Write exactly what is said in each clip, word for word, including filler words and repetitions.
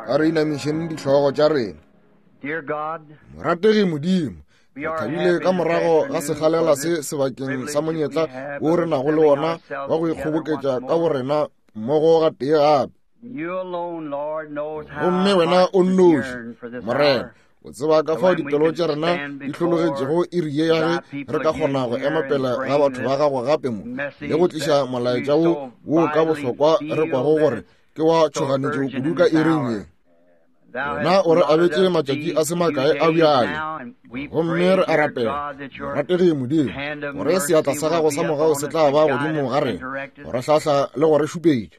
A re inamišeng dihlogo tša rena. Morategi Modimo, re thabile ka morago ga sekgalela se sebakeng sa monyetla wo re nago le wona wa go ikgoboketša ka borena mmogo ga tee gape. Gomme wena o nnoši, Morena, o tseba ka fao dipelo tša rena di hlologetšego iri ye ya ge re ka kgona go ema pele ga batho ba gago gape mo le go tliša molaetša wo wo ka bohlokwa re kwago gore ke wa tšhoganetšo kudu ka iring ye. Wena o re abetše matšatši a se makae a bjale, gomme re a rapela, morategi Modimo, gore seatla sa gago sa mogau se tla ba godimo ga rena go re hlahla le go re šupetša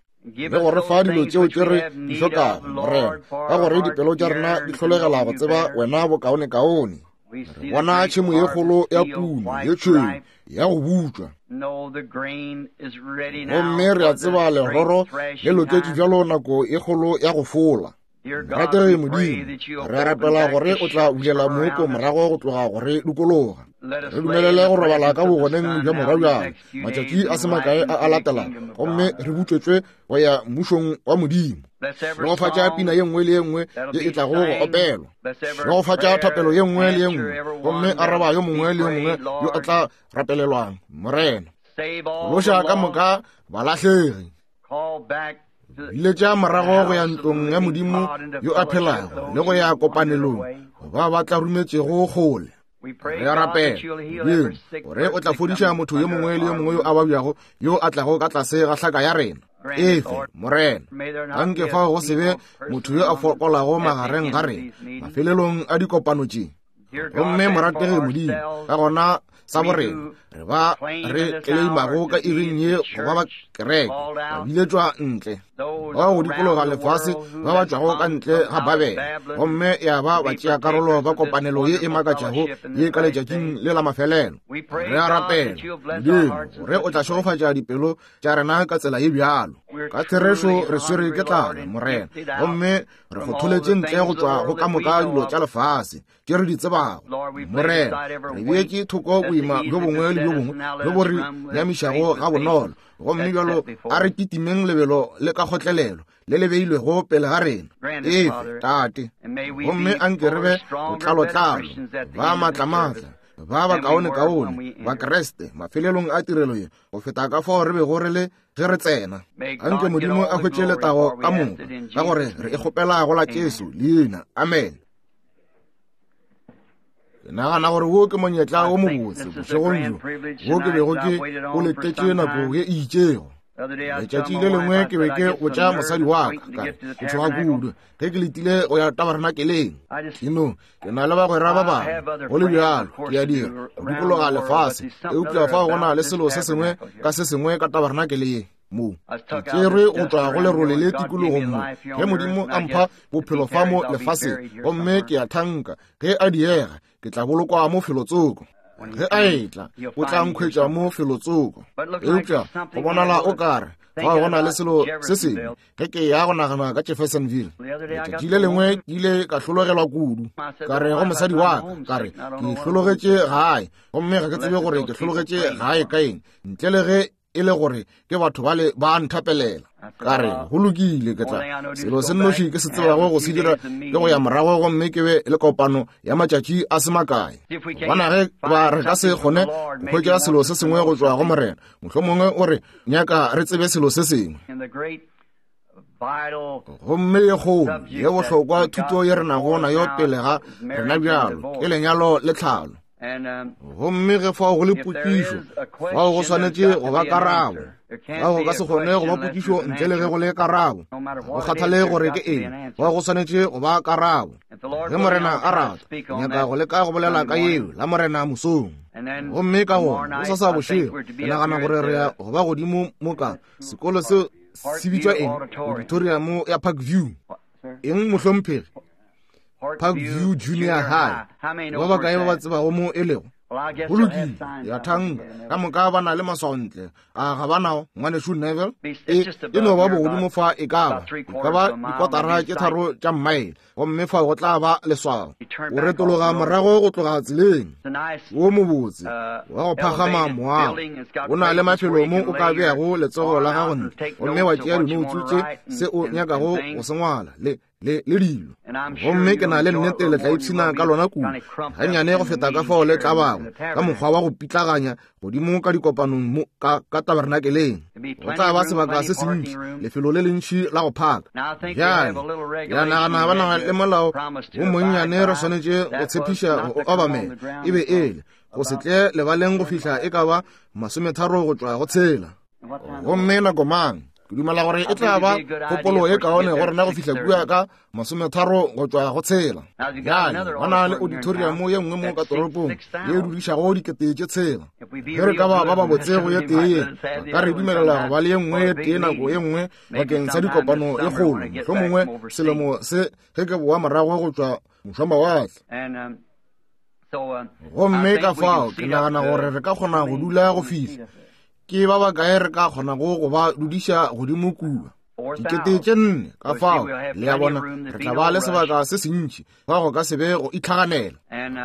le go re fa dilo tšeo tše re di hlokago, Morena, ka gore dipelo tša rena di hlolegela go tseba wena bokaonekaone. Re bona tšhemo ye kgolo ya puno ye tšhweu ya go butšwa, gomme re a tseba leroro le loketše bjalo nako ye kgolo ya go fola. Morategi Modimo, re rapela gore o tla bulela mooko morago go tloga go re dikologa. Re dumelele go robala ka bogoneng bja morwa bjale matšatši a se makae a a latelago, gomme re butšwetšwe go ya mmušong wa Modimo. Šegofatša pina ye nngwe le ye nngwe ye e tlago go opelwa. Šegofatša thapelo ye nngwe le ye nngwe, gomme araba yo mongwe le yo mongwe yo a tla rapelelwang, Morena. Loša ka moka balahlegi. Biletša morago go ya ntlong ya Modimo yo a phelago le go ya kopanelong ba ba tla rometšego kgole. Re a rapela, Modimo, gore o tla fodiša motho yo mongwe le yo mongwe yo a babjago yo a tlago ka tlase ga hlaka ya rena. Efe, Morena, anke fao go se be motho yo a fokolago magareng ga rena mafelelong a dikopano tše. Gomme morategi Modimo, ka gona sa borena re ba re tleleimago ka iring ye go ba ba kereke ba biletšwa ntle ba go dikologa lefase ba ba tšwago ka ntle ga Babele, gomme ya ba ba tšea karolo ba kopanelo ye e makatšago ye ka letšatšing le la mafelelo. Re a rapela, Modimo, gore o tla šegofatša dipelo tša rena ka tsela ye bjalo. Ka therešo re swere ke tlala, Morena, gomme re kgotholetše ntle go tšwa go ka moka dilo tša lefase tše re di tsebago. Morena, re beetše thoko boima bjo bongwe le bjo bongwe bjo bo re nyamišago ga bonolo, gomme bjalo a re kitimeng lebelo le ka kgotlelelo le le beilwego pele ga rena. Efe, Tate, gomme anke re be botlalotlalo, ba maatlamatla, ba bakaonekaone ba Kriste mafelelong a tirelo ye go feta ka fao re bego re le ge re tsena. Anke Modimo a hwetše letago ka moka, ka gore re e kgopela go la Jesu leina. Amen. Ke nagana gore wo ke monyetla wo mobotse bošegong bjo wo ke bego ke o letetše nako ye e itšego. Letšatši le lengwe ke be ke botša mosadi wa ka, ka re ke tšhoga kudu ge ke letile go ya tabernakeleng. Ke no ke na le bagwera ba bangwe, go le bjalo ke a dira go dikologa lefase, eupša fao go na le selo se sengwe ka se sengwe ka tabernakele ye mo. Ke tšerwe go tšwa go lerole le tikologong mo ge Modimo a mpha bophelo fa mo lefaseng, gomme ke a thanka ge a diega ke tla bolokwa mo felotsoko. Ge a etla o tla nkhwetša mo felotsoko. Eupša go bonala o kare fao go na le selo se sengwe ge ke ya go nagana ka Jeffersonville. Letšatši le lengwe ke ile ka hlologelwa kudu, ka re go mosadi wa ka, ka re ke hlologetše gae, gomme ga ke tsebe gore ke hlologetše gae ka eng ntle le ge e le gore ke batho bale ba nthapelela. Ka re go lokile, ke tla selo se nnoši ke se tsebago go se dira ke go ya morago gomme ke be le kopano ya matšatši a se makae. Gobana ge ba re ka se kgone go hwetša selo se sengwe go tšwa go Morena, mohlomongwe o re nyaka re tsebe selo se sengwe. Gomme ye kgolo ye bohlokwa thuto ye re nago nayo pele ga rena bjalo ke lenyalo le tlhalo. Gomme ge fao go le potšišo, fao go swanetše go ba karabo. Fao go ka se kgone go ba potšišo ntle le ge go le karabo. Go kgathale gore ke eng, fao go swanetše go ba karabo. Ge Morena a rata, nyaka go leka go bolela ka yeo la Morena mosong. Gomme ka gona gosasa bošego ke nagana gore re ya go ba godimo mo ka sekolo seo se bitšwa eng, auditorium ya Parkview. Eng mohlomphegi? Parkview Junior High. Ba bakae ba ba tsebago mo e lego? Go lokile, ya thanka ka moka ba na le maswaontle a ga ba nao, ngwanešu Neville. E e no ba bogodimo fa e ka ba e ka ba dikotara tše tharo tša mmaele, gomme fa go tla ba leswao. O retologa morago go tloga tseleng wo mobotse wa go phagama moago. O na le mafelo mo o ka beago letsogo la gago ntle gomme wa tšea dinoutsu tše se o nyakago go se ngwala le le le dilo. Gomme ke na le nnete le tla ipshina ka lona kudu gannyane go feta ka fao le tla bago ka mokgwa wa go pitlaganya godimo ka dikopanong mo ka, ka tabernakeleng. Go tla ba sebaka se sentši, lefelo le lentši la go phaka. Bjale ya nagana ba na le molao wo monnyane re swanetše go tshepiša go obamela, e be ele go se tle lebaleng go fihla e ka ba masometharo go tšwa go tshela. Gomme nako mang ke dumela gore e tla ba kgopolo e kaone go rena go fihla kua ka masometharo go tšwa go tshela. Bjale ba na le auditorium ye nngwe mo ka toropong ye e dudišago dikete tše tshela. Ge re ka ba ba babotse go ye tee ye, ba ka re dumelela go ba le ye nngwe ye tee nako ye nngwe bakeng sa dikopano e kgolo, mohlomongwe selemo se ge ke boa morago go tšwa mošwamawatle. Gomme ka fao ke nagana gore re ka kgona go dula go fihla ke ba bakae re ka kgonago go ba dudiša godimo kua dikete tše nne. Ka fao le a bona re tla ba le sebaka se sentši fa go ka se be go itlhaganela.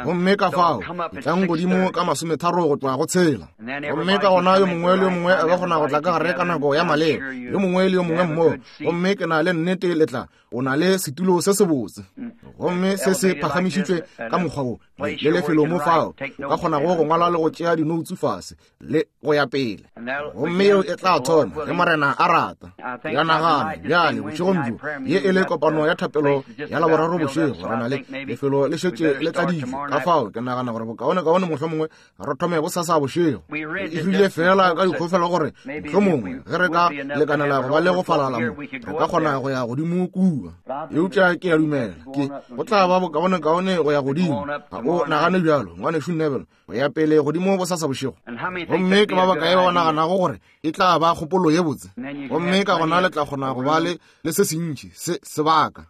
Gomme ka fao e tlang godimo ka masometharo go tšwa go tshela. Gomme ka gona yo mongwe le yo mongwe a ka kgona go tla ka gare ka nako ya maleba, yo mongwe le yo mongwe mmogo. Gomme ke na le nnete le tla o na le setulo se sebotse, gomme se se phagamišitšwe ka mokgwa wo le lefelo mo fao o ka kgonago go ngwala le go tšea dinoutsu fase le go ya pele. Gomme yeo e tla thoma ge Morena a rata. Ya nagana bjale bošegong bjo ye e le kopano ya thapelo ya Laboraro bošego, re na le lefelo le šetše le tladitšwe. Ka fao ke nagana gore bokaonekaone mohlomongwe re thome bosasa bošego. E rile fela ka dikgofelo gore mohlomongwe ge re ka lekanela go ba le go falala mo, re ka kgona go ya godimo kua. Eupša ke a dumela ke go tla ba bokaonekaone go ya godimo. Ga o nagane bjalo, ngwanešu Neville, go ya pele godimo bosasa bošego? Gomme ke ba bakae ba ba naganago gore e tla ba kgopolo ye botse? Gomme ka gona le tla kgona go ba le le se sentši se sebaka.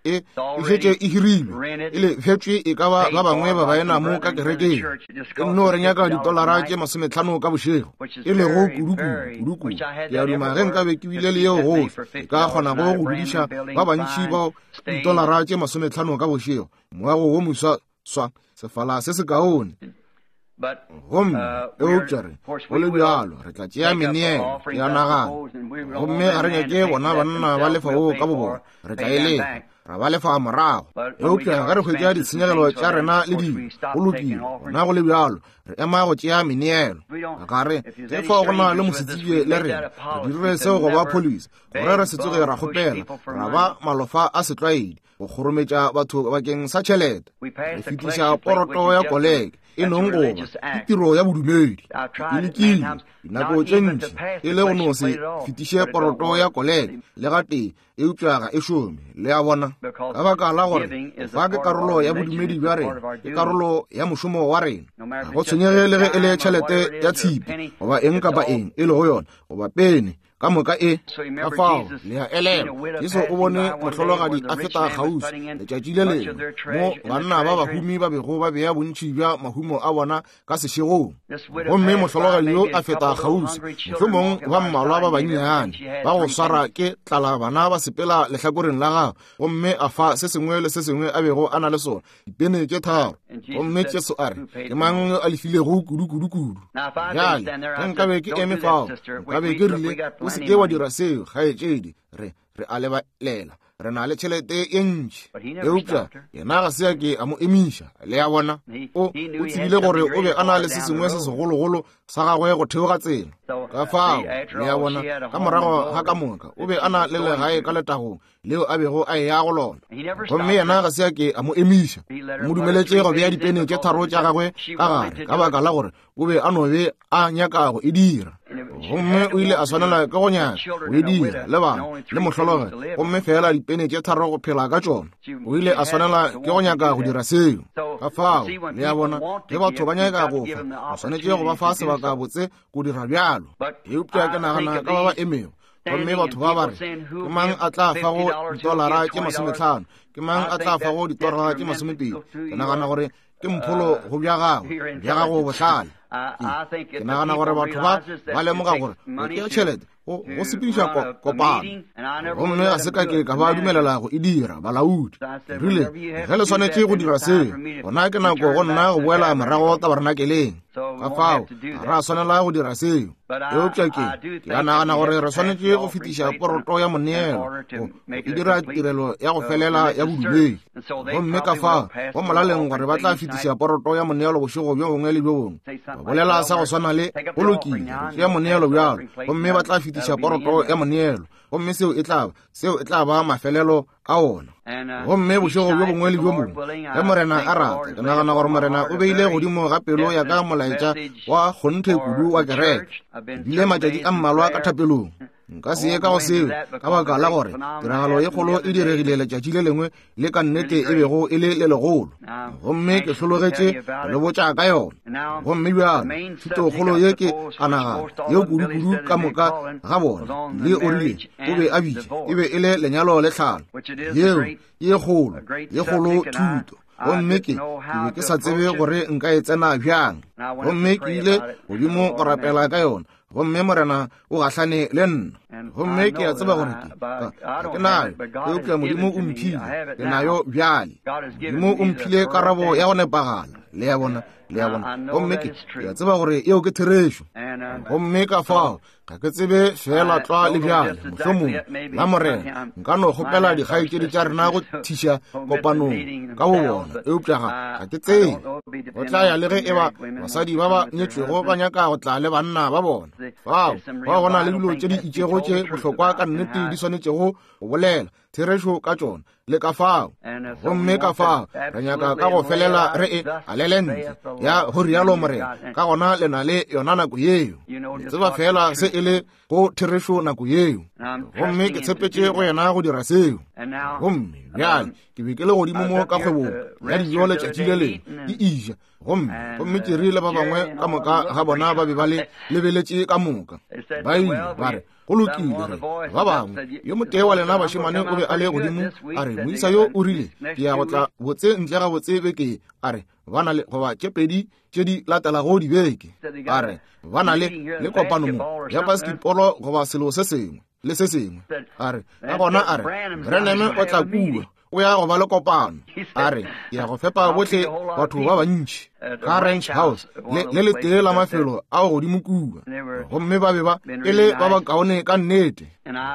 E e šetše e hirilwe, e lefetšwe e ka ba ba bangwe ba baena mo ka kerekeng. E nno re nyaka ditolara tše masometlhano ka bošego, e lego kudukudu kudukudu. Ke a duma ge nkabe ke bile le yeo gohle, e ka kgonago go dudiša ba bantši bao ditolara tše masometlhano ka bošego, moago wo moswa swa sefala se se kaone. Gomme eupša re go le bjalo re tla tšea meneelo, ke a nagana. Gomme ga re nyake bona banna ba lefa wo ka bobona, re tla e lefa ra ba lefa morago. Eupša ge re hwetša ditshenyegelo tša rena le dilo go lokile, gona go le bjalo re ema go tšea meneelo. Ga re ge fao go na le mosetsebje le rena, re dire seo go ba police gore re se tsoge ra kgopela ra ba malofa a setlwaedi go kgorometša batho bakeng sa tšhelete. Re fetiša poroto ya koleke e nong goba ke tiro ya bodumedi. E lekile dinako tše ntši e le go no se fetiše poroto ya koleke le gatee, eupša ga e šome. Le a bona, ka baka la gore fa ke karolo ya bodumedi bja rena, ke karolo ya mošomo wa rena. Ga go tshwenyege le ge e le tšhelete ya tshipi goba eng kapa eng e lego yona goba pene ka moka e. Ka fao le a elelwa, Jesu o bone mohlologadi a feta kgauswi letšatši le lengwe mo banna ba bahumi ba bego ba bea bontši bja mahumo a bona ka sešegong. Gomme mohlologadi yo a feta kgauswi, mohlomong ba mmalwa ba bannyane ba go swara ke tlala bana ba sepela lehlakoreng la gagwe, gomme a fa se sengwe le se sengwe a bego a na le sona, dipene tše tharo. Gomme Jesu a re, ke mang yo a lefilego kudu-kudu-kudu? Bjale ge nkabe ke eme fao, nkabe ke rile, o se ke wa dira seo, kgaetšedi, re re a lebalela, re na le tšhelete ye ntši. Eupša yena ga se a ke a mo emiša. Le a bona, o o tsebile gore o be a na le se sengwe se segologolo sa gagwe go theoga tsela. Ka fao le a bona, ka morago ga ka moka o be a na le legae ka letagong leo a bego a eya go lona. Gomme yena ga se a ke a mo emiša, o mo dumeletše go bea dipene tše tharo tša gagwe ka gare, ka baka la gore o be a no be a nyaka go e dira. Gomme o ile a swanela ke go nyaka go e dira le bana le mohlologe, gomme fela dipene tše tharo go phela ka tšona. O ile a swanela ke go nyaka go dira seo. Ka fao le a bona, ge batho ba nyaka go fa, ba swanetše go ba fa sebaka botse go dira bjalo. Eupša ke nagana ka ba ba emego, gomme batho ba ba re, ke mang a tla fago ditolara tše masometlhano, ke mang a tla fago ditolara tše masomepedi? Ke nagana gore ke mpholo go bja gago, bja gago bohlale. Ke nagana gore batho ba ba lemoga gore go tšea tšhelete go go sepediša kopano, gomme ga se ka ke ka ba dumelela go e dira balaodi. Ke rile ge le swanetše go dira seo, gona ke nako go nna go boela morago tabernakeleng. Ka fao ga ra swanela go dira seo. Eupša ke ke a nagana gore re swanetše go fetiša poroto ya moneelo go e dira tirelo ya go felela ya bodumedi. Gomme ka fao go molaleng gore ba tla fetiša poroto ya moneelo bošego bjo bongwe le bjo bongwe. Ba bolela sa go swana le go lokile go tšea moneelo bjalo, gomme ba tla fetiša poroto ya moneelo, gomme seo e tla ba seo e tla ba mafelelo a ona. Gomme bošego bjo bongwe le bjo bongwe ge Morena a rata, ke nagana gore Morena o beile godimo ga pelo ya ka molaetša wa kgonthe kudu wa kereke. Ke bile matšatši a mmalwa ka thapelong. Nka se ye ka go seo ka baka la gore tiragalo ye kgolo e diregile letšatši le lengwe le ka nnete e bego e le le legolo, gomme ke hlologetše go le botša ka yona. Gomme bjalo thutokgolo ye ke a nagana yeo kudu-kudu ka moka ga bona le o rile o be a bitše e be e le lenyalo le tlhalo, yeo ye kgolo ye kgolo thuto. Gomme ke ke be ke sa tsebe gore nka e tsena bjang, gomme ke ile godimo go rapela ka yona, gomme Morena o gahlane le nna. Gomme ke a tseba gore ke ga ke nayo, eupša Modimo o mphile, ke nayo bjale. Modimo o mphile karabo ya go nepagala, le ya bona, le ya bona. Gomme ke ke a tseba gore eo ke therešo. Gomme ka fao ga ke tsebe fela tlwa le bjale, mohlomongwe la Morena nka no kgopela dikgaetšedi tša rena go thiša kopanong ka bo bona, eupša ga ga ke tsebe. Go tla ya le ge e ba basadi ba ba nyetšwego ba nyaka go tla le banna ba bona. Fao ba go na le dilo tše di itšego tše bohlokwa ka nnete di swanetšego go bolela therešo ka tšona le ka fao. Gomme ka fao re nyaka ka go felela re e alele ntle ya go rialo Morena, ka gona le na le yona nako yeo. Le tseba fela se e le go therešo nako yeo. Gomme ke tshepetše go yena go dira seo. Gomme bjale ke be ke le godimo mo ka kgwebong ya dijo letšatši le lengwe ke ija, gomme gomme Jerry le ba bangwe ka moka ga bona ba be ba le lebeletše ka moka. Ba ile ba re go lokile, re ba bangwe yo motee wa lena bašemane o be a le godimo, a re moisa yo o rile ke ya go tla botse ntle ga botse beke, a re ba na le goba tše pedi tše di latelago dibeke, a re ba na le le kopano mo ya basketball goba selo se sengwe le se sengwe. A re ka gona a re Branham o tla kua, o ya go ba le kopano, a re ke ya go fepa bohle batho ba bantši ka Ranch House le le letee la mafelo ao godimo kua. Gomme ba be ba e le ba bakaone ka nnete.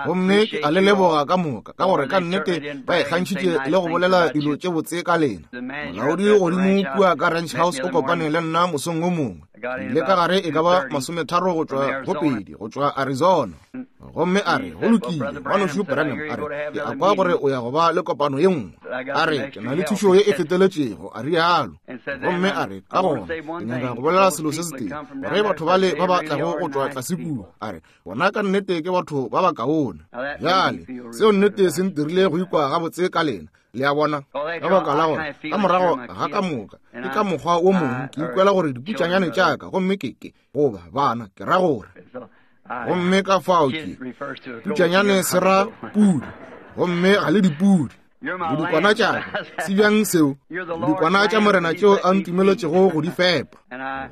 Gomme ke a le leboga ka moka ka gore ka nnete ba ikgantšhitše le go bolela dilo tše botse ka lena. Molaodi godimo kua ka Ranch House o kopane le nna mosong o mongwe, le ka gare e ka ba masometharo go tšwa go pedi go tšwa Arizona. Gomme a re go lokile ngwanešu Branham, a re ke a kwa gore o ya go ba le kopano ye nngwe, a re ke na le thušo ye e feteletšego, a rialo. Gomme a re ka gona ke nyaka go bolela selo se setee, gore batho bale ba ba tlago go tšwa tlase kua, a re bona ka nnete ke batho ba bakaone. Bjale seo nnete se ntirile go ikwa gabotse ka lena, le a bona, ka baka la gore ka morago ga ka moka ke ka mokgwa wo mongwe ke ikwela gore diputšanyane tša ka, gomme ke ke goba bana ke ra gore. Gomme ka fao ke putšanyane se ra pudi, gomme ga le dipudi le dikwana tša ka. Se bjang seo? Dikwana tša Morena tšeo a ntumeletšego go di fepa.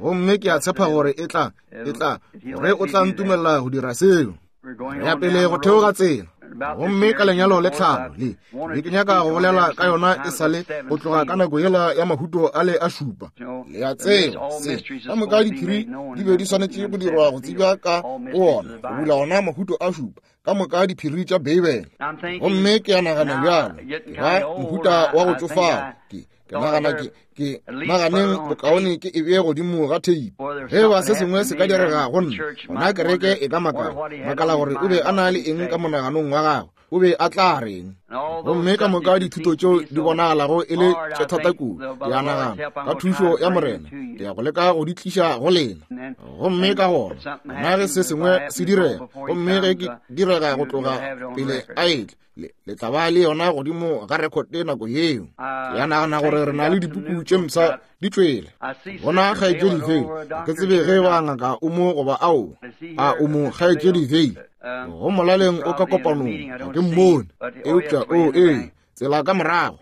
Gomme ke a tshepa gore e tla e tla gore o tla ntumelela go dira seo. Re ya pele go theoga tsela. Gomme ka lenyalo le tlhalo le be ke nyaka go bolela ka yona e sale go tloga ka nako yela ya mahuto a le a šupa. Le a tseba se ka moka diphiri di be di swanetše go dirwa go tsebja ka go ona, go bula ona mahuto a šupa ka moka diphiri tša Beibele. Gomme ke a nagana bjalo ke ba mohuta wa go tšofala, ke ke nagana ke ke naganeng bokaone ke e bee godimo ga theipi. Ge ba se sengwe se ka direga go nna, gona kereke e ka makala makala gore o be a na le eng ka monaganong wa gagwe, o be a tla reng. Gomme ka moka dithuto tšeo di bonagalago e le tše thata kudu, ke a nagana ka thušo ya Morena ke ya go leka go di tliša go lena. Gomme ka gona gona ge se sengwe se direga, gomme ge ke direga go tloga pele a etle, le tla ba le yona godimo ga rekote nako yeo. Ke a nagana gore re na le dipuku tše mpsha di tšwele. Bona kgaetšedi Veil, ga ke tsebe ge ba ngaka o mo goba ao a o mo kgaetšedi Veil. Go molaleng o ka kopanong, ga ke mmone, eupša o ee tsela ka morago.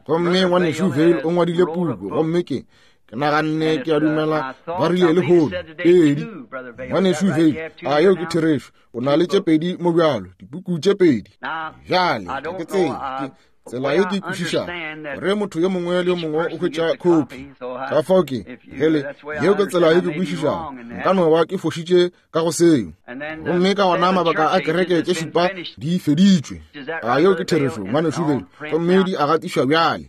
Gomme ngwanešu Veil o ngwadile puku, gomme ke Ke naganne ke a dumela ba rile lehono pedi. Ngwanešu Vayle, a yeo ke therešo, o na le tše pedi mo bjalo, dipuku tše pedi. Bjale ga ke tsebe, ke tsela ye ke kwešišago gore motho yo mongwe le yo mongwe o hwetša khopi. Ka fao ke hele, yeo ke tsela ye ke kwešišago, nka no ba ke fošitše ka go seo. Gomme ka gona mabaka a kereke tše šupa di feditšwe. A yeo ke therešo, ngwanešu Vayle, gomme di a gatišwa bjale.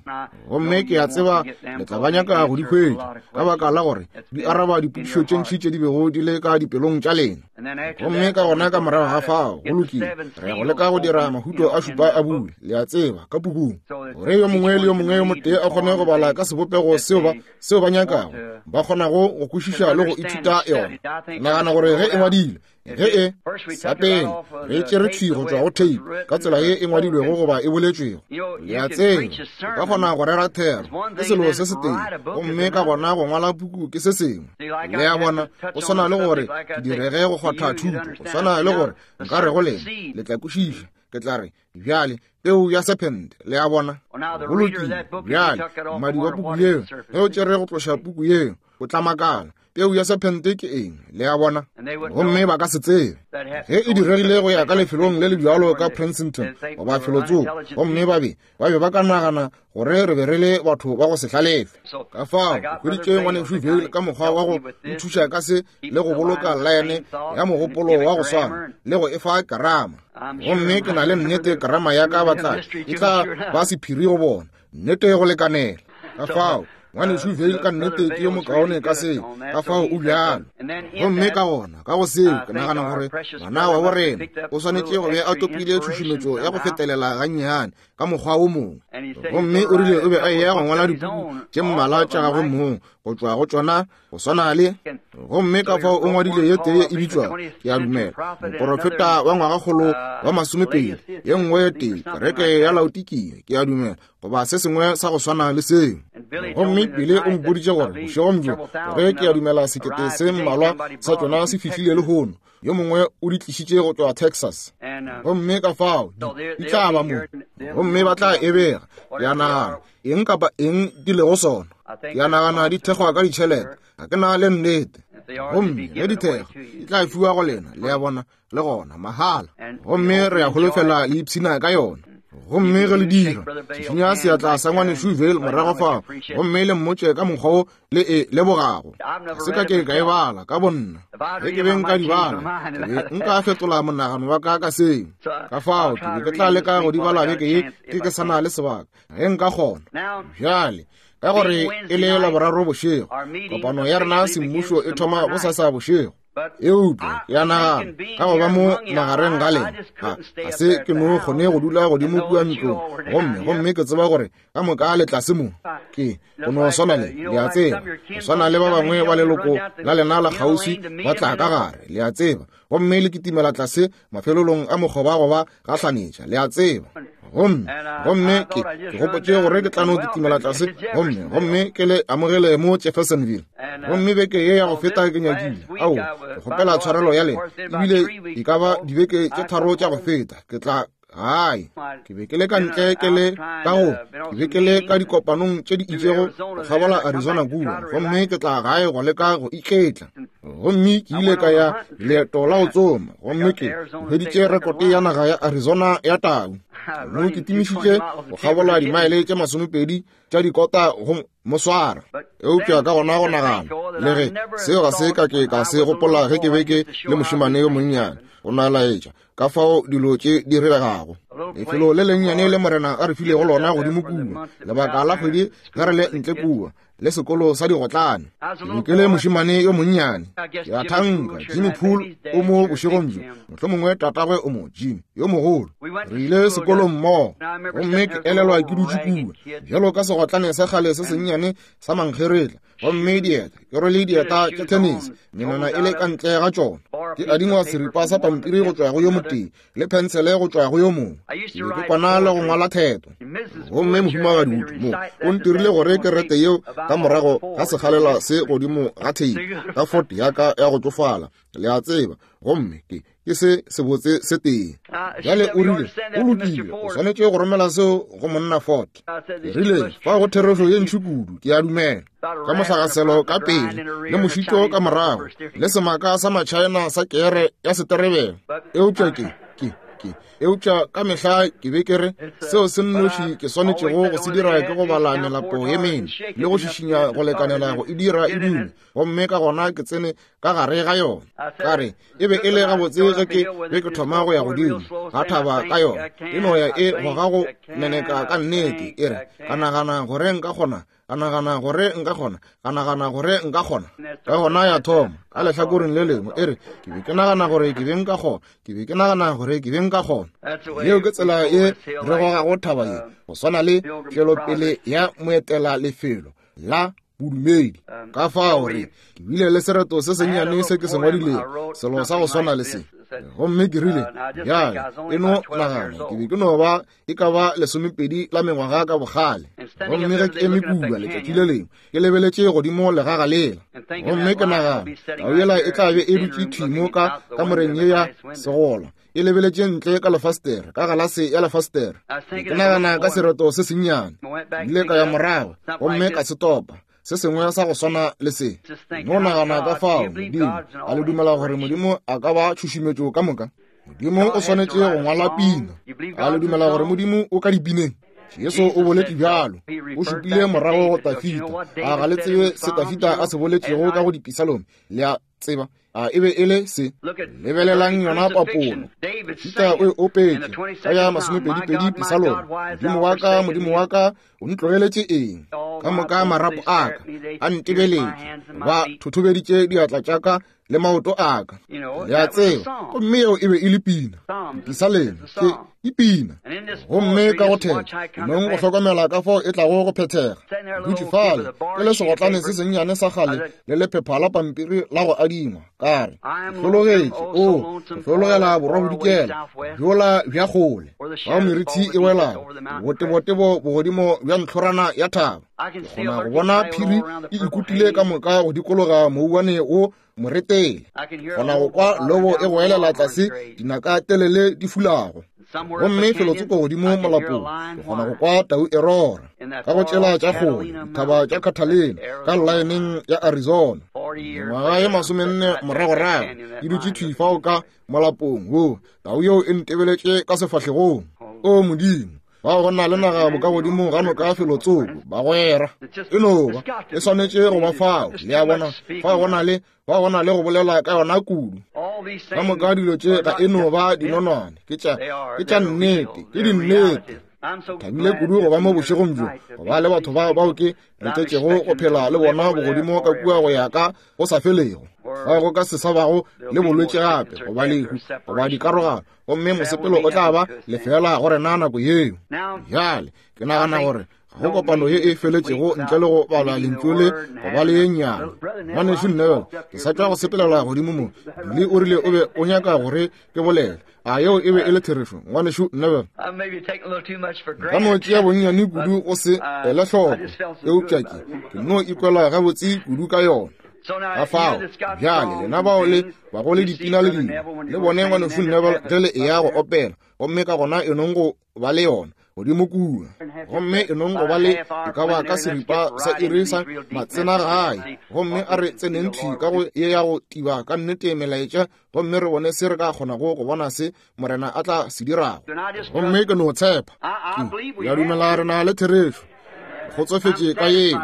Gomme ke a tseba le tla ba nyaka go di hwetša, ka baka la gore di araba dipotšišo tše ntši tše di bego di le ka dipelong tša lena. Gomme ka gona ka morago ga fao, go lokile, re ya go leka go dira mahuto a šupa a bule, le a tseba, ka pukung, gore yo mongwe le yo mongwe yo motee a kgone go bala ka sebopego seo ba seo ba nyakago, ba kgonago go kwešiša le go ithuta yona. Nagana gore ge e ngwadilwe, ge e sa pele re tšere thwi go tšwa go tape ka tsela ye e ngwadilwego goba e boletšwego, le a tseba, o ka kgona go rera thero ke selo se setee, gomme ka gona go ngwala puku ke se sengwe. Le a bona, go swana le gore ke direge go kgwatha thuto, go swana le gore nka re go lena, le tla kwešiša, ke tla re bjale peu ya serpent, le a bona. Go lokile, bjale mmadi wa puku yeo, ge o tšere go tloša puku yeo, o tla makala peu ya serpente ke eng, le a bona. Gomme ba ka se tsebe ge e diregile go ya ka lefelong le le bjalo ka Princeton goba felotsoko, gomme ba be ba be ba ka nagana gore re be re le batho ba go se hlalefe. Ka fao ke hweditše ngwanešu Vayle ka mokgwa wa go nthuša ka se le go boloka laene ya mogopolo wa go swana le go e fa karama. Gomme ke na le nnete karama ya ka batla e tla ba sephiri go bona, nnete go lekanela. Ka fao ngwanešu Vayle ka nnete ke yo mokaone ka seo, ka fao o bjalo. Gomme ka gona ka go seo ke nagana gore ngwana wa borena o swanetše go be a topile tšhušumetšo ya go fetelela gannyane ka mokgwa wo mongwe. Gomme o rile o be a eya go ngwala dipuku tše mmalwa tša gagwe mong go tšwa go tšona go swana le. Gomme ka fao o ngwadile ye tee e bitšwa, ke a dumela, moporofeta wa ngwagakgolo wa masomepedi, ye nngwe ye tee kereke ya Laodikia, ke a dumela, goba se sengwe sa go swana le seo. Gomme Bile o mpoditše gore bošegong bjo, gore ke a dumela sekete se mmalwa sa tšona se fihlile lehono, yo mongwe o di tlišitše go tšwa Texas. Gomme ka fao di tla ba mo, gomme ba tla e bega. Ke a nagana eng kapa eng di lego sona, ke a nagana di thekgwa ka ditšhelete, ga ke na le nnete. Gomme ge di thekgwa di tla fiwa go lena, le a bona, le gona mahala. Gomme re a holofela le ipshina ka yona. Gomme ge le dira, šišinya seatla sa ngwanešu Vayle morago fao, gomme le mmotše ka mokgwa wo le e lebogago. Ga se ka ke ka e bala ka bonna. Ge ke be nka di bala, ke be nka fetola monagano wa ka ka seo. Ka fao ke be ke tla leka go di bala beke ye ke ke sa na le sebaka, ge nka kgona. Bjale ka gore e le Laboraro bošego, kopano ya rena semmušo e thoma bosasa bošego. Eupša ke a nagana ka go ba mo magareng ga lena, ga ga se ke no kgone go dula godimo kua ntlong, gomme gomme ke tseba gore ka moka le tlase mo. Ke go no swana le, le a tseba, go swana le ba bangwe ba leloko la lena la kgauswi ba tla ka gare, le a tseba, gomme le kitimela tlase mafelelong a mokgoba goba gahlanetša, le a tseba. Gomme gomme ke ke gopotše gore ke tla no kitimela tlase, gomme gomme ke le amogele mo Jeffersonville. Gomme beke ye ya go feta ke nyakile, ao, ke kgopela tshwarelo ya lena, ebile e ka ba dibeke tše tharo tša go feta, ke tla gae. Ke be ke le ka ntle ke le ka go, ke be ke le ka dikopanong tše di itšego go kgabola Arizona kua, gomme ke tla gae go leka go iketla. Gomme ke ile ka ya leeto la go tsoma, gomme ke hweditše rekote ya naga ya Arizona ya tau. Mo ke timišitše go kgabola dimaele tše masomepedi tša dikota go mo swara. Eupša ka gona go nagana, le ge seo ga se ka ke ka se gopola ge ke be ke le mošemane yo monnyane, go na laetša ka fao dilo tše di regago. Lefelo le lennyane le Morena a re filego lona godimo kua, lebaka la kgwedi ge re le ntle kua, le sekolo sa digotlane. Ke be ke le mošemane yo monnyane, ke a thanka Jimmy Poole o mo bošegong bjo, mohlomongwe tatagwe o mo, Jimmy yo mogolo. Re ile sekolong mmogo, gomme ke elelwa ke dutše kua bjalo ka segotlane sa kgale se sennyane sa mankgeretla, gomme dieta ke rwele dieta tša tennis, menwana e le ka ntle ga tšona. Ke adingwa seripa sa pampiri go tšwa go yo motee le phensele go tšwa go yo mongwe. Ke be ke kwana le go ngwala theto. Gomme mohumagadi Wood mo o ntirile gore ke rete yeo ka morago ga sekgalela se godimo ga theipi ka Ford ya ka ya go tšofala le a tseba, gomme ke ke se sebotse se tee. Bjale o rile, o lokile, o swanetše go romela seo go monna Ford. Ke rile, fa go therešo ye ntši kudu, ke a dumela. Ka mohlagaselo ka pele, le mošito ka morago, le semaka sa Machina sa kere ya seterebelo. Eupša ke, ke, ke, eupša ka mehla ke be ke re, seo se nnoši ke swanetšego go se dira ke go bala melapo ye mene, le go šišinya go lekanela go e dira e dume, gomme ka gona ke tsene ka gare ga yona. Ka re, e be e le gabotse ge ke be ke thoma go ya godimo ga thaba ka yona, e no ya e goga go neneka ka nnete, e re, ka nagana gore nka kgona, ka nagana gore nka kgona, ka nagana gore nka kgona. Ka gona ya thoma ka lehlakoreng le lengwe, e re, ke be ke nagana gore ke be nka kgona, ke be ke nagana gore ke be nka kgona. Yeo ke tsela ye re gogago thaba ye, go swana le tšwelopele ya moetela lefelo la bodumedi. Ka fao re, ke bile le sereto se sennyane se ke se ngwadilego, selo sa go swana le se. Gomme ke rile, bjale, e no nagana, ke be ke no ba e ka ba lesomepedi la mengwaga ka bogale. Gomme ge ke eme kua letšatši le lengwe, ke lebeletše godimo legaga lela. Gomme ke nagana, tau yela e tla be e dutše thwi mo ka kamoreng ye ya segola, e lebeletše ntle ka lefastere, ka galase ya lefastere. Ke nagana ka sereto se sennyane. Ke ile ka ya morago, gomme ka se topa, se sengwe sa go swana le se. No nagana ka fao Modimo, a le dumela gore Modimo a ka ba tšhušumetšo ka moka? Modimo o swanetše go ngwala pina. A le dumela gore Modimo o ka dipineng? Jesu o boletše bjalo, o šupile morago go Tafita. A ga le tsebe se Tafita a se boletšego ka go dipisalome? Le a tseba, a e be e le se. Lebelelang yona papolo. Tafita o e opetše ka ya masomepedi-pedi pisalome. Modimo wa ka, Modimo wa ka, o ntlogeletše eng? Ka moka marapo a ka a ntebeletše, ba thothobeditše diatla tša ka le maoto a ka. Le a tseba, gomme yeo e be e le pina. Dipisaleme ke e pina. Gomme ka go theta, nong go hlokomela ka fao e tlago go phethega. Dutše fale, ke le segotlane se sennyane sa kgale le lephepha la pampiri la go adingwa. Ka re, ke hlologetše, o, ke hlologela borwa-bodikela bjola bja kgole, fao merithi e welago, botebotebo bogodimo bja ntlhorana ya thaba. Ke kgona go bona phiri e ikutile ka moka go dikologa mouwane wo moretele. Kgona go kwa lobo e goelela tlase dinaka telele di fulago. Gomme felotsoko godimo molapong, ke kgona go kwa tau e rora ka go tšela tša kgole dithaba tša Catalina ka llaeneng ya Arizona. Mengwaga ye masomenne moragorago ke dutše thwi fao ka molapong wo, tau yeo e ntebeletše ka sefahlegong. O Modimo, bao go na le naga bokagodimo ga noka felotsoko, bagwera. E no ba, e swanetše go ba fao, le a bona, fao go na le, fao go na le go bolela ka yona kudu. Ka moka dilo tše ga e no ba dinonwane, ke tša, ke tša nnete, ke dinnete. Thabile kudu go ba mo bošegong bjo, go ba le batho ba bao ke letetšego go phela le bona bogodimo ka kua go ya ka go sa felego. Fao go ka se sa bago le bolwetši gape, goba lehu, goba dikarogano, gomme mosepelo o tla ba lefela go rena nako yeo. Bjale ke nagana gore ga go kopano ye e feletšego ntle le go bala lentšu le go ba le ye nnyane. Ngwanešu Neville, ke sa tšwa go sepelela godimo mo. Billy o rile o be o nyaka gore ke bolele. A yeo e be e le therešo, ngwanešu Neville? Nka no tšea bonnyane kudu go se ele hloko, eupša ke, ke no ikwela gabotse kudu ka yona. Ka fao, bjale lena bao le bago le dipina le dingwe, le bone ngwanešu Neville ge le eya go opela, gomme ka gona e nong go ba le yona godimo kua. Gomme e nong go ba le e ka ba ka seripa sa iri sa matsena gae, gomme a re tseneng thwi ka go ye ya go tiba ka nnete melaetša, gomme re bone se re ka kgonago go bona se Morena a tla se dirago. Gomme ke no tshepa, ke ya dumela re na le therešo. Kgotsofetše ka yeo,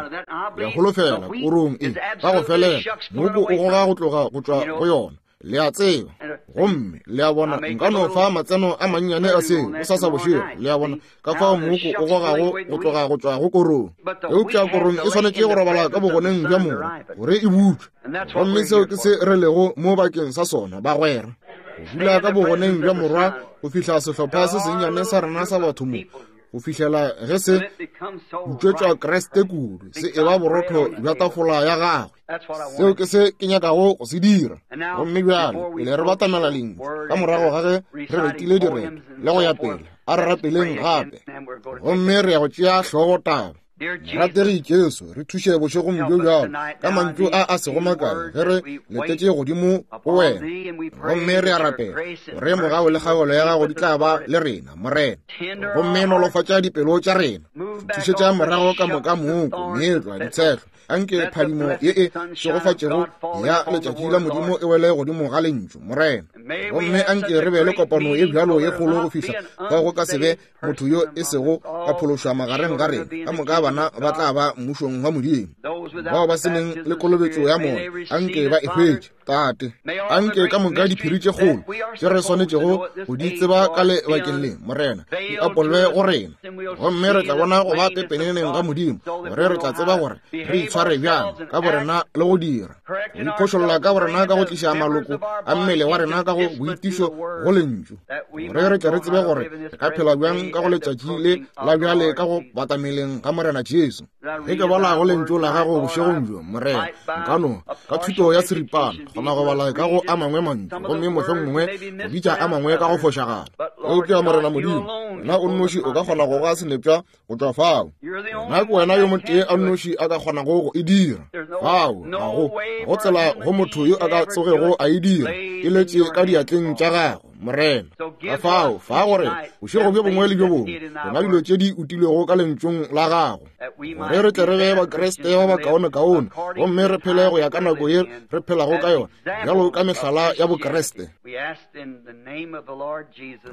ya holofela korong e ka go felela, mooko o goga go tloga go tšwa go yona. Le a tseba, gomme le a bona, nka no fa matseno a mannyane a seo bosasa bošego, le a bona, ka fao mooko o gogago go tloga go tšwa go korong. Eupša korong e swanetše go robala ka bogoneng bja morwa gore e butšwe. Gomme seo ke se re lego mo bakeng sa sona, bagwera. Go dula ka bogoneng bja morwa go fihla sehlopha se sennyane sa rena sa batho mo, go fihlela ge se butšwetšwa Kriste kudu, se e ba borotho bja tafola ya gagwe. Seo ke se ke nyakago go se dira. Gomme bjale, pele re batamela lentšu, ka morago ga ge re retile direto le go ya pele, a re rapeleng gape. Gomme re ya go tšea hlogo taba. Rategi Jesu, re thuše bošegong bjo bjalo ka mantšu a a sego makae ge re letetše godimo go wena. Gomme re a rapela gore mogau le kgaogelo ya gago di tla ba le rena, Morena. Gomme nolofatša dipelo tša rena, thušetša morago ka moka mooko, meetlwa, ditshehlo. Anke phadimo ye e šegofatšego ya letšatši la Modimo e wele godimo ga lentšu, Morena. Gomme anke re be le kopano ye bjalo ye kgolo go fihla fao go ka se be motho yo e sego a phološwa magareng ga rena. Ka moka bana ba tla ba mmušong wa Modimo. Bao ba se neng le kolobetšo ya moya, anke ba e hwetše, Tate. Anke ka moka diphiri tše kgolo tše re swanetšego go di tseba ka lebakeng le, Morena, di apolwe go rena. Gomme re tla bona go ba pepeneneng ga Modimo, gore re tla tseba gore re itshware bjang ka borena le go dira, go iphošolla ka borena ka go tliša maloko a mmele wa rena ka go boitišo go lentšu, gore re tle re tsebe gore re ka phela bjang ka go letšatši le la bjale ka go batameleng ga Morena Jesu. Ge ke bala go lentšu la gago bošegong bjo, Morena, nka no ka thuto ya seripana kgona go bala ka go a mangwe mantšu, gomme mohlomongwe go bitša a mangwe ka go fošagala. Eupša Morena Modimo, wena o nnoši o ka kgona go ga senepša go tšwa fao. Wena ke wena yo motee a nnoši a ka kgonago go e dira. Fao ga go go tsela go motho yo a ka tsogego a e dira, e letše ka diatleng tša gago, Morena. Ka fao fa gore bošego bjo bongwe le bjo bongwe rena dilo tše di utilwego ka lentšong la gago, gore re tle re be Bakriste ba bakaonekaone, gomme re phele go ya ka nako ye re phelago ka yona, bjalo ka mehlala ya Bokriste. Re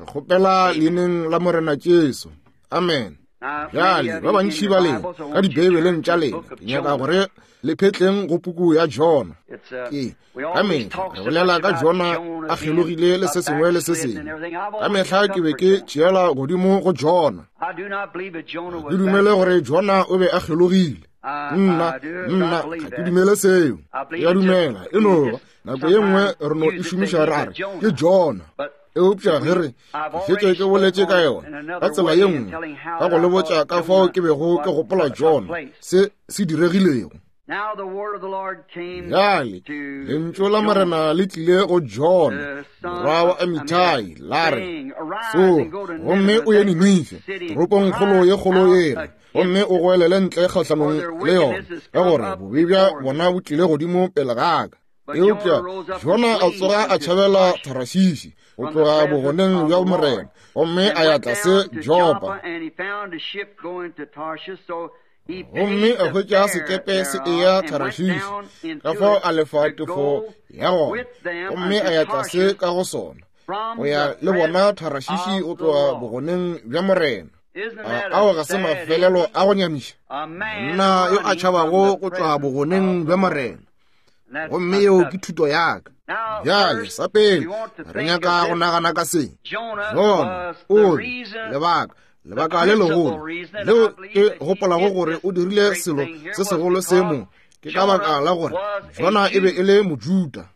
kgopela leineng la Morena Jesu. Amen. Bjale ba bantši ba lena ka dibeibeleng tša lena, ke nyaka gore le phetleng go puku ya Jona. Ke ka mehla re bolela ka Jona a kgelogile le se sengwe le se sengwe. Ka mehla ke be ke tšeela godimo go Jona. Ke dumele gore Jona o be a kgelogile. Nna, nna, ga ke dumele seo. Ke a dumela, e no ba nako ye nngwe re no e šomiša ra re ke Jona. Eupša ge re šetše ke boletše ka yona ka tsela ye nngwe, ka go le botša ka fao ke bego ke gopola Jona se se diregilego. Bjale lentšu la Morena le tlile go Jona morwa wa Amitai, la re, Tsoga gomme o ye Ninife, toropongkgolo ye kgolo yela, gomme o goelele ntle kgahlanong le yona, ka gore bobe bja bona bo tlile godimo pele ga ka. Eupša Jona a tsoga a tšhabela Tarashishi go tloga bogoneng bja Morena, gomme a ya tlase Jopa. Gomme a hwetša sekepe se eya Tarashishi, ka fao a lefa tefo ya gona, gomme a ya tlase ka go sona go ya le bona Tarashishi go tloga bogoneng bja Morena. Ao ga se mafelelo a go nyamiša, monna yo a tšhabago go tloga bogoneng bja Morena. Gomme yeo ke thuto ya ka. Bjale sa pele re nyaka go nagana ka se. Jona o lebaka lebaka le legolo leo ke gopolago gore o dirile selo se segolo se mo, ke ka baka la gore Jona e be e le Mojuda.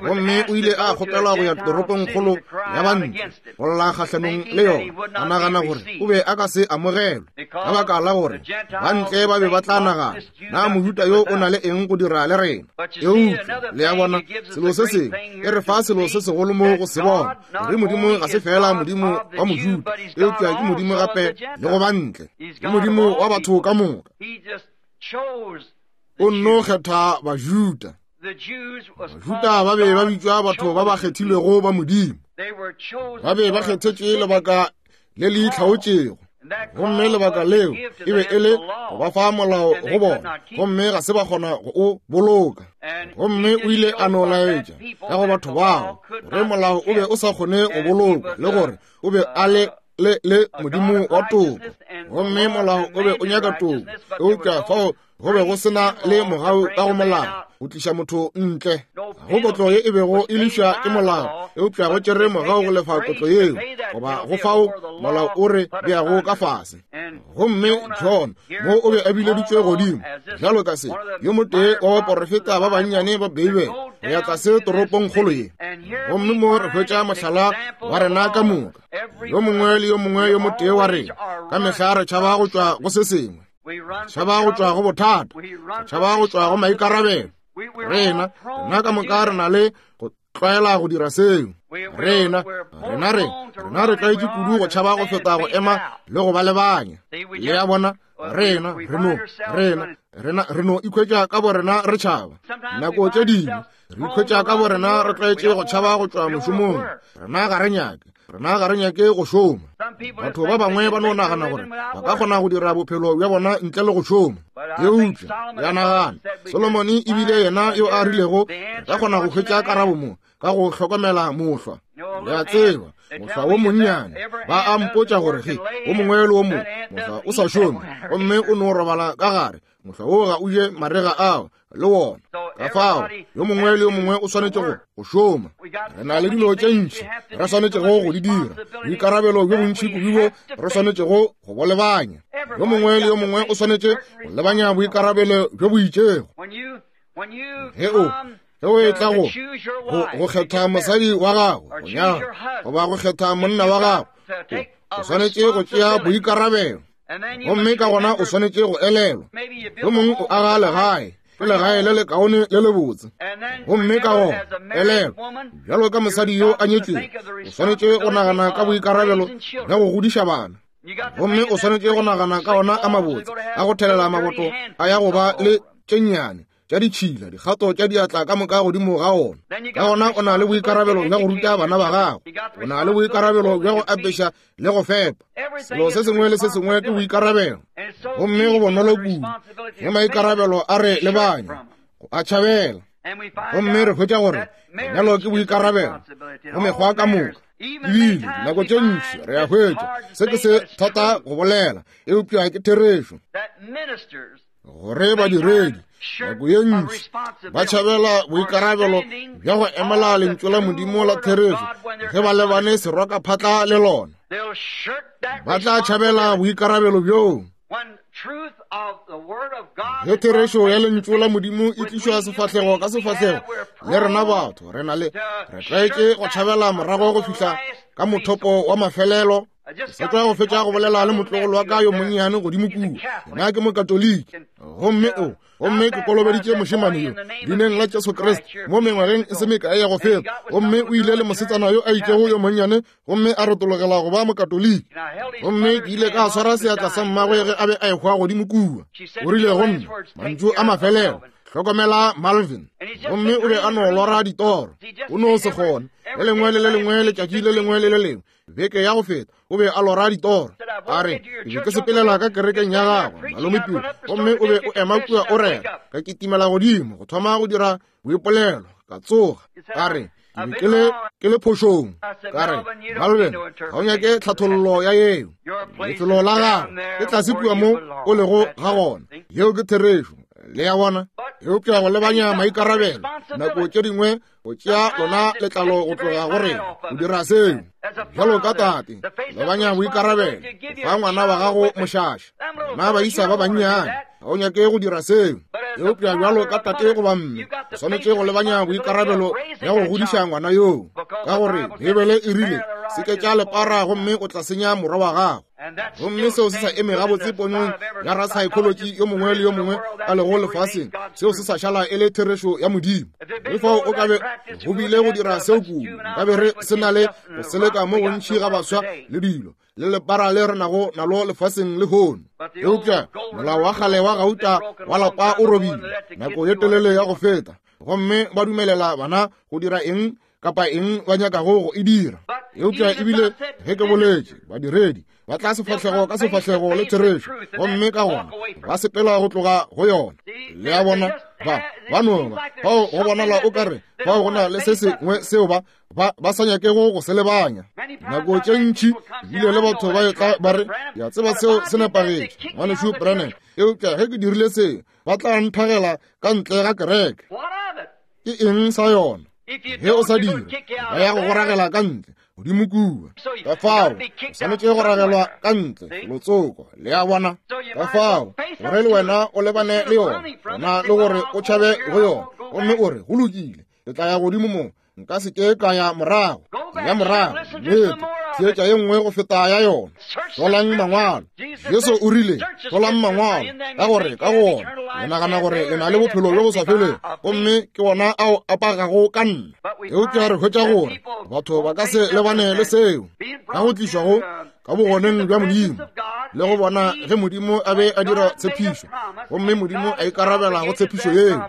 Gomme o ile a kgopelwa go ya toropongkgolo ya bantle go lla kgahlanong le yona, a nagana gore o be a ka se amogelwe, ka baka la gore bantle ba be ba tla nagana, na Mojuda yo o na le eng go dira le rena? Eupša le a bona, selo se sengwe e re fa selo se segolo mo go se bona, gore Modimo ga se fela Modimo wa Mojuda, eupša ke Modimo gape le go bantle, ke Modimo wa batho ka moka. O nno kgetha Bajuda. Bajuda ba be ba bitšwa batho ba ba kgethilwego ba Modimo. Ba be ba kgethetšwe lebaka le le itlhaotšego, gomme lebaka leo e be e le go ba fa molao go bona, gomme ga se ba kgona go o boloka. Gomme o ile a no laetša ka go batho bao gore molao o be o sa kgone go bolokwa, le gore o be a le le le Modimo wa toko, gomme molao o be o nyaka toko, eupša fao go be go sena le mogau ka go molao go tliša motho ntle. Go kotlo ye e bego e lefša ke molao, eupša go tšere mogau go lefa kotlo yeo, goba go fao molao o re beago ka fase. Gomme John mo o be a bileditšwe godimo bjalo ka se yo motee wa baporofeta ba bannyane ba Beibele go ya tlase toropongkgolo ye. Gomme mo re hwetša mohlala wa rena ka moka, yo mongwe le yo mongwe yo motee wa rena ka mehla re tšhaba go tšwa go se sengwe, tšhaba go tšwa go bothata, tšhaba go tšwa go maikarabelo. Rena rena ka moka re na le go tlwaela go dira seo. Rena, rena re, rena re tlwaetše kudu go tšhaba go feta go ema le go ba lebanya. Le a bona, rena, re no, rena, rena, re no ikhwetša ka borena re tšhaba. Nako tše dingwe re ikhwetša ka borena re tlwaetše go tšhaba go tšwa mošomong. Rena ga re nyake, rena ga re nyake go šoma. Batho ba bangwe ba no nagana gore ba ka kgona go dira bophelo bja bona ntle le go šoma. Eupša ya nagana, Solomone ebile yena yo a rilego re ka kgona go hwetša karabo mo ka go hlokomela mohlwa. Le a tseba, mohlwa wo monnyane, ba a mpotša gore ge o mongwe le o mongwe mohlwa o sa šome gomme o no robala ka gare, mohlwa wo ga o je marega ao le wona. Ka fao yo mongwe le yo mongwe o swanetše go go šoma. Re na le dilo tše ntši re swanetšego go di dira, boikarabelo bjo bontši kudu bo re swanetšego go bo lebanya. Yo mongwe le yo mongwe o swanetše go lebanya boikarabelo bjo bo itšego. Ge o ge o etla go go kgetha mosadi wa gago go nyala goba go kgetha monna wa gago, o swanetše go tšea boikarabelo, gomme ka gona o swanetše go elelwa. Yo mongwe o aga legae, ke legae le lekaone le lebotse, gomme ka gona elelwa, bjalo ka mosadi yo a nyetšwego, o swanetše go nagana ka boikarabelo bja go godiša bana, gomme o swanetše go nagana ka ona a mabotse a go thelela maboto a ya go ba le tše nnyane tša ditšhila, dikgato tša diatla ka moka godimo ga ona. Ka gona o na le boikarabelo bja go ruta bana ba gago, o na le boikarabelo bja go apeša le go fepa. Selo se sengwe le se sengwe ke boikarabelo, gomme go bonolo kudu ge maikarabelo a re lebanya go a tšhabela. Gomme re hwetša gore lenyalo ke boikarabelo go mekgwa ka moka. Ebile dinako tše ntši re a hwetša se ke se thata go bolela, eupša ke therešo gore badiredi nako ye ntši ba tšhabela boikarabelo bja go emela lentšu la Modimo la therešo ge ba lebane serokaphatla le lona. Ba tla tšhabela boikarabelo bjoo. Ge therešo ya lentšu la Modimo e tlišwa sefahlego ka sefahlego le rena batho, re na le re tlwaetše go tšhabela morago go fihla ka mothopo wa mafelelo. Ke sa tšwa go fetša go bolela le motlogolo wa ka yo monnyane godimo kua. Yena ke mokatoliki, gomme o gomme ke kolobeditše mošemane yo leineng la Jesu Kriste mo mengwageng e se mekae ya go feta, gomme o ile le mosetsana yo a itšego yo monnyane gomme a retologela go ba mokatoliki. Gomme ke ile ka swara seatla sa mmagwe ge a be a ehwa godimo kua. O rile go nna mantšu a mafelelo, hlokomela Malvin. Gomme o be a no lora ditoro, o no se kgone le lengwe le le lengwe letšatši le lengwe le le lengwe beke ya go feta o be a lora ditoro. A re, ke be ke sepelela ka kerekeng ya gago malome Pio, gomme o be o ema kua o rera, ka kitimela godimo go thoma go dira boipolelo, ka tsoga. A re, ke be ke le ke le phošong. Ka re, Malvin, ga o nyake tlhathollo ya yeo. Lefelo la gago ke tlase kua mo o lego ga gona. Yeo ke therešo. Le a bona? Eupša go lebanya maikarabelo nako tše dingwe go tšea lona letlalo go tloga go rena go dira seo. Bjalo ka tate, lebanya boikarabelo fa ngwana wa gago mošaša. Bana ba isa ba bannyane, ga o nyake go dira seo. Eupša bjalo ka tate goba mme, o swanetše go lebanya boikarabelo bja go godiša ngwana yoo, ka gore Beibele e rile se ke tša lepara gomme o tla senya morwa wa gago. Gomme seo se sa eme gabotse ponong ya rapsychology yo mongwe le yo mongwe a lego lefaseng, seo se sa šala e le therešo ya Modimo. Le fao o ka be go bile go dira seo kudu, nka be re se na le go seleka mo gontši ga baswa le dilo le lepara le re nago nalo lefaseng lehono. Eupša molao wa kgale wa gauta wa lapa o robile nako ye telele ya go feta, gomme ba dumelela bana go dira eng kapa eng ba nyakago go e dira. Eupša ebile ge ke boletše, badiredi ba tla sefahlego ka sefahlego le therešo, gomme ka gona ba sepela go tloga go yona. Le a bona, ba ba no ba fao go bonala o ka re fao go na le se sengwe seo ba ba ba sa nyakego go se lebanya. Nako tše ntši ebile le batho ba etla ba re, ke a tseba seo se nepagetše, ngwanešu Branham, eupša ge ke dirile seo ba tla nthagela ka ntle ga kereke. Ke eng sa yona? Ge o sa dire, ba ya go go ragela ka ntle godimo kua. Ka fao o swanetše go ragelwa ka ntle lotsoko. Le a bona? Ka fao gore le wena o lebane le yona, gona le gore o tšhabe go yona, gomme o re, go lokile, ke tla ya godimo mo, nka se ke ka ya morago. Ya morago, nnete, Theetša ye nngwe go feta ya yona. Hlolang mangwalo. Jesu o rile, hlolang mangwalo, ka gore ka go ona le nagana gore le na le bophelo bjo bo sa felego, gomme ke wona ao a pakago ka nna. Eupša re hwetša gore batho ba ka se lebane le seo, ka go tlišwa go ka bogoneng bja Modimo, le go bona ge Modimo a be a dira tshepišo, gomme Modimo a ikarabela go tshepišo yeo.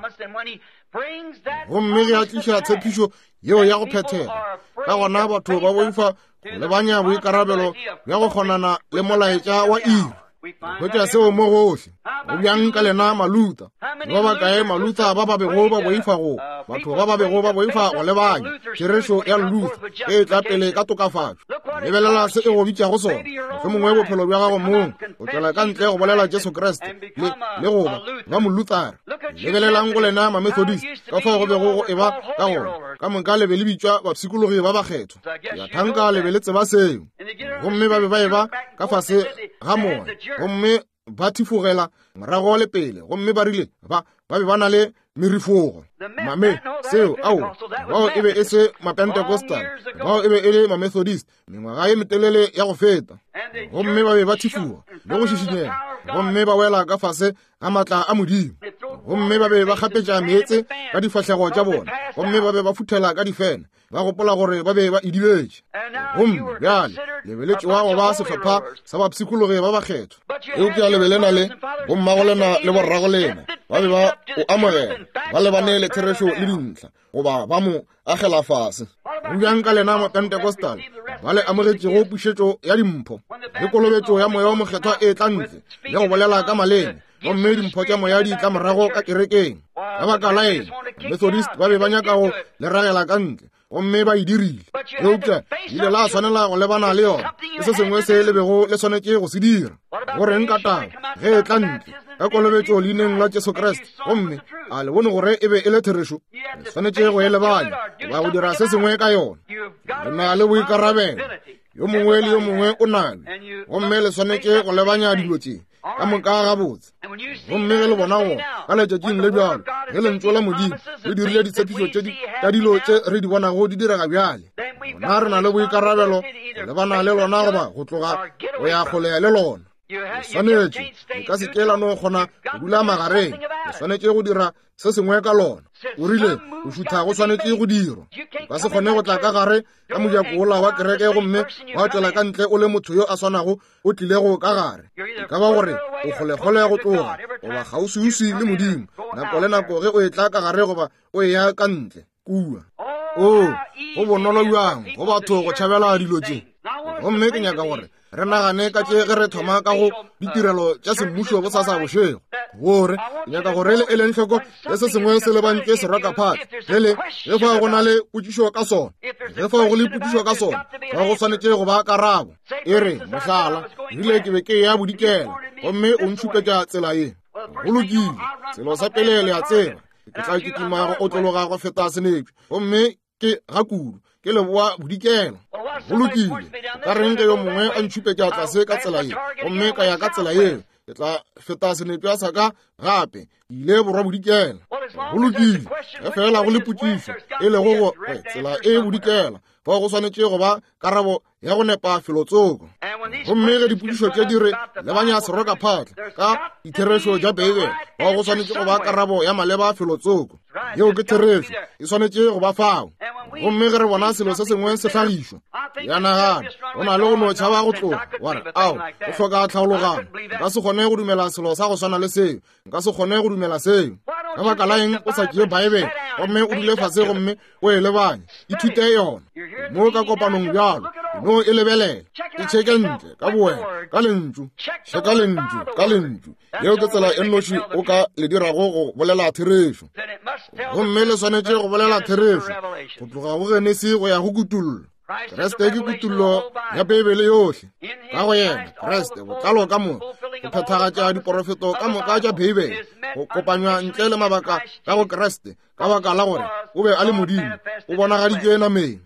Gomme ge a tliša tshepišo yeo ya go phethega, ka gona batho ba boifa go lebanya boikarabelo bja go kgonana le molaetša wa iri. Hwetša seo mo gohle. Go bjang ka lena Malutha? Ba bakae Malutha ba ba bego ba boifa go, batho ba ba bego ba boifa go lebanya therešo ya Luther e tla pele ka tokafatšo. Lebelela se e go bitšago sona. Mohlomongwe bophelo bja gago mong o tšwela ka ntle go bolela Jesu Kriste le le go ba ba Moluthara. Lebelelang go lena Mamethodist, ka fao go bego go eba ka gona. Ka moka le be le bitšwa bapshikologi ba bakgethwa. Ke a thanka le be le tseba seo. Gomme ba be ba eba ka fase ga moya, gomme ba thifogela morago le pele, gomme ba rile ba ba be ba na le merifogo. Mame seo, ao, bao e be e se Mapentecostal, bao e be e le Mamethodist mengwaga ye metelele ya go feta. Gomme ba be ba thifoga le go šišinyega, gomme ba wela ka fase ga matla a Modimo. Gomme ba be ba kgapetša meetse ka difahlego tša bona, gomme ba be ba futhela ka difene, ba gopola gore ba be ba idibetše. Gomme bjale le be le tšewa go ba sehlopha sa bapshikologi ba bakgethwa, eupša le be le na le bommago lena le borrago lena ba be ba o amogela, ba lebane le therešo le dintlha, goba ba mo agela fase. Go bjang ka lena Mapentecostal ba le amogetšego pušetšo ya dimpho le kolobetšo ya moya wa mokgethwa e tla ntle le go bolela ka maleme, gomme dimpho tša moya di tla morago ka kerekeng? Ka baka la eng, Methodist ba be ba nyaka go le ragela ka ntle, gomme ba e dirile. Eupša ile la swanela go lebana le yona. Ke se sengwe se le bego le swanetše go se dira. Go reng ka taba ge e tla ntle ka kolobetšo leineng la Jesu Kriste, gomme a le bone gore e be e le therešo? Le swanetše go e lebanya goba go dira se sengwe ka yona. Le na le boikarabelo, yo mongwe le yo mongwe o nale, gomme le swanetše go lebanya dilo tše ka moka gabotse. Gomme ge le bona go ka letšatšing le bjalo, ge lentšu la Modimo le dirile ditshepišo tše tša dilo tše re di bonago di direga bjale, gona re na le boikarabelo go lebana le lona goba go tloga go ya kgole le lona. Le swanetše, le ka se ke la no kgona go dula magareng, le swanetše go dira se sengwe ka lona. O rile go šutha go swanetše go dirwa. O ka se kgone go tla ka gare ka mojako wola wa kereke gomme wa tšwela ka ntle o le motho yo a swanago o tlilego ka gare. E ka ba gore o kgolekgole go tloga goba kgauswiuswi le Modimo nako le nako ge o etla ka gare goba o eya ka ntle kua. O go bonolo bjang go batho go tšhabela dilo tše. Gomme ke nyaka gore re nagane ka tše ge re thoma ka go ditirelo tša semmušo bosasa bošego, gore ke nyaka gore le eleng hloko ge se sengwe se lebantšwe serokaphatla, ge le ge fao go na le potšišo ka sona, ge fao go le potšišo ka sona, fa go swanetše go ba karabo. E re, mohlala, rile ke be ke ya bodikela, gomme o ntšhupetša tsela ye. Go lokile, selo sa pele le a tseba, ke tla kitima go otlologa go feta senepša, gomme ke ga kudu ke leboa bodikela. Go lokile, ka reng ge yo mongwe a ntšhupetša tlase ka tsela ye, gomme ka ya ka tsela yeo, ke tla feta senepša sa ka gape, ke ile borwa bodikela. Go lokile, ge fela go le potšišo e lego gore tsela e bodikela, fao go swanetše go ba karabo ya go nepa felotsoko. Gomme ge dipotšišo tše di re lebanya serokaphatla ka ditherešo tša Beibele, fao go swanetše go ba karabo ya maleba felotsoko. Yeo ke therešo, e swanetše go ba fao. Gomme ge re bona selo se sengwe se hlagišwa, ya nagana go na le go no tšhaba go tloga, wa re, ao, go hloka tlhaologanyo, nka se kgone go dumela selo sa go swana le seo, nka se kgone go dumela seo. Ka baka la eng o sa tšee Beibele gomme o dule fase gomme o e lebanye, ithute yona mo ka kopanong bjalo, no e lebelela, e tšheke ntle ka bowena ka lentšu, tšheka lentšu ka lentšu. Yeo ke tsela e nnoši o ka le dirago go bolela therešo. Gomme le swanetše go bolela therešo go tloga go Genesi go ya go Kutullo. Kriste ke kutullo ya Beibele yohle. Ka go yena Kriste botlalo ka moka, go phethagatša diporofeto ka moka tša Beibele, go kopanywa ntle le mabaka ka go Kriste, ka baka la gore o be a le Modimo, o bonagaditšwe nameng.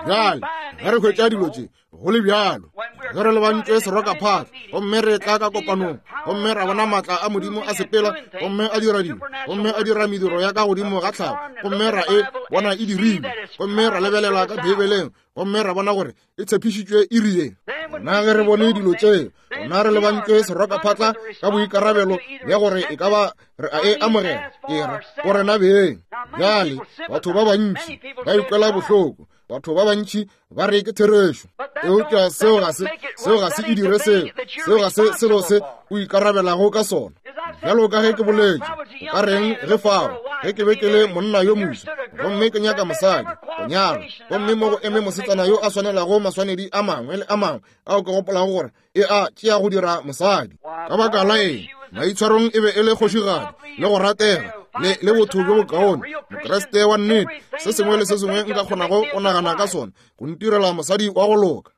Bjale ge re hwetša dilo tše go le bjalo, Ge re lebantšwe serokaphatla, gomme re tla ka kopanong, gomme ra bona maatla a Modimo a sepela, gomme a dira dilo, gomme a dira mediro ya ka godimo ga tlhago, gomme ra e bona e dirilwe, gomme ra lebelela ka Beibeleng, gomme ra bona gore e tshepišitšwe iri ye. Gona ge re bone dilo tšeo, gona re lebantšwe serokaphatla ka boikarabelo bja gore e ka ba re a e amogela, ke ra go rena beng. Bjale batho ba bantši ba ikwela bohloko, batho ba bantši ba re ke therešo, eupša seo ga se seo ga se e dire seo, seo ga se selo se o ikarabelago ka sona. Bjalo ka ge ke boletše, o ka reng ge fao ge ke be ke le monna yo moswa gomme ke nyaka mosadi go nyala, gomme mo go eme mosetsana yo a swanelago maswanedi a mangwe le a mangwe ao ke gopolago gore e a tšea go dira mosadi. Ka baka la eng, maitshwarong e be e le kgošigadi le go ratega le le botho bjo bokaone, Mokreste wa nnete, se sengwe le se sengwe nka kgonago go nagana ka sona go ntirela mosadi wa go loka.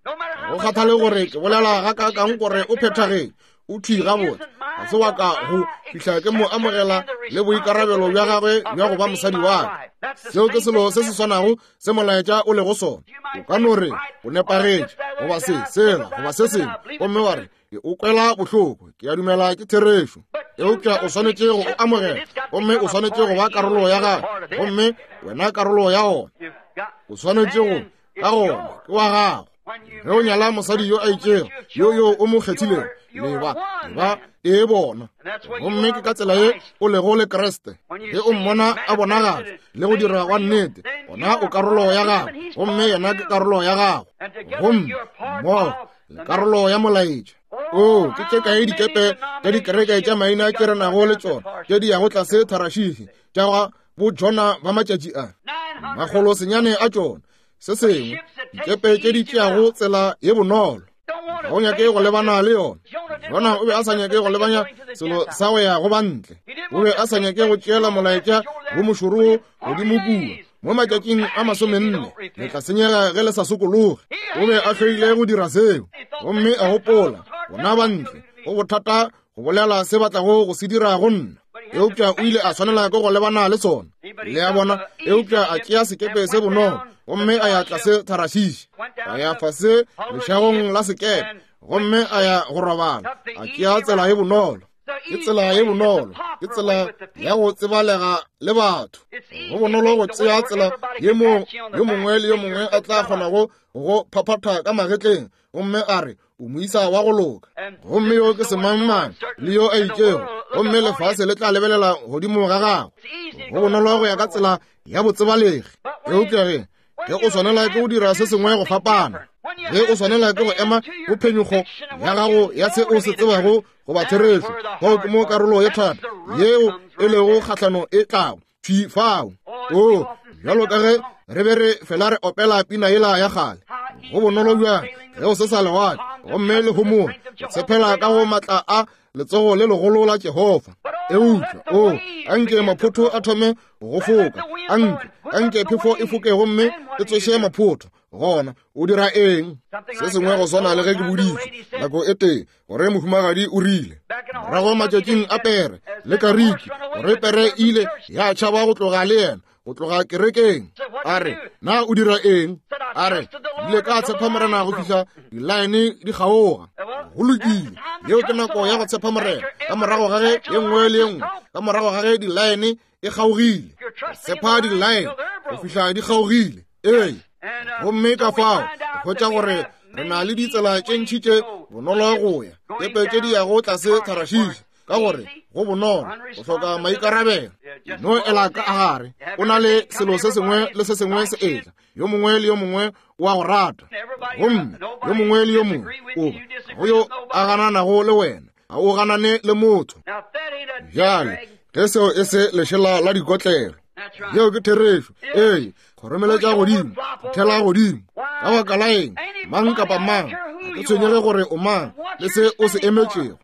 Go kgathale gore ke bolela gakaakang gore o phethagetse, o thwi gabotse, ga se wa ka go fihla ke mo amogela le boikarabelo bja gagwe bja go ba mosadi wa ka. Seo ke selo se se swanago se molaetša o lego sona. O ka no re o nepagetše goba se sela goba se sengwe, gomme wa re ke o kwela bohloko, ke a dumela ke therešo, eupša o swanetše go o amogela, gomme o swanetše go ba karolo ya gagwe, gomme wena karolo ya ona. O swanetše go ka gona ke wa gago. Ge o nyala mosadi yo a itšego, yo yo o mo kgethilego, leba leba e bona, gomme ke ka tsela ye o lego le Kriste. Ge o mmona a bonagatša le go dira wa nnete, gona o karolo ya gago, gomme yena ke karolo ya gago, gomme mmogo le karolo ya molaetša. O ke tše kae dikepe tša dikereke tša maina tše re nago le tšona tše di yago tlase Tharashihi tša bo Jona ba matšatši a makgolo senyane a tšona, se sengwe dikepe tše di tšeago tsela ye bonolo. Ga o nyake go lebana le yona. Jona o be a sa nyake go lebanya selo sa go ya go bantle, o be a sa nyake go tšeela molaetša wo mošoro godimo kua. Mo matšatšing a masomenne le tla senyega ge le sa sokologe. O be a hloile go dira seo, gomme a gopola bona bantle go bothata go bolela se batlago go se dira go nna, eupša o ile a swanela ke go lebana le sona. Le a bona? Eupša a tšea sekepe se bonolo, gomme a ya tlase Tharashishi, a ya fase lešagong la sekepe, gomme a ya go robala. A tšea tsela ye bonolo. Ke tsela ye bonolo, ke tsela ya go tsebalega le batho. Go bonolo go tšea tsela ye mo yo mongwe le yo mongwe a tla kgonago go phaphatha ka magetleng, gomme a re o moisa wa go loka, gomme yo ke semangmang le yo a itšego, gomme lefase le tla lebelela godimo ga gago. Go bonolo go ya ka tsela ya botsebalegi, eupša ge ge o swanela ke go dira se sengwe go fapana, ge o swanela ke go ema go phenyego ya gago ya se o se tsebago goba therešo, fao ke mo karolo ye thata yeo e lego kgahlano e tlago thwi fao. O bjalo ka ge re be re fela re opela pina yela ya kgale, go bonolo bjang ge o se sa lewatle gomme le homola, o tshepela ka go maatla a letsogo le legolo la Jehofa. Eupša o anke maphotho a thome go foka, anke anke phefo e foke gomme e tsoše maphotho, gona o dira eng? Se sengwe go swana le ge ke boditše nako e tee gore mohumagadi o rile morago matšatšing a pere le kariki, gore pere e ile ya tšhaba go tloga le yena, go tloga kerekeng. A re, na o dira eng? A re, ile ka tshepa Morena go fihla dilaene di kgaoga. Go lokile, yeo ke nako ya go tshepa Morena, ka morago ga ge ye nngwe le ye nngwe, ka morago ga ge dilaene e kgaogile. Tshepa dilaene go fihla di kgaogile. Ee, gomme ka fao hwetša gore re na le ditsela tše ntši tše bonolo go ya, kepe tše di yago tlase Tharashishi, ka gore go bonolo go hloka maikarabelo. No ela ka gare, o na le selo se sengwe le se sengwe se etla, yo mongwe le yo mongwe o a go rata, gomme yo mongwe le yo mongwe o go yo a gananago le wena, ga o ganane le motho. Bjale ge seo e se lešela la dikotlelo, yeo ke therešo. Ee, kgoromeletša godimo, thela godimo. Ka baka la eng, mang kapa mang, ga ke tshwenyege gore o mang le se o se emetšego.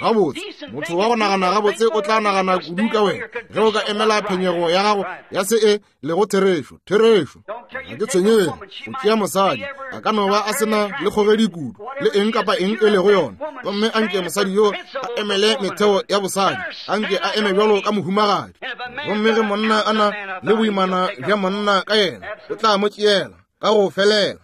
Gabotse, motho wa go nagana gabotse o tla nagana kudu ka wena ge o ka emela phenyego ya gago ya se e lego therešo. Therešo, ga ke tshwenyege go tšea mosadi, a ka no ba a sena le kgogedi kudu le eng kapa eng e lego yona, gomme anke mosadi yo a emele metheo ya bosadi, anke a eme bjalo ka mohumagadi. Gomme ge monna a na le boimana bja monna ka yena, o tla mo tšeela ka go felela.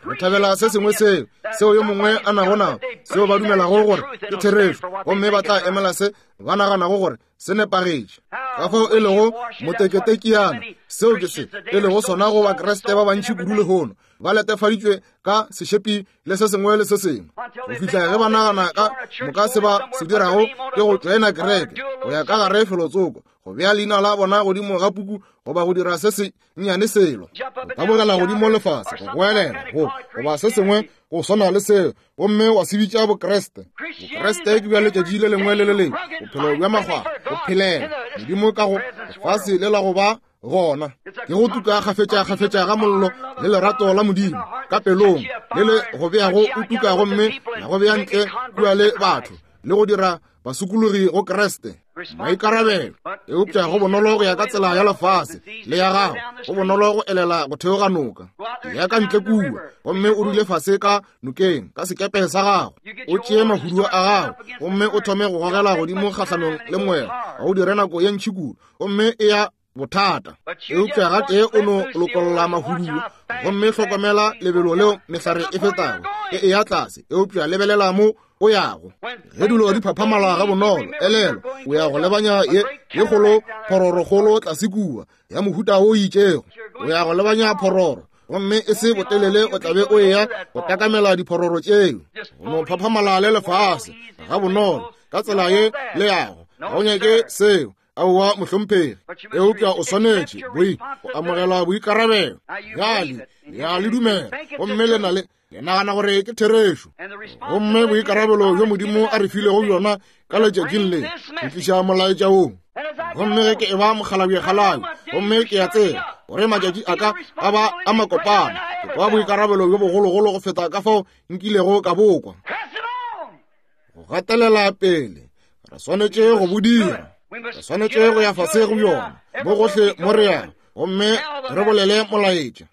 Re thabela se sengwe seo seo yo mongwe a nago nao, seo ba dumelago gore ke therešo, gomme ba tla emela se ba naganago gore se nepagetše. Ka fao e lego moteketekiana, seo ke se e lego sona go Bakriste ba bantši kudu lehono, ba letefaditšwe ka sešepi le se sengwe le se sengwe, go fihla ge ba nagana ka moka se ba se dirago ke go tšoena kereke, go ya ka gare felotsoko, go bea leina la bona godimo ga puku, goba go dira se se nnyane selo, go tabogela godimo lefase, go goelela, go goba se sengwe go swana le seo, gomme wa se bitša Bokriste. Bokriste ke bja letšatši le lengwe le le lengwe, bophelo bja makgwakgwa, go phelela Modimo ka go lefase le la go ba gona, ke go tuka kgafetša-kgafetša ga mollo le lerato la Modimo ka pelong, le le go beago o tuka gomme la go bea ntle kua le batho, le go dira basokologi go Kriste. Maikarabelo. Eupša go bonolo go ya ka tsela ya lefase le ya gago, go bonolo go elela go theoga noka, ya ka ntle kua, gomme o dule fase ka nokeng ka sekepe sa gago, o tšee mahuduo a gago gomme o thome go gogela godimo kgahlanong le moya, ga o dire nako ye ntši kudu, gomme e ya bothata. Eupša gatee o no lokolla mahuduo, gomme hlokomela lebelo leo mehlare e fetago e eya tlase, eupša lebelela mo o yago. Ge dilo di phaphamala ga bonolo, elelo o ya go lebanya ye ye kgolo phororokgolo tlase kua ya mohuta o itšego, o ya go lebanya phororo, gomme e se botelele o tla be o eya go takamela diphororo tšeo. Go no phaphamala le lefase ga bonolo ka tsela ye le yago, ga o nyake seo. Aowa mohlomphegi, eupša o swanetše boi go amogela boikarabelo. Bjale le a le dumela, gomme le na le le nagana gore ke therešo, gomme boikarabelo bjo Modimo a re filego bjona ka letšatšing le, go tliša molaetša wo. Gomme ge ke eba mokgalabjekgalabje, gomme ke ya tseba gore matšatši a ka a ba a makopana, ke kwa boikarabelo bjo bogologolo go feta ka fao nkilego ka bokwa. Go gatelela pele, re swanetše go bo dira, re swanetše go ya fase go bjona mo gohle mo re yago, gomme re bolele molaetša,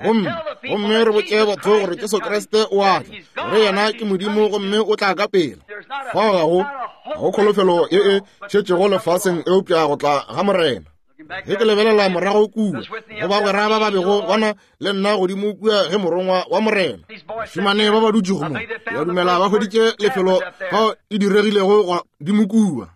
gomme gomme re botše batho gore Jesu Kriste o a tla, gore yena ke Modimo gomme o tla ka pela. Fao ga go ga go kholofelo ye e šetšego lefaseng eupša go tla ga Morena. Ge ke lebelela morago kua go bagwera ba ba bego bona le nna godimo kua ge morongwa wa Morena, bašemane ba ba dutšego mo, ya dumela ba hweditše lefelo fao e diregilego godimo kua.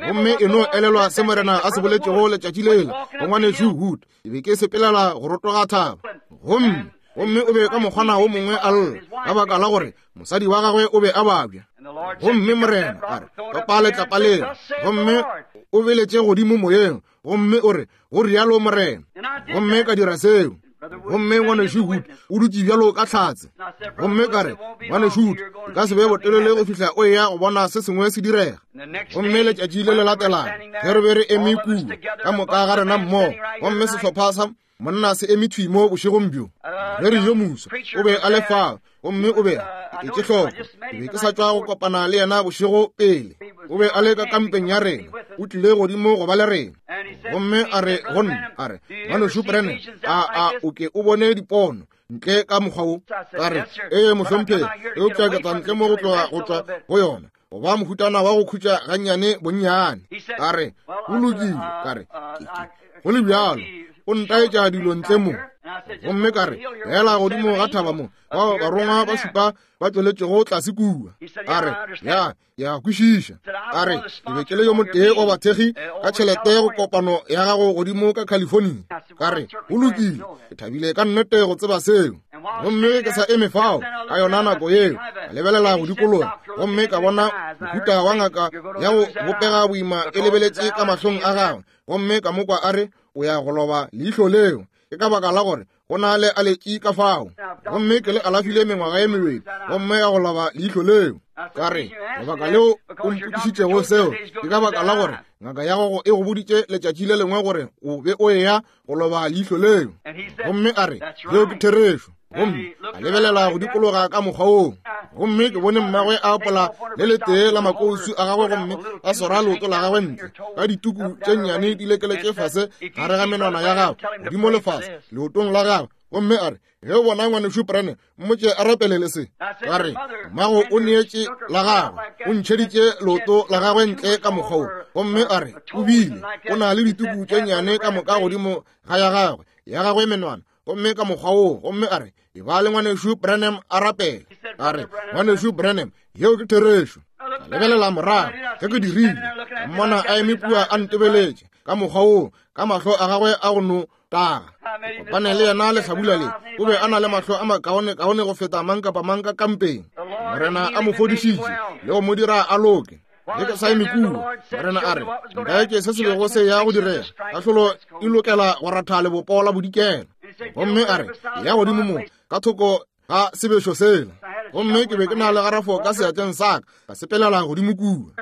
Gomme e no elelwa se Morena a se boletšego letšatši lela go ngwanešu Wood, ke be ke sepelela go rotoga thaba, gomme gomme o be ka mokgwana wo mongwe a lla ka baka la gore mosadi wa gagwe o be a babja. Gomme Morena a re, topa letlapa lela, gomme o beletše godimo moyeng, gomme o re, go rialo Morena. Gomme ka dira seo. Gomme ngwanešu Wood o dutše bjalo ka hlatse. Gomme ka re, ngwanešu Wood, e ka se be botelele go fihla o eya go bona se sengwe se direga. Gomme letšatši le le latelang ge re be re eme kua ka moka ga rena mmogo, gomme sehlopha sa monna se eme thwi mo bošegong bjo, ge re yo musa o be a le fao, gomme o be a etše hloko. Ke be ke sa tšwa go kopana le yena bošego pele, o be a le ka kampeng ya rena, o tlile godimo go ba le rena. Gomme a re go nna, a re, ngwanešu Branham, a a o ke o bone dipono ntle ka mokgwa wo? Ka re, ee mohlomphegi, eupša ke tla ntle mo go tloga go tšwa go yona, go ba mohutana wa go khutša gannyane bonnyane. Ka re, go lokile. Ka re, go le bjalo o ntaetša dilo ntle mo. Gomme ka re, fela godimo ga thaba mo, bao barongwa ba šupa ba tšweletšego tlase kua. A re, ya, ya kwešiša. A re, ke be ke le yo motee wa bathekgi ka tšhelete go kopano ya gago godimo ka California. Ka re, go lokile, ke thabile ka nnete go tseba seo. Gomme ke sa eme fao ka yona nako yeo, ka lebelela go dikologa, gomme ka bona mohuta wa ngaka ya go bopega boima e lebeletše ka mahlong a gagwe, gomme ka mo kwa a re, o ya go loba leihlo leo, ke ka baka la gore go na le aletši ka fao. Gomme ke le alafile mengwaga ye mebedi, gomme ya go loba leihlo leo. Ka re, lebaka leo o mpotšišitšego seo ke ka baka la gore ngaka ya gago e go boditše letšatši le lengwe gore o be o eya go loba leihlo leo. Gomme a re, yeo ke therešo. Gomme a lebelela go dikologa ka mokgwa woo, gomme ke bone mmagwe a apola le letee la makousu a gagwe, gomme a swara leoto la gagwe ntle ka dituku tše nnyane di lekeletše fase gare ga menwana ya gagwe, godimo le fase leotong la gagwe. Gomme a re, ge o bona ngwanešu Branham, mmotše a rapelele se. Ka re, mmago o neetše la gagwe, o ntšheditše leoto la gagwe ntle ka mokgwa wo. Gomme a re, o bile o na le dituku tše nnyane ka moka godimo ga ya gagwe, ya gagwe menwana, gomme ka mokgwa woo. Gomme a re, e ba le ngwanešu Branham a rapele. A re, Ngwanešu Branham, yeo ke therešo. Ka lebelela morago ge ke dirile, ka mmona a eme kua a ntebeletše ka mokgwa woo, ka mahlo a gagwe a go no taga. Kopane le yena lehlabula le, o be a na le mahlo a makaone kaone go feta mang kapa mang ka kampeng. Morena a mo fodišitše le go mo dira a loke. Ge ke sa eme kua, Morena a re, ntaetše se se bego se ya go direga. Kahlolo e lokela go ratha lebopo la bodikela. Gomme a re, ya godimo mo ka thoko ga sebešo sela. Gomme ke be ke na le garafo ka seatleng sa ka, ka sepelela godimo kua.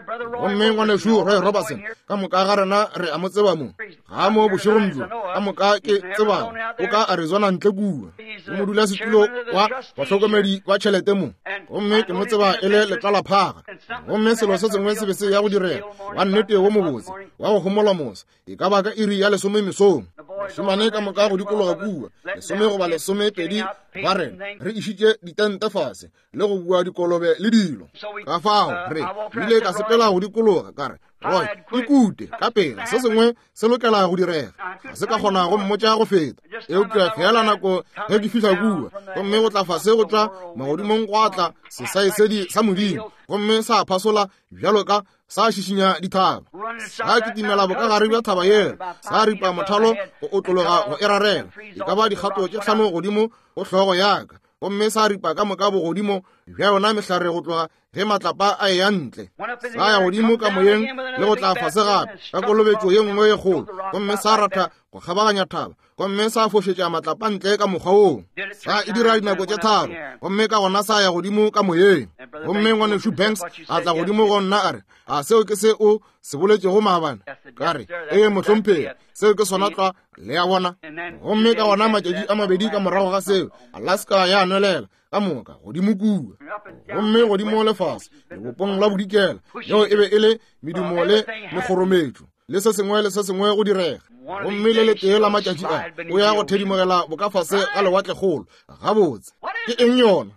Gomme ngwanešu Roy Robertson, ka moka ga rena re a mo tseba mo, ga mo bošegong bjo, ka moka ke tsebago, o ka Arizona ntle kua, o modulasetulo wa bahlokomedi ba tšhelete mo. Gomme ke mo tseba e le letlalaphaga. Gomme selo se sengwe se be se ya go direga, wa nnete wo mobotse, wa go homola mosa, e ka ba ka iri ya lesome mesong. Bašemane ka moka go dikologa kua, lesome goba lesomepedi ba rena, re išitše ditente fase le go bua dikolobe le dilo. Ka fao re ile ka sepela go dikologa, ka re, Roy, ikute ka pela, se sengwe se lokela go direga. Ga se ka kgona go mmotša go feta, eupša fela nako ge ke fihla kua, gomme go tla fase go tšwa magodimong gwa tla sesaesedi sa Modimo, gomme sa phasola bjalo ka sa šišinya dithaba. Sa kitimela bokagare bja thaba yela, sa ripa mothalo go otlologa go e rarela, e ka ba dikgato tše hlano godimo go hlogo ya ka, gomme sa ripa ka moka bogodimo bja yona mehlare go tloga ge matlapa a eya ntle. Sa ya godimo ka moyeng le go tla fase gape ka kolobetšo ye nngwe ye kgolo, gomme sa ratha go kgabaganya thaba, gomme sa fošetša matlapa ntle ka mokgwa woo. Sa e dira dinako tše tharo, gomme ka gona sa ya godimo ka moyeng. Gomme ngwanešu Banks a tla godimo go nna a re, a seo ke se o se boletšego maabane? Ka re, ee mohlomphegi, seo ke sona tlwa, le a bona. Gomme ka gona matšatši a mabedi ka morago ga seo, Alaska ya nwelela ka moka godimo kua, gomme godimo lefase lebopong la bodikela. Yeo e be e le medumo le mekgorometšo le se sengwe le se sengwe go direga. Gomme le letee la matšatši a o ya go thedimogela bokafase ga lewatlekgolo. Gabotse, ke eng yona?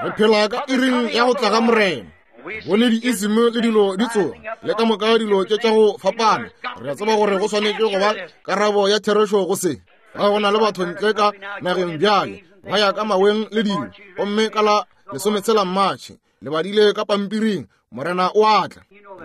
Re phela ka iring ya go tla ga Morena. Bone diism le dilo di tsoga le ka moka dilo tše tša go fapana. Re a tseba gore go swanetše go ba karabo ya therešo go se. Ga go na le batho ntle ka nageng bjale ba ya ka maweng le dilo, gomme ka la lesometshela Matšhe le badile ka pampiring, Morena o a tla.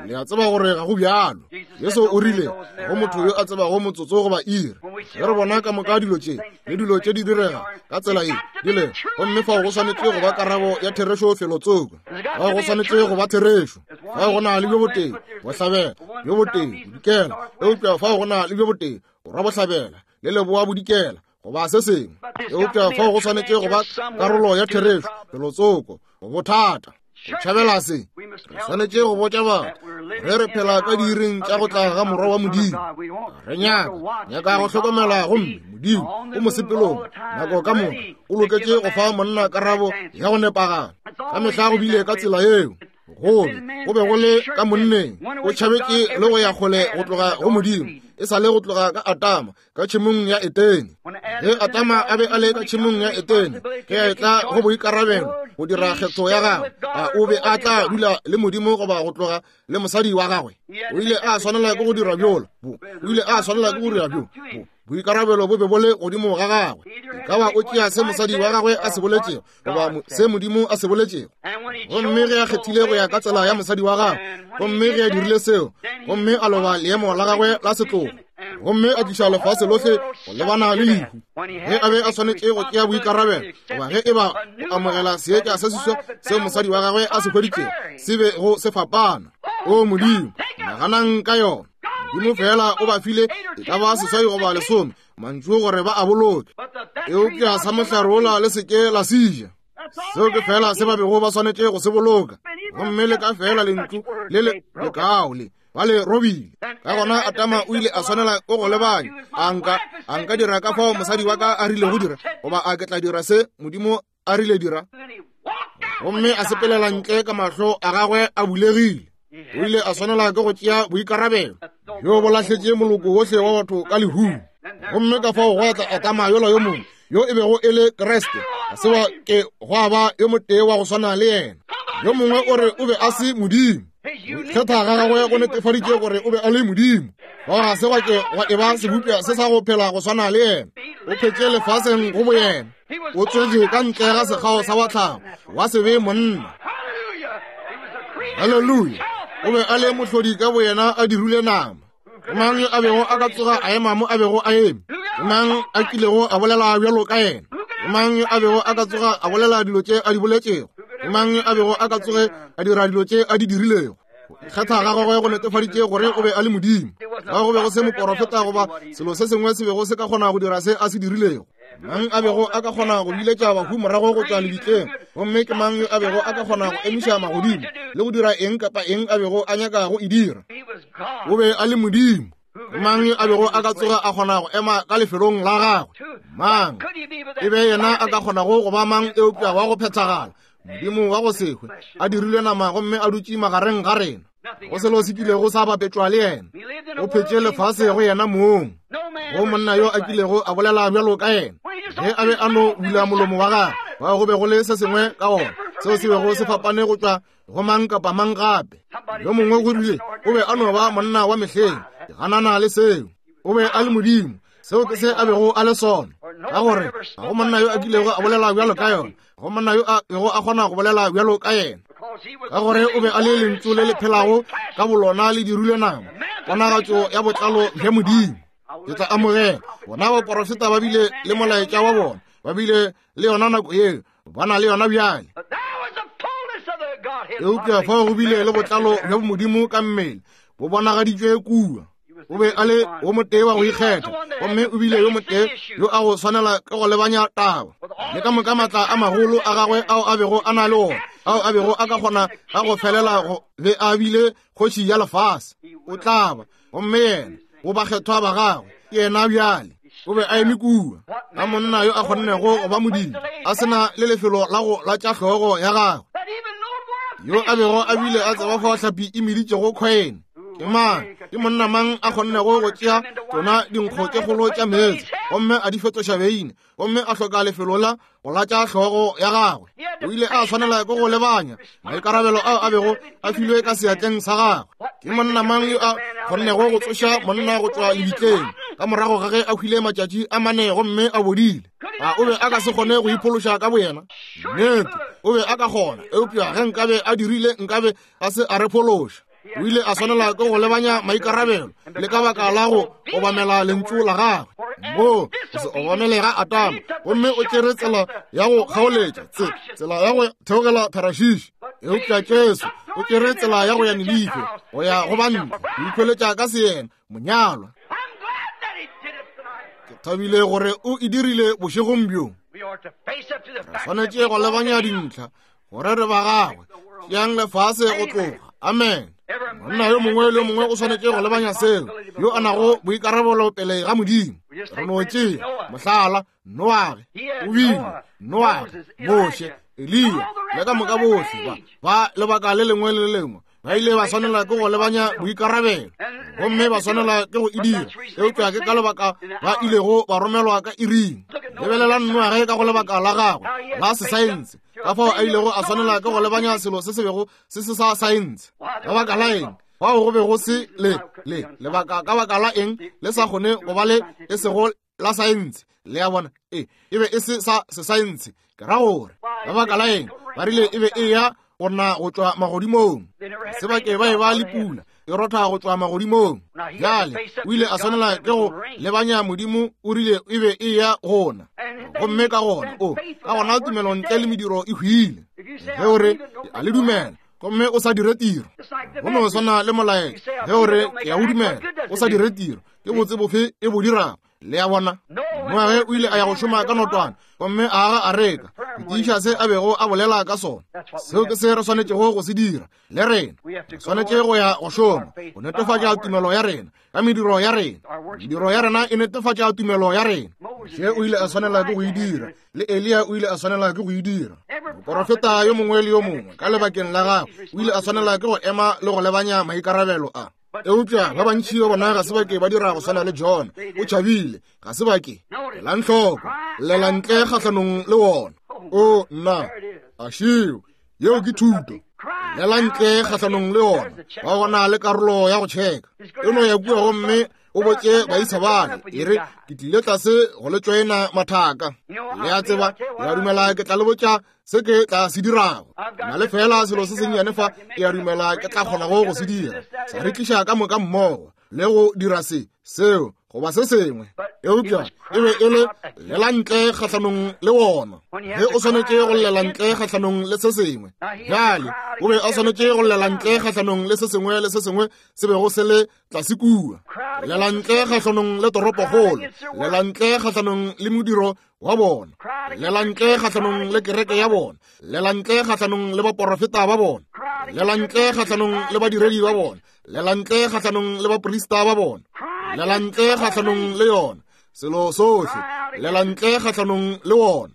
Le a tseba gore ga go bjalo. Jesu o rile go motho yo a tsebago motsotso goba iri. Ge re bona ka moka dilo tše le dilo tše di direga ka tsela ye di le, gomme fao go swanetše go ba karabo ya therešo felotsoko. Fao go swanetše go ba therešo. Fao go na le bjo botee bohlabela, bjo botee bodikela, eupša fao go na le bjo botee borwa bohlabela le leboa bodikela goba se sengwe. Eupša fao go swanetše go ba karolo ya therešo felotsoko go bothata. Go tšhabela se, re swanetše go botša batho ge re phela ka diiring tša go tla ga Morwa wa Modimo. Re nyaka nyaka go hlokomela, gomme Modimo o mosepelong nako ka moka, o loketše go fa monna karabo ya go nepagala. Ka mehla go bile ka tsela yeo. Gobe go be go le ka monneng, o tšhabetše le go ya kgole go tloga go Modimo, e sa le go tloga ka Adama ka tšhemong ya Etene. Ge Adama a be a le ka tšhemong ya Etene, ge a etla go boikarabelo go dira kgetho ya gagwe, a o be a tla dula le Modimo goba go tloga le mosadi wa gagwe? O ile a swanela ke go dira bjola, o ile a swanela ke go dira bjo. Boikarabelo bo be bo le godimo ga gagwe. E ka ba o tšea se mosadi wa gagwe a se boletšego goba se Modimo a se boletšego. Gomme ge a kgethile go ya ka tsela ya mosadi wa gagwe, gomme ge a dirile seo, gomme a loba leemo la gagwe la setlogo, gomme a tliša lefase lohle go lebana le lehu. Ge a be a swanetše go tšea boikarabelo, goba ge e ba go amogela seetša se seswa seo mosadi wa gagwe a se hweditšego se be go se fapana. O Modimo, naganang ka yona. Modimo fela o ba file e ka ba seswai goba lesome mantšu gore ba a boloke, eupša sa mohlare wola le seke la se ja. Seo ke fela se ba bego ba swanetše go se boloka. Gomme le ka fela lentšu le le lekao le ba le robile. Ka gona Adama o ile a swanela ke go lebanya, a nka a nka dira ka fao mosadi wa ka a rile go dira, goba a ke tla dira se Modimo a rile dira. Gomme a sepelela ntle ka mahlo a gagwe a bulegile. O ile a swanela ke go tšea boikarabelo bjo bo lahletše moloko wohle wa batho ka lehung. Gomme ka fao gwa tla Adama yola yo mongwe yo e bego e le Kriste, ga se wa ke gwa ba yo motee wa go swana le yena. Yo mongwe o re o be a se Modimo. Go ikgetha ga gagwe go netefaditše gore o be a le Modimo. Bao ga se gwa ke gwa eba sebopša se sa go phela go swana le yena. O phetše lefaseng go boyena. O tswetše ka ntle ga sekgao sa wa tlhago, wa se be monna. Haleluya! O be a le mohlodi ka boyena a dirile nama. Ke mang yo a bego a ka tsoga a ema mo a bego a eme? Ke mang a kilego a bolela bjalo ka yena? Ke mang yo a bego a ka tsoga a bolela dilo tše a di boletšego? Ke mang yo a bego a ka tsoge a dira dilo tše a di dirilego? Go ikgetha ga gagwe go netefaditše gore o be a le Modimo. Ga go be go se moporofeta goba selo se sengwe se bego se ka kgona go dira se a se dirilego. Mang a bego a ka kgona go biletša bahu morago go tšwa lebitleng? Gomme ke mang yo a bego a ka kgona go emiša magodimo le go dira eng kapa eng a bego a nyaka go e dira? O be a le Modimo. Ke mang yo a bego a ka tsoga a kgona go ema ka lefelong la gagwe? Mang? E be yena a ka kgonago go ba mang eupša wa go phethagala, Modimo wa go se hwe, a dirilwe nama gomme a dutše magareng ga rena. Go selo se kilego sa bapetšwa le yena. O phetše lefase go yena mong. Go monna yo a kilego a bolela bjalo ka yena, ge a be a no bula molomo wa gagwe, bao go be go le se sengwe ka ona seo se bego se fapane go tšwa go mang kapa mang gape. Yo mongwe go rile o be a no ba monna wa mehleng. Ke ganana le seo. O be a le Modimo. Seo ke se a bego a le sona. Ka gore ga go monna yo a kilego a bolela bjalo ka yona, go monna yo a bego a kgona go bolela bjalo ka yena. Ka gore o be a le lentšu le le phelago ka bolona le dirilwe nama, ponagatšo ya botlalo bja Modimo. Ke tla amogela bona baporofeta ba bile le molaetša wa bona, ba bile le yona nako yeo, ba na le yona bjale. Eupša fao go bile le botlalo bja Modimo ka mmele bo bonagaditšwe kua. O be a le wo motee wa go ikgetha, gomme o bile yo motee yo a go swanela ke go lebanya taba. Le ka moka maatla a magolo a gagwe ao a bego a na le ona, ao a bego a ka kgona ga go felela go be a bile kgoši ya lefase. O tla ba, gomme yena go bakgethwa ba gagwe, ke yena bjale. O be a eme kua ka monna yo a kgonnego go ba Modimo, a sena le lefelo la go latša hlogo ya gagwe, yo a bego a bile a tseba fao hlapi e meditšego kgwene. Ke mang? Ke monna mang a kgonnego go tšea tšona dinkgo tše kgolo tša meetse gomme a di fetoša beine, gomme a hloka lefelo la go latša hlogo ya gagwe? O ile a swanela ke go lebanya maikarabelo ao a bego a filwe ka seatleng sa gagwe. Ke monna mang yo a kgonnego go tsoša monna go tšwa lebitleng ka morago ga ge a hwile matšatši a mane gomme a bodile? A o be a ka se kgone go iphološa ka boyena? Nnete, o be a ka kgona, eupša ge nkabe a dirile, nkabe a se a re phološa. O ile a swanela ke go lebanya maikarabelo le ka baka la go obamela lentšu la gagwe. Mo go se obamele ga Adama, gomme o tšere tsela ya go kgaoletša, tse tsela ya go theogela Tharashishi. Eupša Jesu o tšere tsela ya go ya Ninife, go ya go bantle, go ikhweletša ka seyena monyalwa. Ke thabile gore o e dirile bošegong bjo. Re swanetše go lebanya dintlha gore re ba gagwe. Tšeang lefase go tloga. Amen. Monna yo mongwe le yo mongwe o swanetše go lebanya seo, yo a nago boikarabelo pele ga Modimo. Re no tšea mohlala Noage, o bile Noage, Moshe, Eliya le ka moka bohle ba ba lebaka le lengwe le le lengwe ba ile ba swanela ke go lebanya boikarabelo, gomme ba swanela ke go e dira. Eupša ke ka lebaka ba ilego ba romelwa ka iring. Lebelelang Noage ka go lebaka la gagwe la sesaense, ka fao a ilego a swanela ke go lebanya selo se se bego se se sa saense. Ka baka la eng? Fao go be go se le le lebaka ka baka la eng le sa kgone go ba le e sego la saense. Le a bona, e e be e se sa sesaense. Ke ra gore ka baka la eng ba rile e be e ya go na go tšwa magodimong, se bake ba e ba le pula e rotha go tšwa magodimong. Bjale o ile a swanela ke go lebanya Modimo, o rile e be e ya gona, gomme ka gona o ka gona tumelo ntle le mediro e hwile. Ge o re a le dumela gomme o sa dire tiro, go no swana le molaetša. Ge o re ke a o dumela o sa dire tiro, ke botse bofe e bo dirago? Le a bona, Noage o ile a ya go šoma ka notwana gomme a aga areka go tiiša se a bego a bolela ka sona. Seo ke se re swanetšego go se dira le rena. Re swanetše go ya go šoma go netefatša tumelo ya rena ka mediro ya rena. Mediro ya rena e netefatša tumelo ya rena. Moshe o ile a swanela ke go e dira, le Eliya o ile a swanela ke go e dira. Moporofeta yo mongwe le yo mongwe ka lebakeng la gagwe o ile a swanela ke go ema le go lebanya maikarabelo a. Eupša ba bantši ba bona ga se ba ke ba dira go swana le John. O tšhabile, ga se ba ke. Elang hloko, llela ntle kgahlanong le wona. O nna, a šeo, yeo ke thuto. Llela ntle kgahlanong le yona. Ba gona le karolo ya go tšheka. E no ya kua gomme o botše baisa bale, e re ke tlile tlase go le tšoena mathaka. Le a tseba, ke a dumela ke tla le botša se ke tla se dirago. Na le fela selo se sennyane fa, ke a dumela ke tla kgonago go se dira. Sa re tliša ka moka mmogo le go dira se, seo, goba se sengwe. Eupša e be e le llela ntle kgahlanong le wona. Ge o swanetše go llela ntle kgahlanong le se sengwe. Bjale o be a swanetše go llela ntle kgahlanong le se sengwe le se sengwe se bego se le tlase kua. Llela ntle kgahlanong le toropokgolo. Llela ntle kgahlanong le modiro wa bona. Llela ntle kgahlanong le kereke ya bona. Llela ntle kgahlanong le baporofeta ba bona. Llela ntle kgahlanong le badiredi ba bona. Llela ntle kgahlanong le baprista ba bona. Llela ntle kgahlanong le yona. Selo sohle. Llela ntle kgahlanong le wona.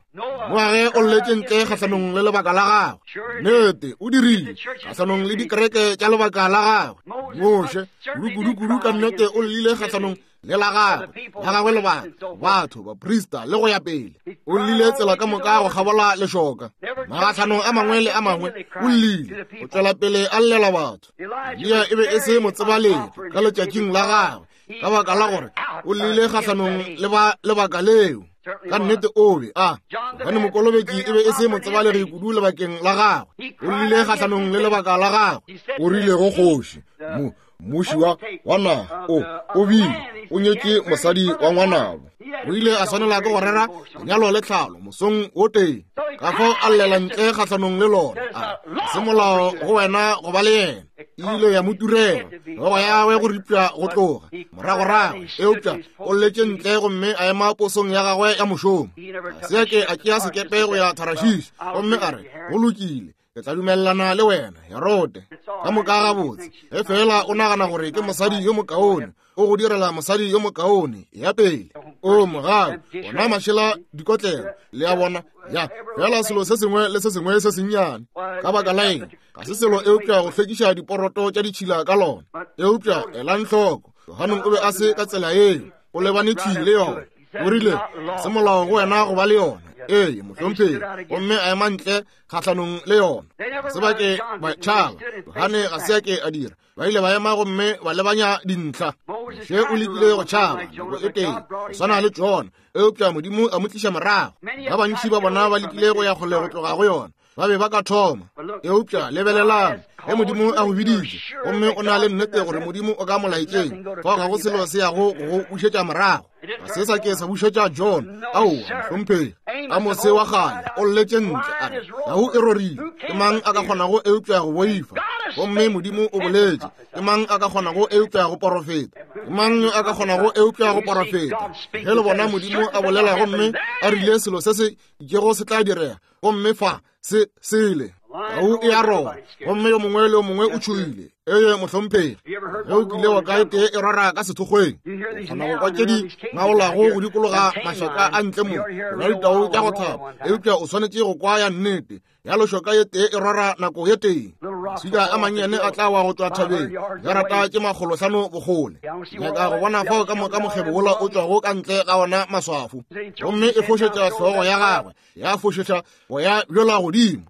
Moage o lletše ntle kgahlanong le lebaka la gagwe. Nnete, o dirile kgahlanong le dikereke tša lebaka la gagwe. Moshe, kudu-kudu-kudu ka nnete o llile kgahlanong le la gagwe, la gagwe lebaka, batho, baprista le go ya pele. O llile tsela ka moka go kgabola lešoka. Magahlanong a mangwe le a mangwe o llile, o tšwela pele a llela batho. Eliya e be e se motsebalegi ka letšatšing la gagwe, ka baka la gore o llile kgahlanong le ba lebaka leo. Ka nnete o be a gobane mokolobetši e be e se motsebalegi kudu lebakeng la gagwe. O llile kgahlanong le lebaka la gagwe. O rile go kgoši, mo mmuši wa wa naga, o o bile o nyetše mosadi wa ngwanabo. O ile a swanela ke go rera lenyalo le tlhalo mosong o tee. Ka fao a llela ntle kgahlanong le lona. A se molao go wena go ba le yena. E ile ya mo turela hlogo ya gagwe go ripša go tloga moragorago, eupša o lletše ntle gomme a ema posong ya gagwe ya mošomo. A se ke a tšea sekepe go ya Tarashish gomme a re, go lokile, ke tla dumelelana le wena, Herode, ka moka gabotse. Ge fela o nagana gore ke mosadi yo mokaone, o go direla mosadi yo mokaone ya pele. O mogau, ona mašela dikotlelo, le a bona, ya fela selo se sengwe le se sengwe se sennyane. Ka baka la eng? Ga se selo eupša go hlwekiša diporoto tša ditšhila ka lona. Eupša elang hloko, Johane o be a se ka tsela yeo, o lebane thwi le yona. O rile, se molao go wena go ba le yona. Ee, mohlomphegi. Gomme a ema ntle kgahlanong le yona. Se ba ke ba tšhaba. Johane ga se a ke a dira. Ba ile ba ema gomme ba lebanya dintlha. Moshe o lekile go tšhaba nako e tee, go swana le Jona, eupša Modimo a mo tliša morago. Ba bantši ba bona ba lekile go ya kgole go tloga go yona. Ba be ba ka thoma. Eupša lebelelang, ge Modimo a go biditše, gomme o na le nnete gore Modimo o ka molaetšeng, fao ga go selo se yago go go bušetša morago. Ga se sa ke sa bušetša John. Aowa, mohlomphegi. Amose wa kgale o lletše ntle a re, tau e rorile, ke mang a ka kgonago eupša go boifa? Gomme Modimo o boletše, ke mang a ka kgonago eupša go porofeta? Ke mang yo a ka kgonago eupša go porofeta? Ge le bona Modimo a bolela gomme a rile selo se se itšego se tla direga, gomme fa se sele tau e a roba, gomme yo mongwe le yo mongwe o tšhoile. Ee, mohlomphegi. Ge o kile wa ka e tee e rora ka sethokgweng, o kgona go kwa tše di ngaolago go dikologa mašaka a ntle mo, gona ditau tša go thapa, eupša o swanetše go kwa ya nnete. Ya lešoka ye tee e rora nako ye tee. Maswika a mannyane a tla wa go tšwa thabeng, jarata tše makgolohlano bokgole. Nyaka go bona fao ka moka mokgebo wola o tšwago ka ntle ga ona maswafo. Gomme e fošetša hlogo ya gagwe, ya fošetša boya bjola godimo.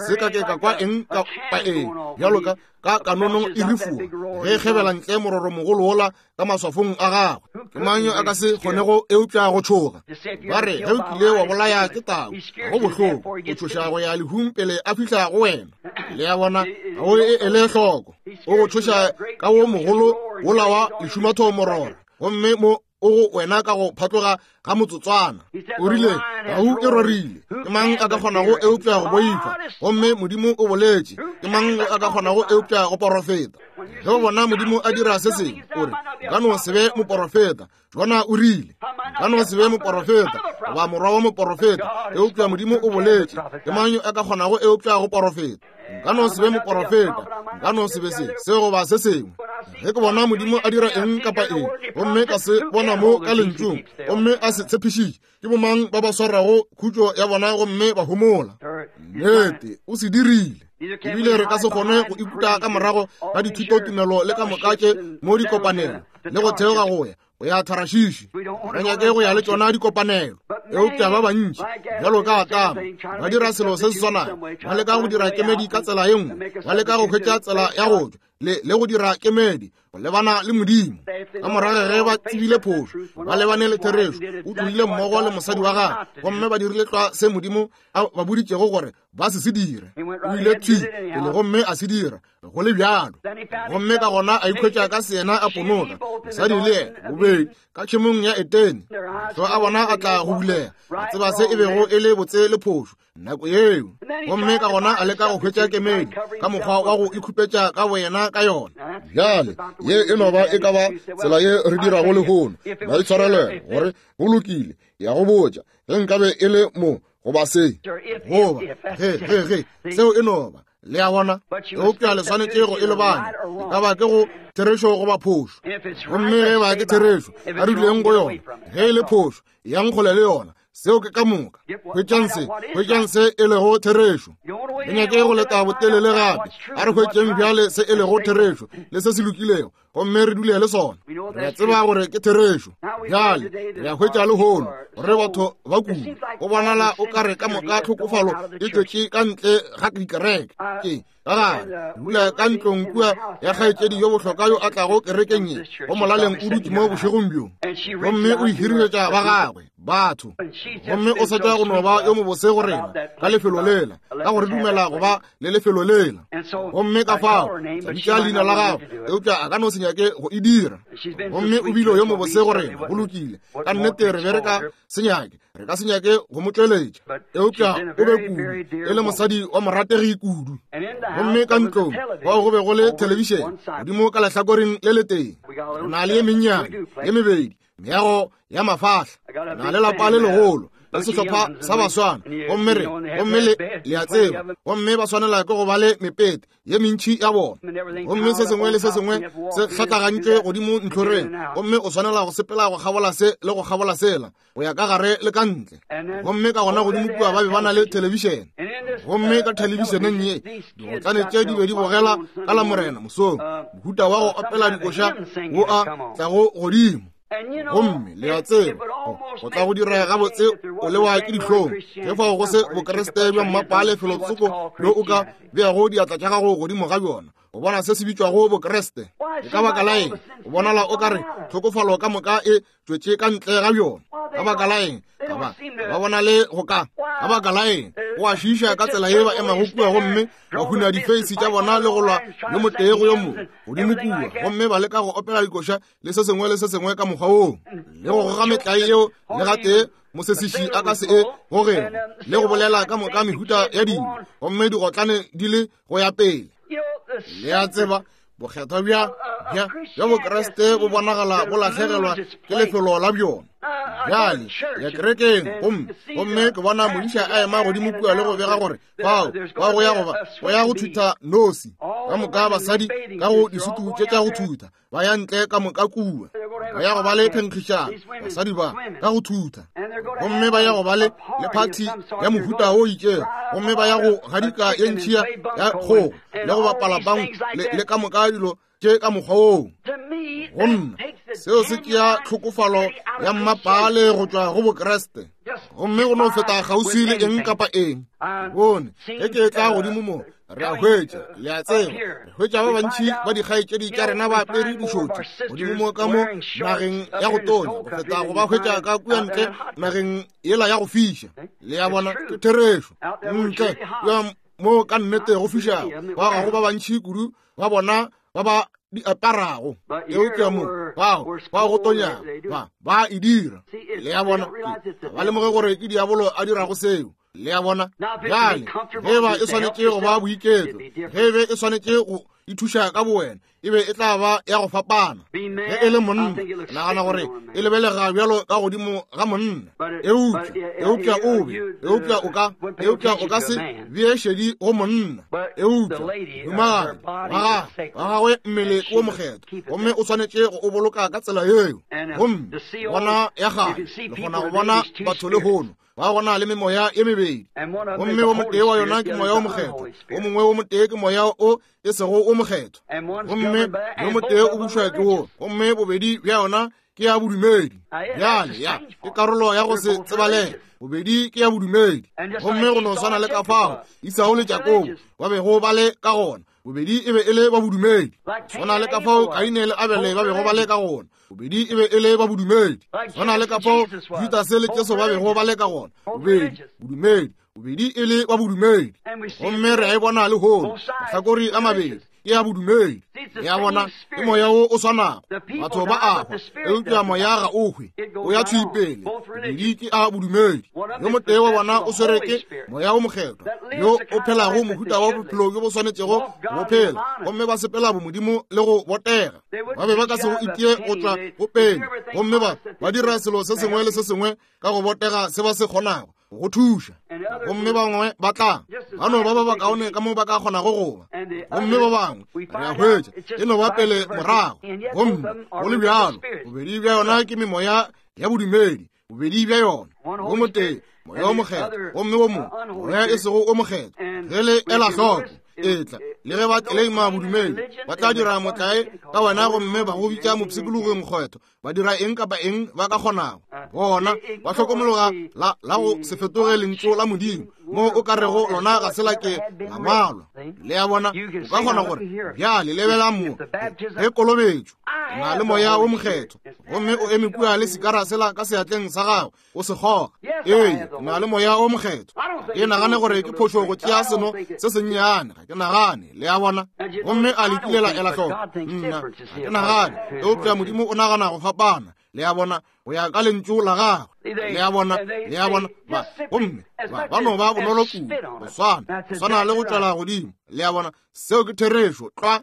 Se ka ke ka kwa eng kapa eng bjalo ka ka kanonong e rifuwa ge e kgebela ntle mororo mogolo wola ka maswafong a gagwe. Ke mang yo a ka se kgonego eupša go tšhoga? Ba re ge o kile wa bolaya ke tau, ga go bohloko, o tšhoša go ya lehung pele a fihla go wena. Le a bona, ga o e ele hloko. O go tšhoša ka wo mogolo wola wa lešumatho mororo, gomme mo o go wena ka go phatloga ga motsotswana. O rile, tau e rorile, ke mang a ka kgonago eupša go boifa? Gomme Modimo o boletše, ke mang a ka kgonago eupša go porofeta? Ge o bona Modimo a dira se sengwe, o re, nka no se be moporofeta. Jona o rile, nka no se be moporofeta goba morwa wa moporofeta, eupša Modimo o boletše, ke mang yo a ka kgonago eupša go porofeta? Nka no se be moporofeta, nka no se be se, se goba se sengwe. Ge ke bona Modimo a dira eng kapa eng, gomme ka se bona mo ka lentšung, gomme a se tshepišitše, ke bomang ba ba swarago khutšo ya bona gomme ba homola? Nnete, o se dirile. Ebile re ka se kgone go ikuta ka morago ga dithutotumelo le ka moka tše mo dikopanelo le go theoga go ya go ya Tharashishi. Re nyake go ya le tšona dikopanelo. Eupša ba bantši bjalo ka Atama ba dira selo se se swanago, ba leka go dira kemedi ka tsela ye nngwe, ba leka go hwetša tsela ya go tšwa le le go dira kemedi go lebana le Modimo. Ka morago ge ba tsebile phošo, ba lebane le therešo, o tlogile mmogo le mosadi wa gagwe, gomme ba dirile tlwa se Modimo a ba boditšego gore ba se se dire. O ile thwi pele gomme a se dira go le bjalo. Gomme ka gona a ikhwetša ka seyena a ponoka, mosadi le yena bobedi ka tšhemong ya Etene. Mahlo a bona a tla go bulega, a tseba se e bego e le botse le phošo nako yeo. Gomme ka gona a leka go hwetša kemedi ka mokgwa wa go ikhupetša ka boyena ka yona. Bjale ye e no ba e ka ba tsela ye re dirago lehono. Maitshwarelelo gore go lokile, ya go botša ge nkabe e le mo goba se goba ge ge ge seo e no ba. Le a bona? Eupša le swanetše go e lebanya, e ka ba ke go therešo goba phošo. Gomme ge ba ke therešo, a re duleng go yona. Ge e le phošo, yang kgole le yona. Seo ke ka moka. Hwetšang se, hwetšang se e lego therešo. Le nyake go leta botelele gape. A re hwetšeng bjale se e lego therešo le se se lokilego, gomme re dule le sona. Re a tseba gore ke therešo. Bjale re a hwetša lehono gore batho ba kudu go bonala o ka re ka moka tlhokofalo e tšwetše ka ntle ga dikereke. Ke ka gare dula ka ntlong kua ya kgaetšedi yo bohlokwa yo a tlago kerekeng ye, go molaleng o dutše mo bošegong bjo, gomme o ihiriletša ba gagwe batho, gomme o sa tšwa go no ba yo mobose go rena ka lefelo lela, ka gore dumela go ba le lefelo lela. Gomme ka fao bitša leina la gagwe, eupša a ka no se nyake go e dira. Gomme o bile yo mobose go rena, go lokile ka nnete re be re ka se nyake, re ka se nyake go mo tšweletša, eupša o be kudu e le mosadi wa morategi kudu. Gomme ka ntlong fao go be go le thelebišene godimo ka lehlakoreng le letee, re na le ye mennyane ye mebedi meago ya mafahla, re na le lapa le legolo le sehlopha sa baswana, gomme re gomme le le a tseba, gomme ba swanela ke go ba le mepete ye mentši ya bona, gomme se sengwe le se sengwe se hlatlagantšwe godimo ntlhoreng, gomme o swanela go sepela go kgabola se le go kgabola sela go ya ka gare le ka ntle. Gomme ka gona godimo kua ba be ba na le thelebišene, gomme ka thelebišeneng ye digotlane tše di be di bogela ka la Morena mosong mohuta wa go opela dikoša wo a tlago godimo. Gomme le a tseba go tla go dira gabotse o lewa ke dihlong ge fao go se bokreste bja mmapale felotsoko bjo o ka beago diatla tša gago godimo ga bjona o bona se se bitšwago bokreste. E ka baka la eng o bonala o ka re tlhokofalo ka moka e tšwetše ka ntle ga bjona? Ka baka la eng ba ba bona le go ka? Ka baka la eng go a šiiša ka tsela ye ba emago kua gomme ba huna difeisi tša bona le go lwa yo motee go yo mongwe godimo kua, gomme ba leka go opela dikoša le se sengwe le se sengwe ka mokgwa woo, le go goga metlae yeo le gatee mosesiši a ka se e gogego, le go bolela ka moka mehuta ya dilo, gomme digotlane di le go ya pele. Le a tseba bokgethwa bja bja bja bokreste bo bonagala bo lahlegelwa ke lefelo la bjona. Bjale ya kerekeng gomme gomme ke bona modiša a ema godimo kua le go bega gore fao ba go ya goba go ya go thutha nosi ka moka basadi ka go disutu tše tša go thutha ba ya ntle ka moka kua, ba ya go ba le phenkgišano basadi ba ka go thutha, gomme ba ya go ba le le phathi ya mohuta o itšego, gomme ba ya go gadika ye ntši ya kgogo le go bapala bang le, le ka moka dilo tše ka mokgwa woo. Go nna seo se tšea tlhokofalo ya mmapale go tšwa go bokreste, gomme go no feta kgauswi le eng kapa eng. Bone ge ke tla godimo mo re a hwetša, le a tseba, re hwetša ba bantši ba dikgaetšedi tša rena ba apere dišotši godimo mo ka mo nageng ya go tonya go feta go ba hwetša ka kua ntle nageng yela ya go fiša. Le a bona, ke therešo. Ntle kua mo ka nnete go fišago ba gago ba bantši kudu ba bona ba ba di aparago, eupša mo bao ba go tonyago ba ba e dira. Le a bona, ba lemoge gore ke diabolo a dirago seo. Le a bona, bjale ge ba e swanetše go ba boiketlo, ge be e swanetše go ithuša ka bowena, e be e tla ba ya go fapana. Ge e le monna, nagana gore e lebelega bjalo ka godimo ga monna, eupša eupša o be eupša o ka eupša o ka se bee šedi go monna, eupša humagadi wa gagwe wa gagwe mmele wo mokgethwa, gomme o swanetše go o boloka ka tsela yeo. Gomme bona ya gagwe, le kgona go bona batho lehono ba gona le memoya ye mebedi, gomme wo motee wa yona ke moya o mokgethwa, o mongwe wo motee ke moya o e sego o mokgethwa, gomme yo motee o bušwa ke wo, gomme bobedi bja yona ke ya bodumedi. Bjale ya ke karolo ya go se tsebalege. Bobedi ke ya bodumedi. Gomme go no swana le ka fao Esau le Jakobo ba bego ba le ka gona. Bobedi e be e le ba bodumedi. Swana le ka fao Kaine le Abele ba bego ba le ka gona. Bobedi e be e le ba bodumedi. Swana le ka fao Judase le Jesu ba bego ba le ka gona. Bobedi bodumedi. Bobedi e le ba bodumedi. Gomme re a e bona lehono. Mahlakore a mabedi ke ya bodumedi. Ya bona ke moya wo o swanago. Batho ba a hwa, eupša moya ga o hwe, o ya thwi pele. Bobedi ke a bodumedi. Yo motee wa bona o swere ke moya wo mokgethwa, yo o phelago mohuta wa bophelo bjo bo swanetšego go phela, gomme ba sepela bomodimo le go botega. Ba be ba ka se go itie go tšwa go pele, gomme ba ba dira selo se sengwe le se sengwe ka go botega se ba se kgonago go thuša. Gomme bangwe ba tla ba no ba ba bakaone ka mo ba ka kgonago go ba, gomme ba bangwe re a hwetša e no ba pele morago. Gomme go le bjalo, bobedi bja yona ke memoya ya bodumedi. Bobedi bja yona, wo motee moya o mokgethwa, gomme wo mongwe moya e sego o mokgethwa. Ge le ela hloko, etla le ge ba tleleima bodumedi, ba tla dira motlae ka wena gomme ba go bitša mopshikologi mokgethwa. Ba dira eng kapa eng ba ka kgonago. Bona ba hlokomologa la, la go se fetoge lentšu la Modimo, mo o ka rego lona ga se la ke la ngwalwa. Le a bona, o ka kgona gore bjale lebela mo ge kolobetšo na le moya wo mokgethwa, gomme o eme kua le sikara sela ka seatleng sa gago o se goga. Ee, na le moya wo mokgethwa. Ke nagane gore ke phošo go tšea seno se sennyane, ga ke nagane. Le a bona, gomme a le kile la ela hloko. Nna ga ke nagane, eupša Modimo o nagana go fapana. Le a bona, go ya ka lentšu la gagwe. Le a bona, le a bona, ba gomme ba ba no ba bonolo kudu, go swana, go swana le go tšwela godimo. Le a bona, seo ke therešo tlwa.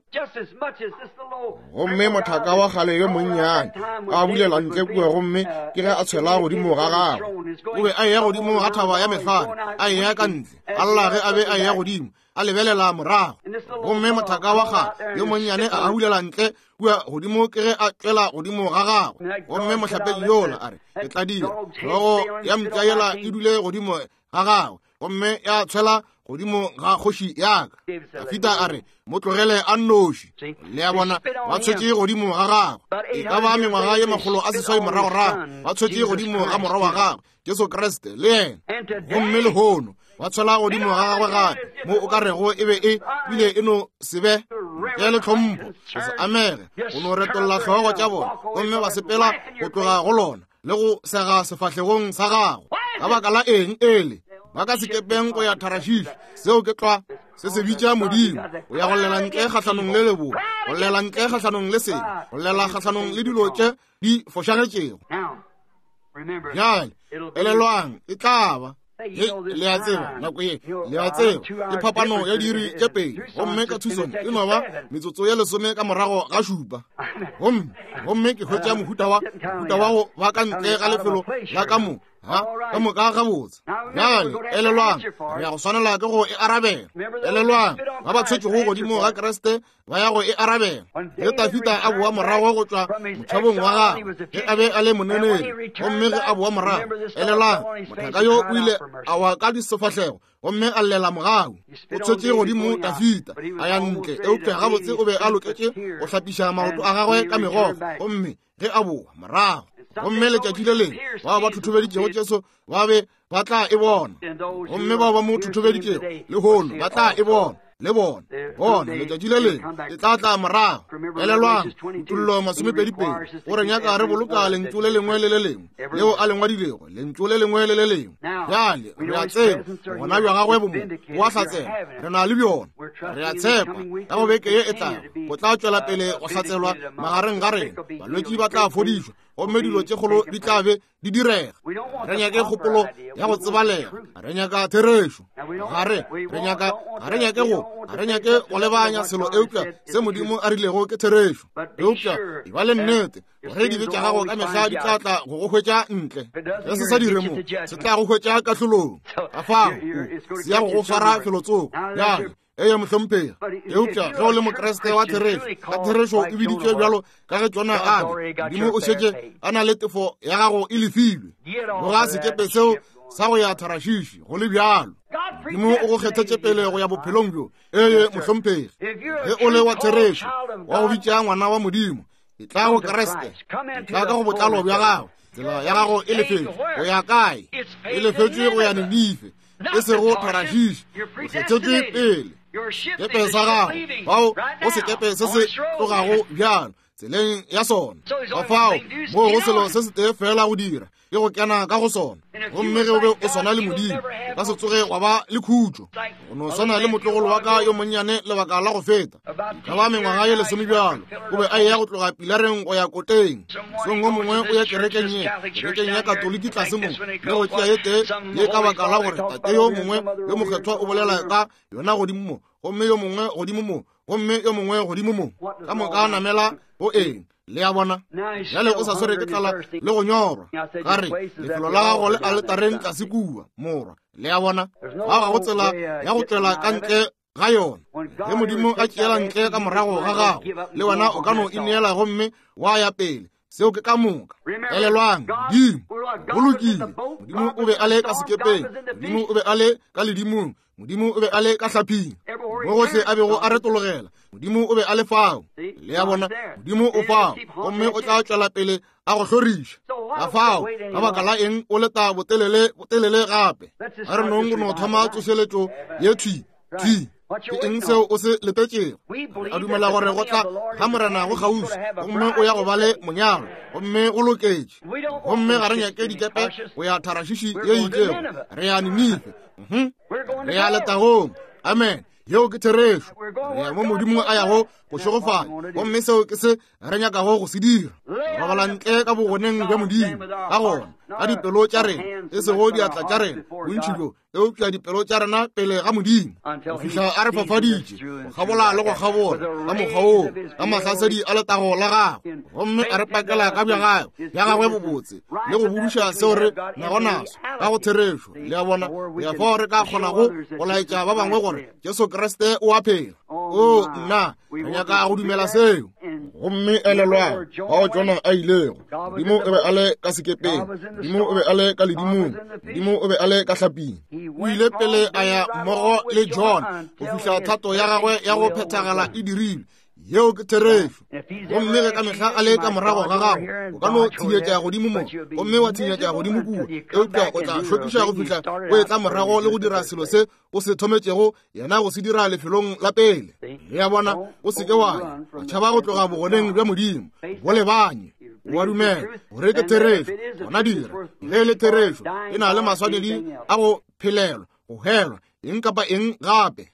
Gomme mothaka wa kgale yo monnyane a bulela ntle kua, gomme ke ge a tshwela godimo ga gagwe. O be a eya godimo ga thaba ya mehlare, a eya ka ntle, a lla ge a be a eya godimo, a lebelela morago. Gomme mothaka wa kgale yo monnyane a bulela ntle kua godimo, ke ge a tšwela godimo ga gagwe. Gomme mohlapetši yola a re, ke tla dira hlogo ya mpša yela e dule godimo ga gagwe, gomme ya tshwela godimo ga kgoši ya ka. Dafida a re, mo tlogele a nnoši. Le a bona, ba tshwetše godimo ga gagwe. E ka ba mengwaga ye makgolo a seswai moragorago, ba tshwetše godimo ga morwa wa gagwe Jesu Kriste le yena. Gomme lehono ba tshwela godimo ga gagwe gape, mo o ka rego e be e bile e no se be ntle le tlhompho, go se amege, go no retolla hlogo tša bona, gomme ba sepela go tloga go lona le go sega sefahlegong sa gagwe. Ka baka la eng ele ba ka sekepeng go ya Tharashishi? Seo ke tlwa se se bitša Modimo. O ya go llela ntle kgahlanong le leboa, go llela ntle kgahlanong le sebe, go llela kgahlanong le dilo tše di fošagetšego. Bjale elelwang, e tla ba He, le a tseba nako ye, le a tseba ke phapano ya diiri tše pedi, gomme ka Tucson e no ba metsotso ye lesome ka morago ga šupa. Gomme gomme ke hwetša mohuta wa mohuta wa go ba ka ntle ga lefelo la ka mo ha ka moka gabotse. Bjale elelwang, re ya go swanela ke go e arabela. Elelwang, ba ba tshwetšego godimo ga Kriste ba ya go e arabela. Ge Dafida a boa morago go tšwa motšhabong wa gagwe, ge a be a le moneneri, gomme ge a boa morago, elelwang, mothaka yo o ile a wa ka disefahlego gomme a llela mogau. O tshwetše godimo Dafida a ya ntle, eupša gabotse o be a loketše go hlapiša maoto a gagwe ka megokgo. Gomme ge a boa morago, gomme letšatši le lengwe bao ba thothobeditšego Jesu ba be ba tla e bona, gomme bao ba mo thothobeditšego lehono ba tla e bona le bona. Bona letšatši le lengwe e tla tla morago. Elelwang, Kutollo masomepedipedi o re nyaka re boloka lentšu le lengwe le le lengwe leo a le ngwadilego, lentšu le lengwe le le lengwe. Bjale re a tseba gona bja gagwe bo mo bo a hlatsela, re na le bjona. Re a tshepa ka go beke ye e tlago go tla tšwela pele go hlatselwa magareng ga rena. Balwetši ba tla fodišwa, gomme dilo tše kgolo di tla be di direga. Re nyake kgopolo ya go tsebalega, re nyaka therešo. Ga re re nyaka ga re nyake go ga re nyake go lebanya selo eupša se Modimo a rilego ke therešo. Eupša e ba le nnete gore dibe tša gago ka mehla di tla tla go go hwetša ntle. Ge se sa dire mo, se tla go hwetša kahlolong. Ka fao se ya go go swara felotsoko. Bjale eye mohlomphegi, eupša ge o le Mokriste wa therešo, ka therešo e biditšwe bjalo ka ge Jona a be, Modimo o šetše a na le tefo ya gago e lefilwe. Boga sekepe seo sa go ya Tharashishi go le bjalo. Modimo o go kgethetše pele go ya bophelong bjo. Eye mohlomphegi, ge o le wa therešo, wa go bitša ngwana wa Modimo, Etla go Kriste, etla ka go botlalo bja gago. Tsela ya gago e lefetšwe go ya kae? E lefetšwe go ya Ninife, e sego Tarashishi. O kgethetšwe pele. Sekepe sa gago, fao go sekepe se se tlogago bjalo tseleng ya sona. Ka fao moo go selo se setee fela go dira, ke go kena ka go sona. Gomme ge o be o swana le Modimo, o ka se tsoge wa ba le khutšo. O no swana le motlogolo wa ka yo monnyane lebaka la go feta, ka ba mengwaga ye lesome bjalo, o be a eya go tloga pilareng go ya koteng. Mosong o mongwe o ya kerekeng ye, kerekeng ya Katoliki tlase mo, le go tšea ye tee ye ka baka la gore tate yo mongwe yo mokgethwa o bolela ka yona godimo mo, gomme yo mongwe godimo mo, gomme yo mongwe godimo mo. Ka moka namela go eng? Le a bona? Bjale o sa swere ke tlala le go nyorwa. Ka re, lefelo la gago le aletareng tlase kua, morwa. Le a bona? Ga ga go tsela ya go tšwela ka ntle ga yona. Ge Modimo a tšeela ntle ka morago ga gago, le wena o ka no ineela gomme wa ya pele. Seo ke ka moka. Elelwang, Modimo go lokile. Modimo o be a le ka sekepeng, Modimo o be a le ka ledimong, Modimo o be a le ka hlaping. Mo gohle a bego a retologela, Modimo o be a le fao. Le a bona? Modimo o fao, gomme o tla tšwela pele a go hloriša. Ka fao, ka baka la eng o leta botelele botelele gape? A re nong go no thoma tsošeletšo ye thwi thwi. Ke eng seo o se letetšego? A dumela gore go tla ga Morena go kgauswi, gomme o ya go ba le monyalo, gomme go loketše. Gomme ga re nyake dikepe go ya Tarashishi ye itšego, re ya Ninife. Re ya letagong. Amen. Yeo ke therešo. Re ya mo Modimo a yago go šegofanya, gomme seo ke se re nyakago go se dira. Robala ntle ka bogoneng bja Modimo, ka gona ka dipelo tša rena, e sego diatla tša rena bontši bjo, eupša dipelo tša rena pele ga Modimo, go fihla a re fafaditše go kgabola le go kgabola ka mokgwa woo, ka mahlasedi a letago la gagwe, gomme a re pakela ka bja gagwe bja gagwe bobotse le go buduša seo re nago naso ka go therešo. Le a bona? Go ya fao re ka kgonago go laetša ba bangwe gore Jesu Kriste o a phela. O nna, re nyaka go dumela seo. Gomme elelwang, fao Jona a ilego, Modimo o be a le ka sekepeng, Modimo o be a le ka ledimong, Modimo o be a le ka hlaping. O ile pele a ya mmogo le Jona go fihla thato ya gagwe ya go phethagala e dirilwe. Yeo ke therešo. Gomme ge ka mehla a le ka morago ga gago, o ka no thinyetša godimo mo, gomme wa thinyetša godimo kua, eupša o tla šokiša go fihla o etla morago le go dira selo se o se thometšego yena go se dira lefelong la pele. Le a bona? O se ke wa ya wa tšhaba go tloga bogoneng bja Modimo, bo lebanye. O a dumela gore ke therešo, gona dira. Ge e le therešo, e na le maswanedi a go phelelwa, go helwa, eng kapa eng gape.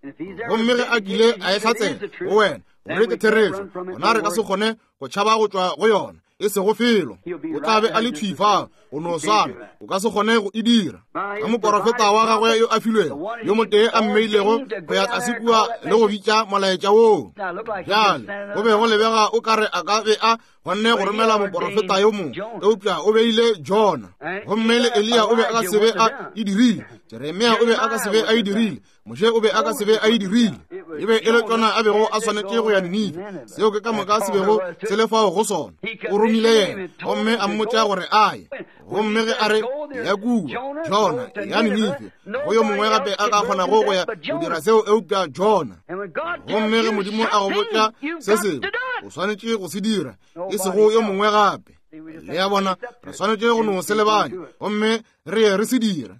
Gomme ge a kile a e hlatsela go wena gore ke therešo, gona re ka se kgone go tšhaba go tšwa go yona, e sego felo. O tla be a le thwi fao, o no swana, o ka se kgone go e dira. Ka moporofeta wa gagwe yo a filwego, yo motee a mmeilego go ya tlase kua le go bitša molaetša woo. Bjale go be go lebega o ka re a ka be a kgonne go romela moporofeta yo mongwe, eupša o beile Jona. Gomme le Eliya o be a ka se be a e dirile, Jeremia o be a ka se be a e dirile, Moshe o be a ka se be a e dirile. E be e le Jona a bego a swanetše go ya Ninife. Seo ke ka moka se bego se le fao go sona. O romile yena, gomme a mmotša gore a ye. Gomme ge a re ya kua, Jona ya Ninife, go yo mongwe gape a ka kgonago go ya go dira seo eupša Jona. Gomme ge Modimo a go botša se sengwe, o swanetše go se dira, e sego yo mongwe gape. Le a bona? Re swanetše go no se lebanya, gomme re ye re se dira.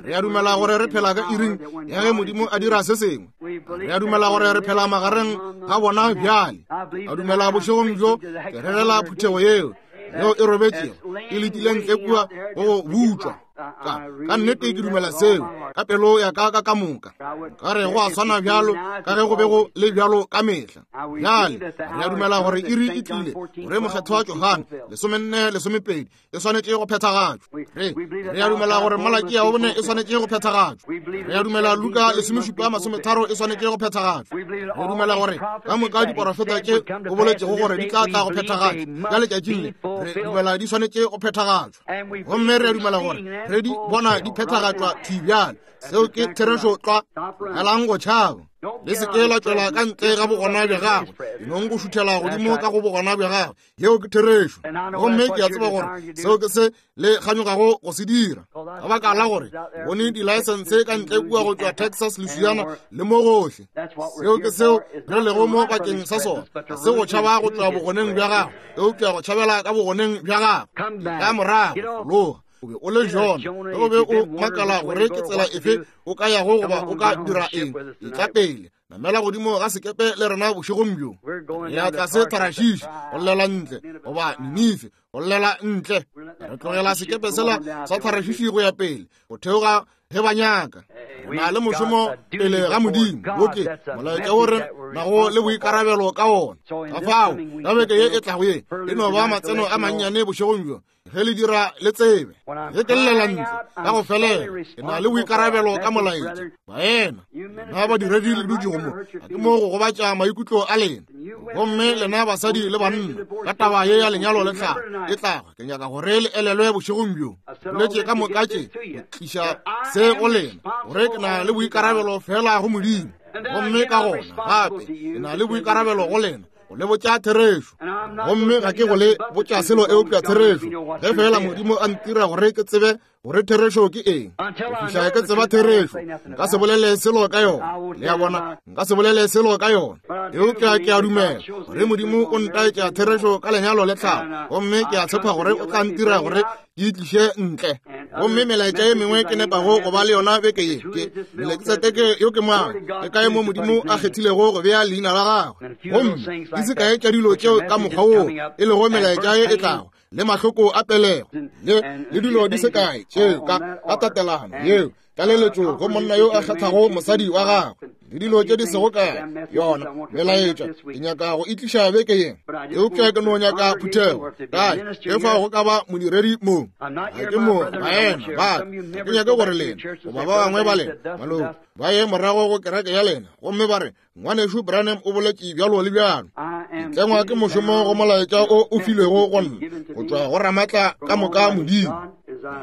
Re a dumela gore re phela ka iring ya ge Modimo a dira se sengwe. Re a dumela gore re phela magareng ga bona bjale. A dumela bošegong bjo ke rerela phuthego yeo yeo e robetšego e letile ntle kua go go butšwa. Ka, ka nnete ke dumela seo ka pelo ya ka ka ka moka. Ka re go a swana bjalo ka ge go be go le bjalo ka mehla. Bjale re a dumela gore iri e tlile gore mokgethwa Johane lesomenne lesomepedi e swanetše go phethagatšwa. Re re a dumela gore Malakia wa bone e swanetše go phethagatšwa. Re a dumela Luka lesomešupa masometharo e swanetše go phethagatšwa. Re dumela gore ka moka diporofeta tše o boletšego gore di tla tla go phethagatšwa ka letšatšing le, re dumela di swanetše go phethagatšwa. Gomme re a dumela gore Re di bona di phethagatšwa thwi bjale. Seo ke therešo tlwa. Elang go tšhaba. Le se ke la tšwela ka ntle ga bogona bja gagwe. E nong go šuthela godimo ka go bogona bja gagwe. Yeo ke therešo. Gomme ke a tseba gore seo ke se le kganyogago go se dira. Ka baka la gore bone di-license ka ntle kua go tšwa Texas, Louisiana le mo gohle. Seo ke seo re lego mo bakeng sa sona. Ga se go tšhaba go tšwa bogoneng bja gagwe, eupša go tšhabela ka bogoneng bja gagwe. Ka morago, loga. O be o le Jona, ge o be o makala gore ke tsela efe o ka yago goba o ka dira eng, etla pele, namela godimo ga sekepe le rena bošegong bjo. Re ya tlase Tarashishi go llela ntle, goba Ninife go llela ntle. Re tlogela sekepe sela sa Tarashishi go ya pele, go theoga ge ba nyaka. Re na le mošomo pele ga Modimo. Wo ke molaetša wo re nago le boikarabelo ka wona. Ka fao, ka beke ye e tlago ye, e no ba matseno a mannyane bošegong bjo. Ge le dira le tsebe, ge ke llela ntle ka go felela, ke na le boikarabelo ka molaetša. Baena, lena badiredi le dutšego mo, ga ke mo go gobatša maikutlo a lena. Gomme lena basadi le banna, ka taba ye ya lenyalo le tlhago e tlago, ke nyaka gore le elelwe bošegong bjo. Boletše ka moka tše go tliša se go lena, gore ke na le boikarabelo fela go Modimo. Gomme ka gona gape ke na le boikarabelo go lena, go le botša therešo. Gomme ga ke go le botša selo eupša therešo. Ge fela Modimo a ntira gore ke tsebe gore therešo ke eng, go fihla ke tseba therešo, nka se bolele selo ka yona. Le a bona, nka se bolele selo ka yona. Eupša ke a dumela gore Modimo o ntaetša therešo ka lenyalo le tlhago, gomme ke a tshepa gore o tla ntira gore ke itliše ntle. Gomme melaetša ye mengwe ke nepago go ba le yona beke ye ke Melkisedeke yo ke mang, ke kae mo Modimo a kgethilego go bea leina la gagwe. Gomme di se kae tša dilo tšeo ka mokgwa woo e lego melaetša ye e tlago, le mahloko a pelego, le le dilo di se kae tšeo ka ka tatelano yeo tlaleletšo go monna yo a kgethago mosadi wa gagwe, le dilo tše di sego kae. Yona melaetša ke nyaka go itliša beke ye, eupša ke no nyaka phuthego kae ge fao go ka ba modiredi mo. Ga ke mo baena ba ka, ke nyake gore lena goba ba bangwe ba lena maloko ba ye morago go kereke ya lena gomme ba re, Ngwanešu Branham o boletše bjalo le bjalo. Ke tlengwa ke mošomo go molaetša o o filwego go nna go tšwa go Ramatla ka moka Modimo.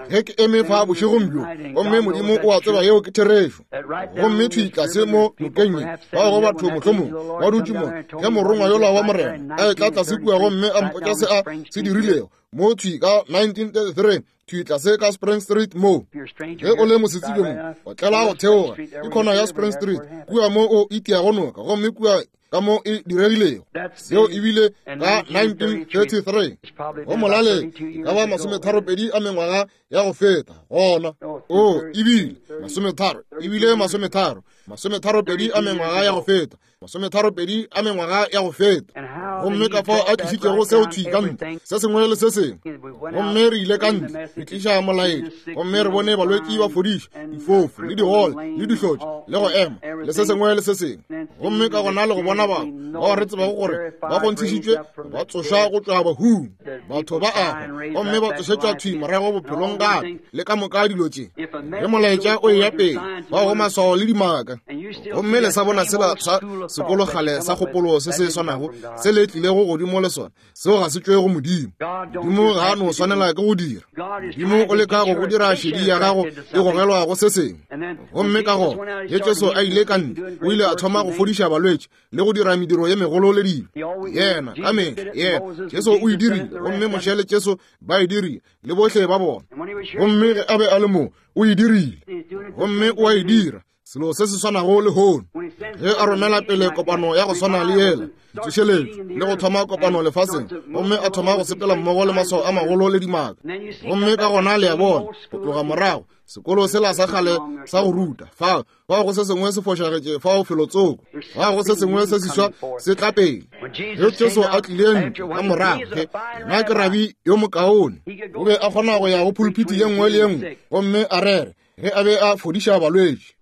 Ge ke eme fa bošegong bjo, gomme Modimo o a tseba yeo ke therešo. Gomme thwi tlase mo nokeng ye, bao go batho mohlomong ba dutše mo, ge morongwa yola wa Morena a etla tlase kua gomme a mpotša se a se dirilego mo thwi ka nineteen thirty-three, thwi tlase ka Spring Street mo. Ge o le mosetsebje mo, o tlela go theoga ke khona ya Spring Street kua mo o itiago noka, gomme kua ka mo e diregilego. Seo ebile ka nineteen thirty-three. Go molaleng e ka ba masometharopedi a mengwaga ya go feta gona. O ebile masometharo, ebile masometharo, masometharopedi a mengwaga ya go feta, masometharopedi a mengwaga ya go feta. Gomme ka fao a tlišitšego seo thwi ka ntle, se sengwe le se sengwe. Gomme re ile ka ntle, re tliša molaetša, gomme re bone balwetši ba fodiša, difofu le digole le dihlotši le go ema le se sengwe le se sengwe. Gomme ka gona le go bona batho bao re tsebago gore ba kgonthišitšwe ba tsošwa go tšwa bahung, batho ba a hwa gomme ba tsošetšwa thwi morago bophelong gape, le ka moka dilo tše. Ge molaetša o eya pele, bao go maswao le dimaka. Gomme le sa bona sela sa sekolo kgale sa kgopolo se se swanago se le tlilego godimo le sona, seo ga se tšwe go Modimo. Modimo ga a no swanela ke go dira. Modimo o leka go go dira šedi ya gago e gogelwa go se sengwe. Gomme ka gona ge Jesu a ile ka ntle, o ile a thoma go fodiša balwetši le go dira mediro ye megolo le dilo. Yena ka mehla, yena Jesu o e dirile, gomme Moshe le Jesu ba e dirile, le bohle ba bona. Gomme ge a be a le mo, o e dirile, gomme o a e dira. Selo se se swanago lehono, ge a romela pele kopano ya go swana le yela, ditsošeletšo, le go thoma kopano lefaseng, gomme a thoma go sepela mmogo le maswao a magolo le dimaka. Gomme ka gona le a bona, go tloga morago, sekolo sela sa kgale sa go ruta, fao fao go se sengwe se fošagetše, fao felotsoko, fao go se sengwe se seswa se tla pele. Ge Jesu a tlile ntle ka morago, ge nna ke rabi yo mokaone, o be a kgona go ya go pulpiti ye nngwe le ye nngwe gomme a rere ge a be a fodiša balwetši.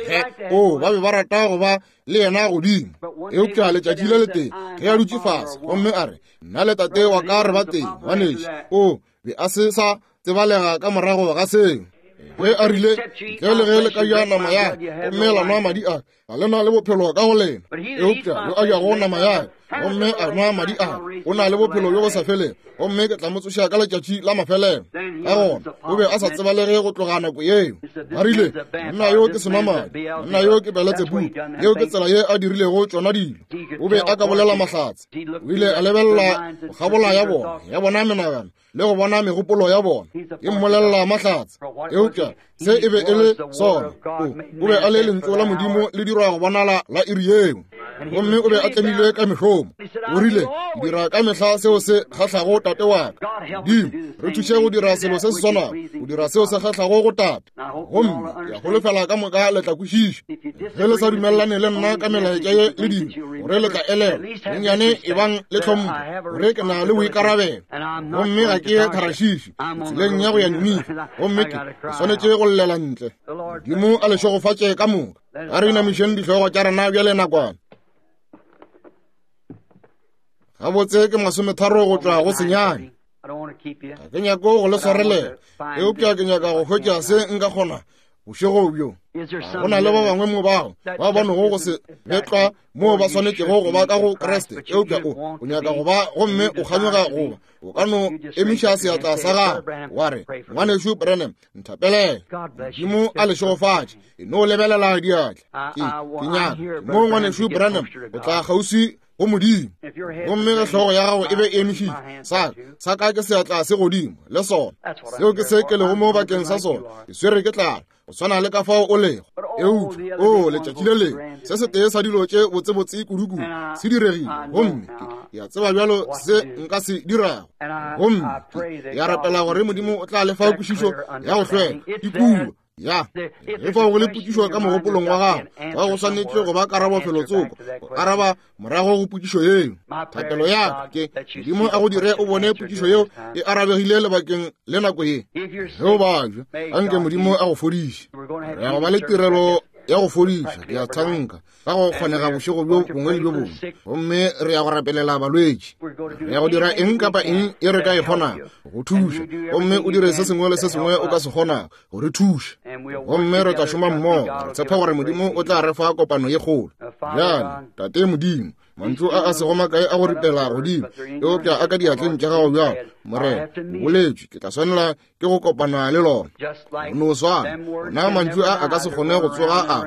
Ge o ba be ba rata go ba le yena godimo, eupša letšatši le letee ge a dutše fase gomme a re, nna le tate wa ka re ba teng, ngwanešu, o be a se sa tsebalega ka morago ga seo. Ge a rile, ntle le ge le ka ja nama ya gomme la nwa madi a, ga le na le bophelo ka go lena. Eupša yo a jago nama ya gomme a nwa madi a, o na le bophelo bjo bo sa felego, gomme ke tla mo tsoša ka letšatši la mafelelo. Ka gona o be a sa tsebalege go tloga nako yeo. Ba rile, monna yo ke senwamadi, monna yo ke Beletsebubu. Yeo ke tsela ye a dirilego tšona dilo. O be a ka bolela mahlatse. O ile a lebelela go kgabola ya bona, ya bona menagano le go bona megopolo ya bona, e mmolelela mahlatse. Eupša se e be e le sona. O, o be a le lentšu la Modimo le dirwa go bonala la iri yeo, gomme o be a tlemilwe ka mešomo. O rile, ke dira ka mehla seo se kgahlago tate wa ka. Modimo, re thuše go dira selo se se swanago, go dira seo se kgahlago go tate. Gomme ke a holofela ka moka le tla kwešiša. Ge le sa dumelelane le nna ka melaetša ye le dilo, gore le tla elelwa bonnyane ebang le tlhompho, gore ke na le boikarabelo, gomme ga ke ye Tharashishi, tseleng ya go ya Ninife, gomme ke swanetše go llela ntle. Modimo a le šegofatše ka moka. A re inamišeng dihlogo tša rena bjale nakwana. Gabotse ke masometharo go tšwa go senyane. Ga ke nyako go le swarelela, eupša ke nyaka go hwetša se nka kgona bošego bjo. Go na le ba bangwe mo bao ba bonego go se betlwa moo ba swanetšego go ba ka go Kriste, eupša o o nyaka go ba, gomme o kganyoga go ba. O ka no emiša seatla sa gago wa re, ngwanešu Branham, nthapelele. Modimo a le šegofatše. E no lebelela diatla. Ke, ke nyaka mo ngwanešu Branham o tla kgauswi go Modimo, gomme ge hlogo ya gago e be e emišitše, sa sa ka ke seatla se godimo le sona. Seo ke se ke lego mo bakeng sa sona. Ke swere ke tlala, go swana le ka fao o lego. Eupša o letšatši le lengwe se setee sa dilo tše botsebotse kudukudu se diregile, gomme ke a tseba bjalo se nka se dirago. Gomme ke a rapela gore Modimo o tla le fa kwešišo ya go hlweka ke kua. Ya, ge fao go le potšišo ka mogopolong wa gago, wa go swanetše go ba karabo felotsoko, go araba morago go potšišo yeo. Thapelo ya ka ke, Modimo a go dire o bone potšišo yeo e arabegile lebakeng le nako ye. Ge o babja, anke Modimo a go fodiše. Re ya go ba le tirelo ya go fodiša, ke a thanka, ka go kgonega bošego bjo bongwe le bjo bongwe, gomme re ya go rapelela balwetši. Re ya go dira eng kapa eng e re ka e kgonago go thuša, gomme o dire se sengwe le se sengwe o ka se kgonago go re thuša, gomme re tla šoma mmogo. Re tshepa gore Modimo o tla re fa kopano ye kgolo. Bjale, Tate Modimo, mantšu a a sego makae a go ripela godimo, eupša a ka diatleng tša gago bjalo, Morena, o boletšwe, ke tla swanela ke go kopana le lona. Go no swana, ona mantšu a a ka se kgone go tsoga a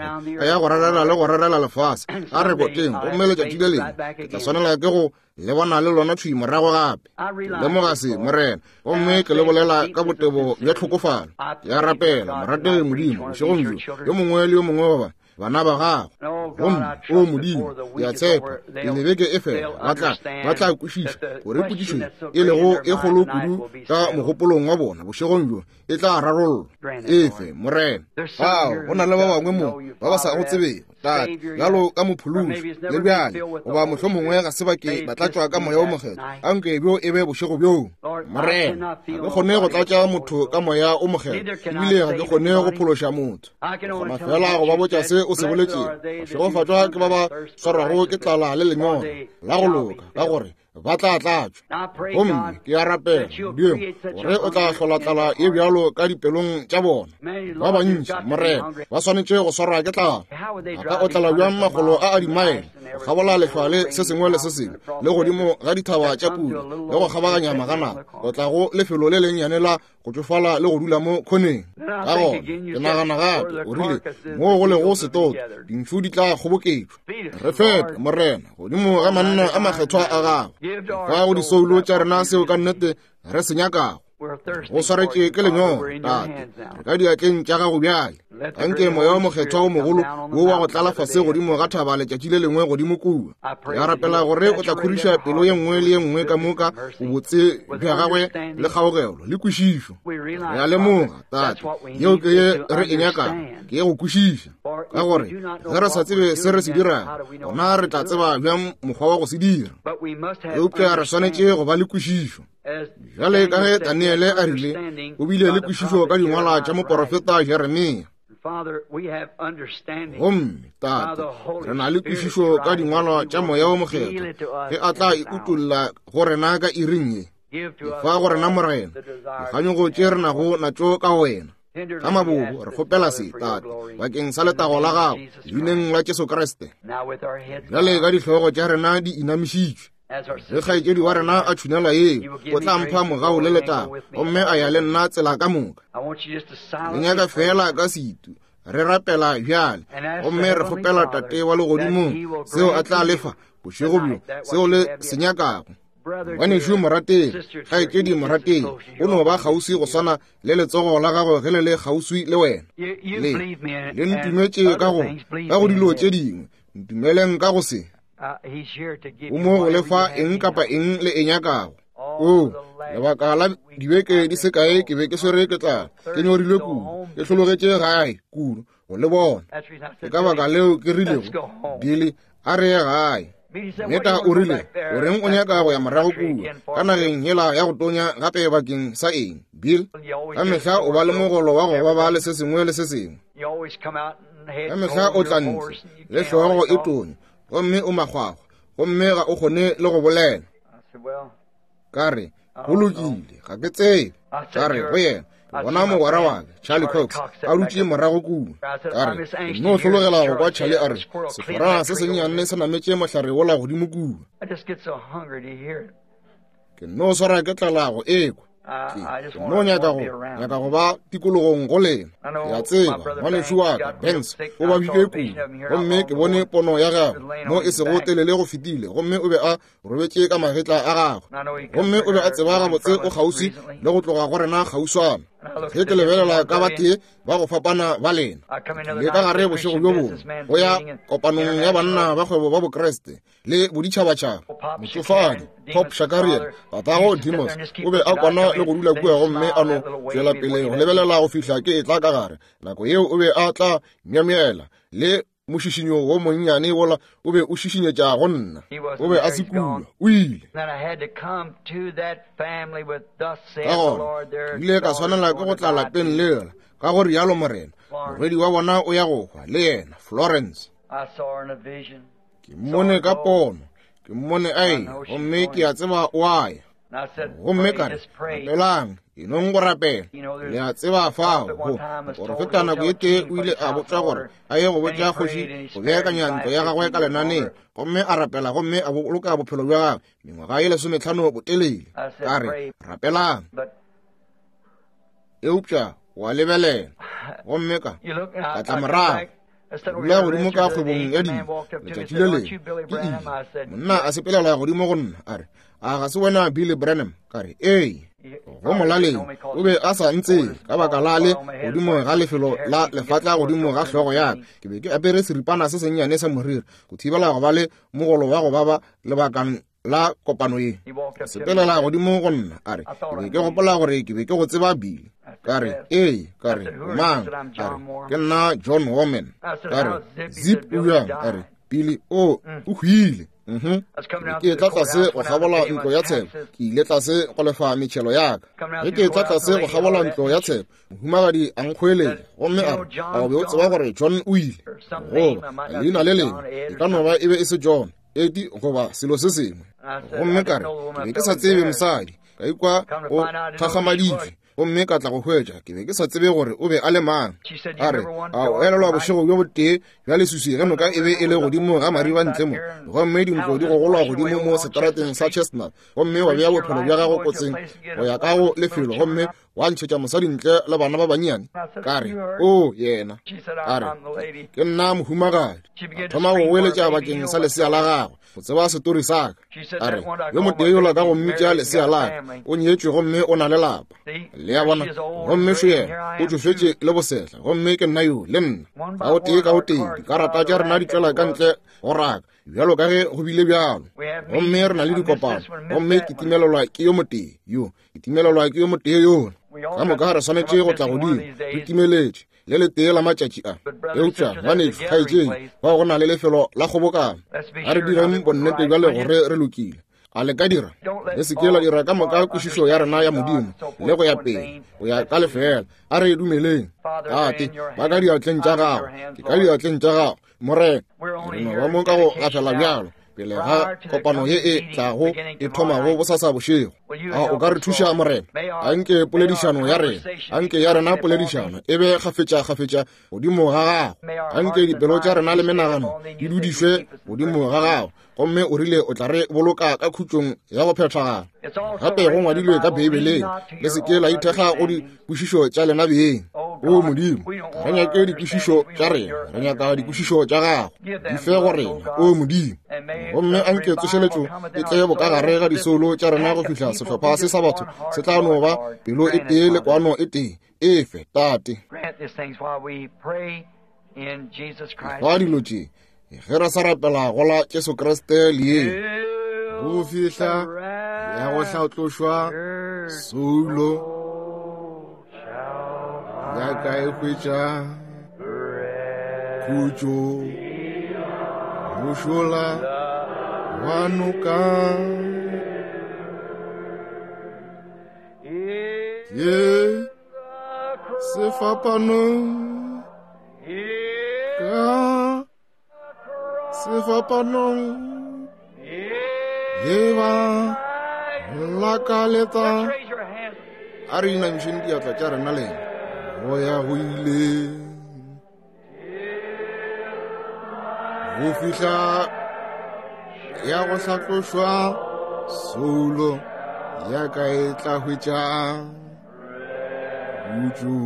a ya go rarela le go rarela lefase, a re koteng, gomme letšatši le lengwe ke tla swanela ke go le bona le lona thwi morago gape. Ke lemoga se, Morena, gomme ke le bolela ka botebo bja tlhokofalo. Ke a rapela, morategi Modimo, bošegong bjo, yo mongwe le yo mongwe wa ba bana ba gago. Gomme o Modimo, ke a tshepa pele beke e fela ba tla ba tla kwešiša gore potšišo e lego e kgolo kudu ka mogopolong wa bona bošegong bjo e tla rarollwa. Efe, Morena. Ao, go na le ba bangwe mo ba ba sa go tsebego, Tate, bjalo ka mophološi le bjale, goba mohlomongwe ga se ba ke ba tlatšwa ka Moya o Mokgethwa. Anke bjo e be bošego bjo, Morena. Ga ke kgone go tlatša motho ka Moya o Mokgethwa, ebile ga ke kgone go phološa motho. Kgona fela go ba botša se o se boletšego. Bašegofatšwa ke ba ba swarwago ke tlala le lenyora la go loka, ka gore ba tla tlatšwa. Gomme ke a rapela, Modimo, gore o tla hlola tlala ye bjalo ka dipelong tša bona. Ba bantši, Morena, ba swanetše go swarwa ke tlala. Ba ka otlela bjang makgolo a a dimaele, go kgabola lehlwa le se sengwe le se sengwe, le godimo ga dithaba tša pula, le go kgabaganya magana, go tla go lefelo le lennyane la go tšofala le go dula mo khoneng. Ka gona ke nagana gape, o rile, moo go lego setoto, dintšhu di tla kgoboketšwa. Re fepe, Morena, godimo ga manna a makgethwa a gago. Fa go disoulo tša rena seo ka nnete re se nyakago. Go swaretše ke lenyora, Tate, re ka diatleng tša gago bjale. Anke Moya o Mokgethwa o mogolo wo wa go tlala fase godimo ga thaba letšatši le lengwe godimo kua. Ke a rapela gore o tla khoriša pelo ye nngwe le ye nngwe ka moka bobotse bja gagwe le kgaogelo le kwešišo. Re a lemoga, Tate, yeo ke ye re e nyakago, ke ye go kwešiša. Ka gore ge re sa tsebe se re se dirago, gona re tla tseba bjang mokgwa wa go se dira. Eupša re swanetše go ba le kwešišo. Bjale ka ge Daniele a rile, o bile le kwešišo ka dingwalwa tša moporofeta Jeremia. Gomme, Tate, re na le kwešišo ka dingwalwa tša Moya o Mokgethwa, ge a tla e utolla go rena ka iring ye. Efa go rena, Morena, dikganyogo tše re nago natšo ka wena. Ka mabobo re kgopela se, Tate, bakeng sa letago la gago, leineng la Jesu Kriste. Bjale ka dihlogo tša rena di inamišitšwe, ge kgaetšedi wa rena a tšhunela yeo, o tla mpha mogau le letago, gomme a ya le nna tsela ka moka. Le nyaka feela ka setu re rapela bjale, gomme re kgopela Tate wa legodimong seo a tla lefa bošego bjo, seo le se nyakago. Ngwanešu morategi, kgaetšedi morategi, o no ba kgauswi go swana le letsogo la gago ge le le kgauswi le wena. Le le ntumetše ka go ka go dilo tše dingwe, ntumeleng ka go se. O mo go lefa eng kapa eng le e nyakago. O lebaka la dibeke di se kae ke be ke swere ke tlala, ke nyorilwe kudu, ke hlologetše gae kudu go le bona. Ke ka baka leo ke rilego, Billy, a re ye gae. Neta o rile, o reng o nyaka go ya morago kua ka nageng yela ya go tonya gape bakeng sa eng, Bill? Ka mehla o ba le mogolo wa go baba le se sengwe le se sengwe. Ka mehla o tla ntle le hlogo e tonya, gomme o makgwakgwa, gomme ga o kgone le go bolela. Ka re, go lokile, ga ke tsebe. Ka re go yena, ke bona mogwera wa ka Charlie Cox a dutše morago kua. Ka re, ke no hlologela go kwa Charlie a re, seforana se sennyane se nametše mohlare wola godimo kua. Ke no swara ke tlala go ekwa. Ke no nyaka go nyaka go ba tikologong go lena. Ke a tseba ngwanešu wa ka Banks o babile kudu, gomme ke bone pono ya gagwe mo e sego telele go fetile, gomme o be a robetše ka magetla a gagwe, gomme o be a tseba gabotse o kgauswi le go tloga go rena kgauswana. Ge ke lebelela ka batee ba go fapana ba lena, le ka gare bošego bjo bongwe go ya kopanong ya banna ba kgwebo ba Bokriste le boditšhabatšhaba, motšofadi Pop Shakarian, tatago Demos, o be a kwana le go dula kua gomme a no tšwela pele go lebelela go fihla ke etla ka gare. Nako yeo o be a tla myamyela le mošišinyo wo monnyane wola o be o šišinyetša go nna. O be a se kua, o ile. Ka gona ke ile ka swanela ke go tla lapeng lela, ka go rialo Morena, morwedi wa bona o ya go hwa le yena, Florence. Ke mmone ka pono, ke mmone a eya, gomme ke a tseba o a ya. Gomme ka re, rapelang, enong go rapela. Le a tseba fao go moporofeta nako e tee o ile a botšwa gore a ye go botša kgoši go beakanya ntlo ya gagwe ka lenaneng, gomme a rapela gomme a boloka bophelo bja gagwe mengwaga ye lesometlhano botelele. Ka re, rapelang. Eupša wa lebelela, gomme ka ka tla morago. Dula godimo ka kgwebong ya dijo letšatši le lengwe, ke ile. Monna a sepelela godimo go nna a re, a ga se wena Billy Branham? Ka re, ee. Go molaleng o be a sa ntsebe ka baka la le godimo ga lefelo la lefatla godimo ga hlogo ya ka. Ke be ke apere seripana se sennyane sa moriri go thibela go ba le mogolo wa go baba lebakang la kopano ye. Sepelela godimo go nna a re, ke be ke gopola gore ke be ke go tseba Billy. Ka re, ee. Ka re, o mang? A re, ke nna John Warman. Ka re, Zip o bjang? A re, Billy o o hwile. Mhm. Ke tla tlase go kgabola ntlo ya tsheko, ke ile tlase go lefa metšhelo ya ka. Ge ke tla tlase go kgabola ntlo ya tsheko, mohumagadi a nkgoeletša gomme a re, a o be o tseba gore John o ile? Goba leina le lengwe, e ka no ba e be e se John, Edi goba selo se sengwe. Gomme ka re, ke be ke sa tsebe mosadi, ka ikwa o thakgamaditšwe, gomme ka tla go hwetša, ke be ke sa tsebe gore o be a le mang. A re, a o elelwa bošego bjo botee bja leswiswi ge noka e be e le godimo ga mariba ntle mo, gomme dintlo di gogolwa godimo mo seterateng sa Chestnut, gomme wa bea bophelo bja gago kotsing go ya ka go lefelo, gomme wa ntšhetša mosadi ntle le bana ba bannyane? Ka re, o yena. A re, ke nna mohumagadi. A thoma go goeletša bakeng sa lesea la gagwe, go tseba setori sa ka. A re, yo motee yola ka go mmitša lesea la ka, o nyetšwe gomme o na le lapa. Le a bona? Gomme šo yena, o tšofetše le bosehla, gomme ke nna yo le nna. Ka o tee ka o tee, dikarata tša rena di tšwela ka ntle go raka, bjalo ka ge go bile bjalo. Gomme re na le dikopano, gomme ke timelelwa ke yo motee yo, ke timelelwa ke yo motee yola. Ka moka re swanetše go tla godimo, re timeletše le letee la matšatši a. Eupša ngwanešu, kgaetšedi, fao go na le lefelo la kgobokano. A re direng bonnete bjale gore re lokile. A le ka dira? Le se ke la dira ka moka kwešišo ya rena ya Modimo le go ya pele, go ya ka lefeela. A re dumeleng. Tate, ba ka diatleng tša gago, ke ka diatleng tša gago, Morena. Re no ba mo ka go gafela bjalo pele ga kopano ye e tlago e thomago bosasa bošego. A o ka re thuša, Morena? Anke poledišano ya rena, anke ya rena poledišano e be kgafetša-kgafetša godimo ga gago. Anke dipelo tša rena le menagano di dudišwe godimo ga gago, gomme o rile o tla re boloka ka khutšong ya go phethagala. Gape go ngwadilwe ka Beibeleng, le se ke la ithekga go dikwešišo tša lena beng. O Modimo, ga re nyake dikwešišo tša rena, re nyaka dikwešišo tša gago. Di fe go rena, o Modimo. Gomme anke tsošeletšo e tle bokagare ga disoulo tša rena go fihla sehlopha se sa batho se tla no ba pelo e tee le kwano e tee. Efe, Tate. Fa dilo tše ge re sa rapela go la Jesu Kriste leeng, go fihla ya go hlatlošwa soulo ya ka e hwetša khutšo mošola wa noka. Ye sefapanong ka sefapanong ye ba lakaletsa. A re inamišeng diatla tša rena lena go ya go ile go fihla ya go hlatlošwa soulo ya ka e tla hwetša khutšo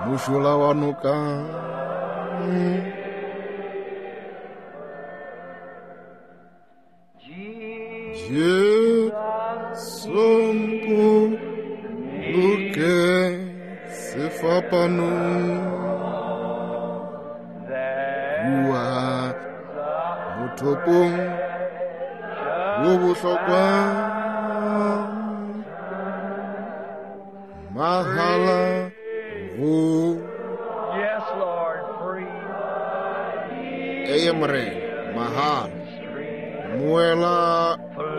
mošola wa noka. Jesu mpoloke sefapanong, kua mothopong wo bohlokwa, mahala go. Eye Morena, mahala moela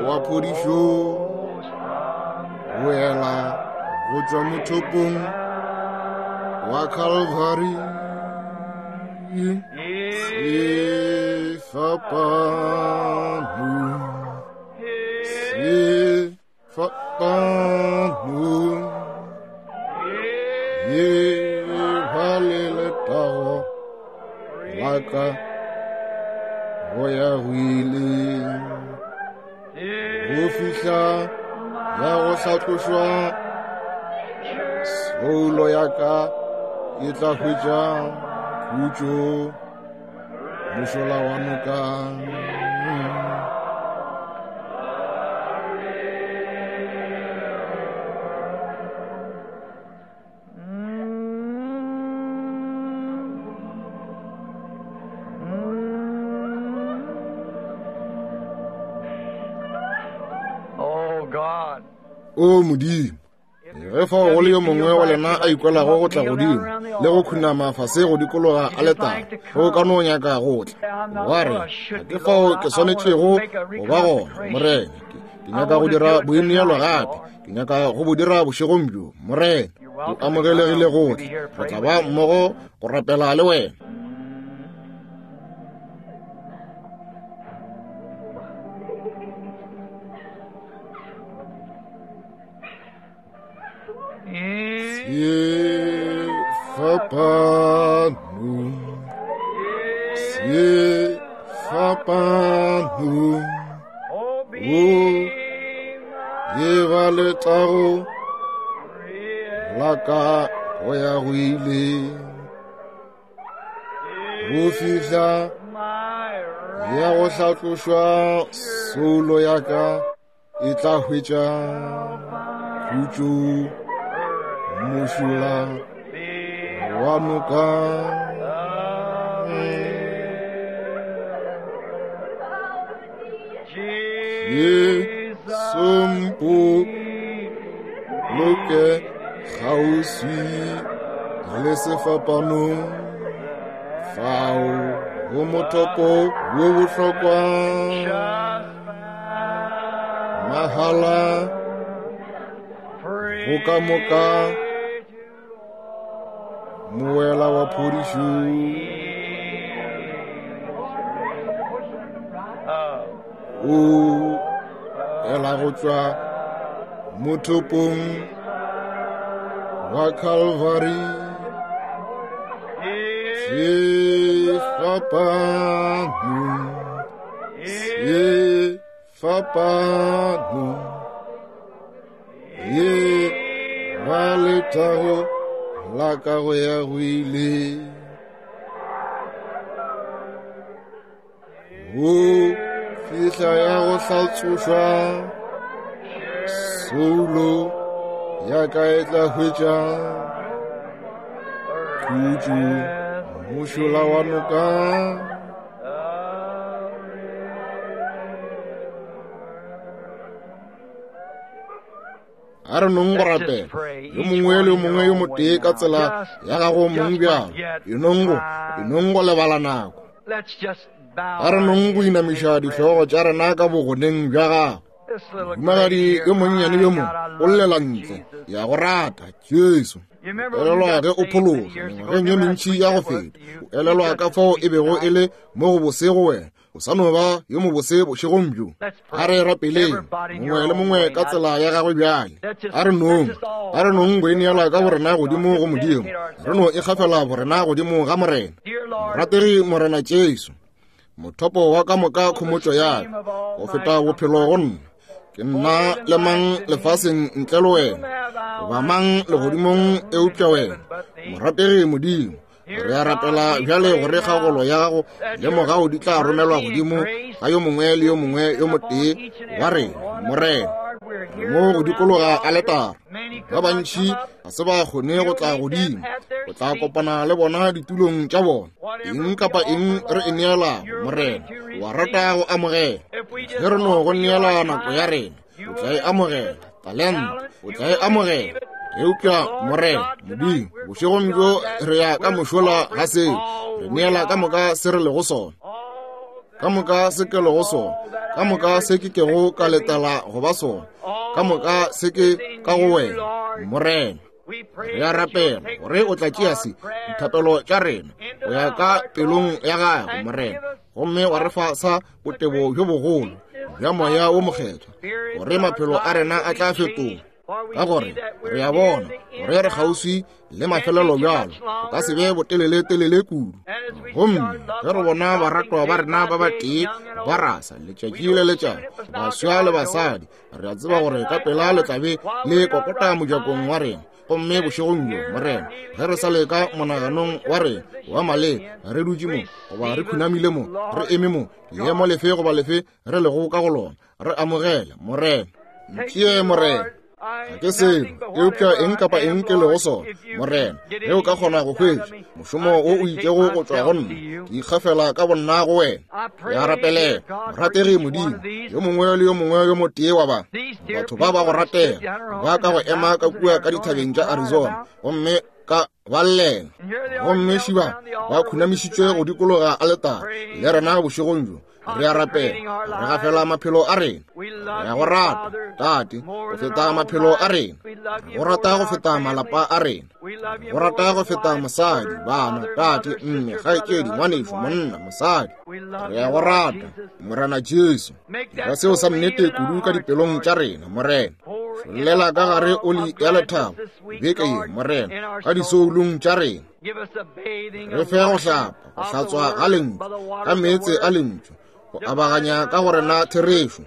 wa phodišo, boela go tšwa mothopong wa Calvary. Sefapano, sefapano, ye ba le letago la ka go ya go ile, go fihla ya go hlatlošwa soulo ya ka e tla hwetša khutšo mošola wa noka. O Modimo, ge fao go le yo mongwe wa lena a ikwelago go tla godimo le go khunama fase go dikologa aletare, ge o ka no nyaka go tla, wa re, ga ke fao ke swanetšego go ba gona, Morena. Ke nyaka go dira boineelo gape, ke nyaka go bo dira bošegong bjo, Morena. O amogelegile go tla, re tla ba mmogo go rapela le wena. Sefapano, sefapano, o ye ba letago la ka go ya go ile, go fihla ya go hlatlošwa soulo ya ka e tla hwetša khutšo mošola wa noka. Jesu mpoloke kgauswi le sefapanong, fao go mothopo wo bohlokwa, mahala go ka moka moela wa phodišo. O ela go tšwa mothopong wa Calvary. Sefapano, sefapano, ye ba letago la ka go ya go ile. O fihla ya go hlatsošwa, soulo ya ka e tla hwetša khutšo mošola wa noka. A re nong go rapela yo mongwe le yo mongwe yo motee ka tsela ya gago mong bjalo. E nong go, e nong go lebala nako. A re nong go inamiša dihlogo tša rena ka bogoneng bja gago. Mohumagadi yo monnyane yo mongwe o llela ntle, ya go rata Jesu. Elelwa ge o phološwa mengwageng ye mentši ya go feta. O elelwa ka fao e bego e le mo go bose go wena. O sa no ba yo mobose bošegong bjo. A re rapeleng mongwe le mongwe ka tsela ya gagwe bjale. A re nong, a re nong go ineela ka borena godimo go Modimo. Re no ikgafela borena godimo ga Morena. Morategi Morena Jesu, mothopo wa ka moka khomotšo ya ka, go feta bophelo go nna. Ke nna le mang lefaseng ntle le wena, goba mang legodimong eupša wena. Morategi Modimo, re a rapela bjale gore kgagolo ya gago le mogau di tla romelwa godimo ga yo mongwe le yo mongwe yo motee wa rena, Morena. Re mo go dikologa aletara. Ba bantši ga se ba kgone go tla godimo, go tla kopana le bona ditulong tša bona. Eng kapa eng re e neelago, Morena, wa rata go amogela. Ge re no go neela nako ya rena, o tla e amogela. Talente, o tla e amogela. Eupša Morena Modimo, bošegong bjo re ya ka mošola ga seo. Re neela ka moka se re lego sona, ka moka se ke lego sona, ka moka se ke kego ka letela go ba sona, ka moka se ke ka go wena, Morena. Re a rapela gore o tla tšea se dithapelo tša rena go ya ka pelong ya gago, Morena, gomme wa re fa sa botebo bjo bogolo bja moya wo mokgethwa, gore maphelo a rena a tla fetoga. Ka gore re a bona gore re kgauswi le mafelelo bjalo, go ka se be botelele-telele kudu. Gomme ge re bona baratwa ba rena ba batee ba rasa letšatši le letšatši, baswa le basadi, re a tseba gore ka pela le tla be le kokota mojakong wa rena. Gomme bošegong bjo, Morena, ge re sa le ka monaganong wa rena wa maleba, re dutše mo goba re khunamile mo, re eme mo, leemo lefe goba lefe re lego ka go lona, re amogele, Morena. Ntšee, Morena. Ga ke selo, eupša eng kapa eng ke lego sona, Morena, ge o ka kgona go hwetša mošomo wo o itšego go tšwa go nna, ke ikgafela ka bonna go wena. Ke a rapelela, morategi Modimo, yo mongwe le yo mongwe yo motee wa ba batho ba ba go ratega ba ka go ema ka kua ka dithabeng tša Arizona, gomme ka ba llela, gomme šiba ba khunamišitšwe go dikologa aletare le rena bošegong bjo. Re a rapela, re gafela maphelo a rena. Re a go rata, Tate, go feta maphelo a rena. Re go rata go feta malapa a rena. Re go rata go feta mosadi, bana, tate, mme, kgaetšedi, ngwanešu, monna, mosadi. Re a go rata, Morena Jesu. Dira seo sa nnete kudu ka dipelong tša rena, Morena. Šollela ka gare oli ya lethabo beke ye, Morena, ka disoulong tša rena. Re fe go hlapa, go hlatswa ga lentšu, ka meetse a lentšu, go abaganya ka go rena therešo.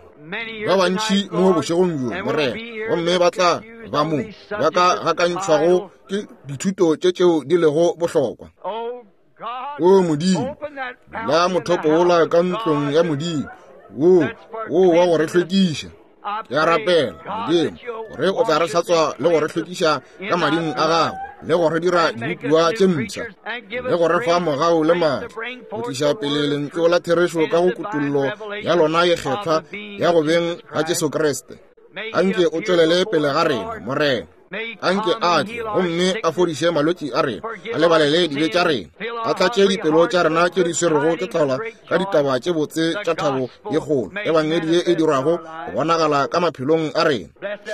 Ba bantši mo bošegong bjo, Morena, gomme ba tla ba mo ba ka gakantšhwago ke dithuto tše tšeo di lego bohlokwa. O Modimo, la mothopo wola ka ntlong ya Modimo, wo wo wa go re hlwekiša. Ke a rapela, Modimo, gore o tla re hlatswa le go re hlwekiša ka mading a gago, le go re dira dibopiwa tše mpsha, le go re fa mogau le maatla, go tliša pele lentšu la therešo ka go kutollo ya lona ye kgethwa ya go beng ga Jesu Kriste. Anke o tšwelele pele ga rena, Morena. Anke a tle gomme a fodiše malwetši a rena, a lebalele dibe tša rena, a tlatše dipelo tša rena tše di swerego ke tlala ka ditaba tše botse tša thabo ye kgolo, ebangedi ye e dirwago go bonagala ka maphelong a rena.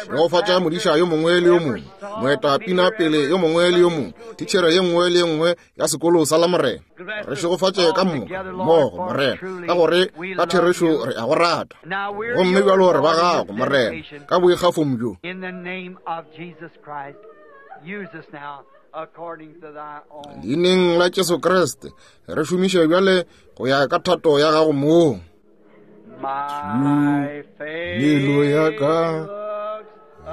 Šegofatša modiša yo mongwe le yo mongwe, moetapina pele yo mongwe le yo mongwe, titšhere ye nngwe le ye nngwe ya sekolo sa Lamorena. Re šegofatše ka moka mmogo, Morena, ka gore ka therešo re a go rata. Gomme bjalo re ba gago, Morena, ka boikgafong bjo. Leineng la Jesu Kriste, re šomiše bjale go ya ka thato ya gago mong. Melo ya ka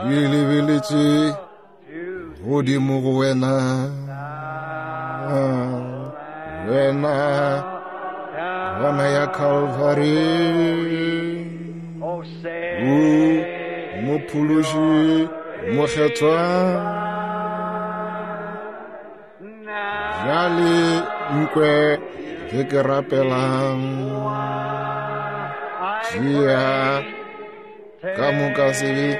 e lebeletše godimo go wena, wena kwana ya Calvary, o Mophološi mokgethwa. Bjale nkwe ge ke rapelang, tšea ka moka sebe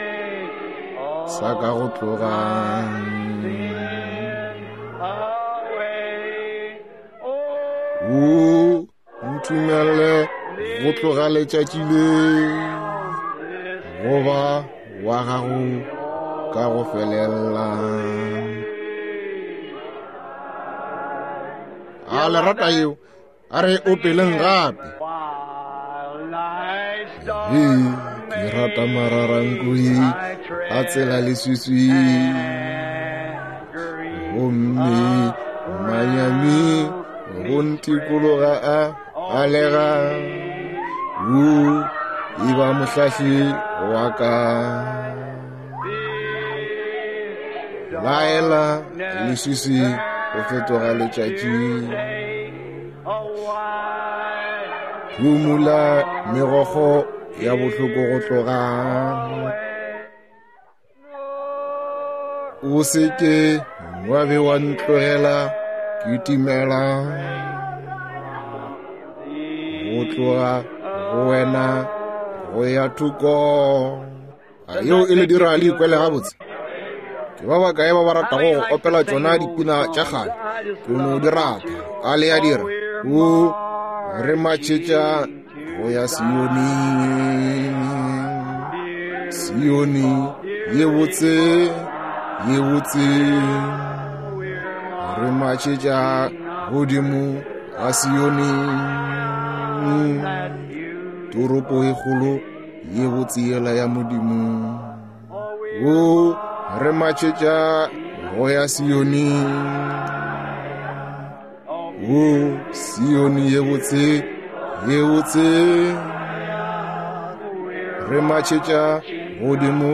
sa ka go tloga. O ntumelle go tloga letšatši le goba wa gago ka go felela. A le rata yeo? A re opeleng gape. He, ke rata mararankoi a tsela leswiswi, gomme manyami go ntikologa a alega. O e ba mohlahli wa ka, laela leswiswi go fetoga letšatši, phumula megokgo ya bohloko go tloga. O se ke wa be wa ntlogela ke timela, go tloga go wena go ya thoko. A yeo e le dira le ikwele gabotse? Ke ba bakae ba ba ratago go opela tšona dipina tša kgale? Ke no di rata. A le ya dira? O re matšhetša go ya Sione, Sione ye botse, ye botse. Re matšhetša godimo ga Sione, toropo e kgolo ye botse yela ya Modimo. O re matšhetša go ya Sione, o Sione ye botse, ye botse. Re matšhetša godimo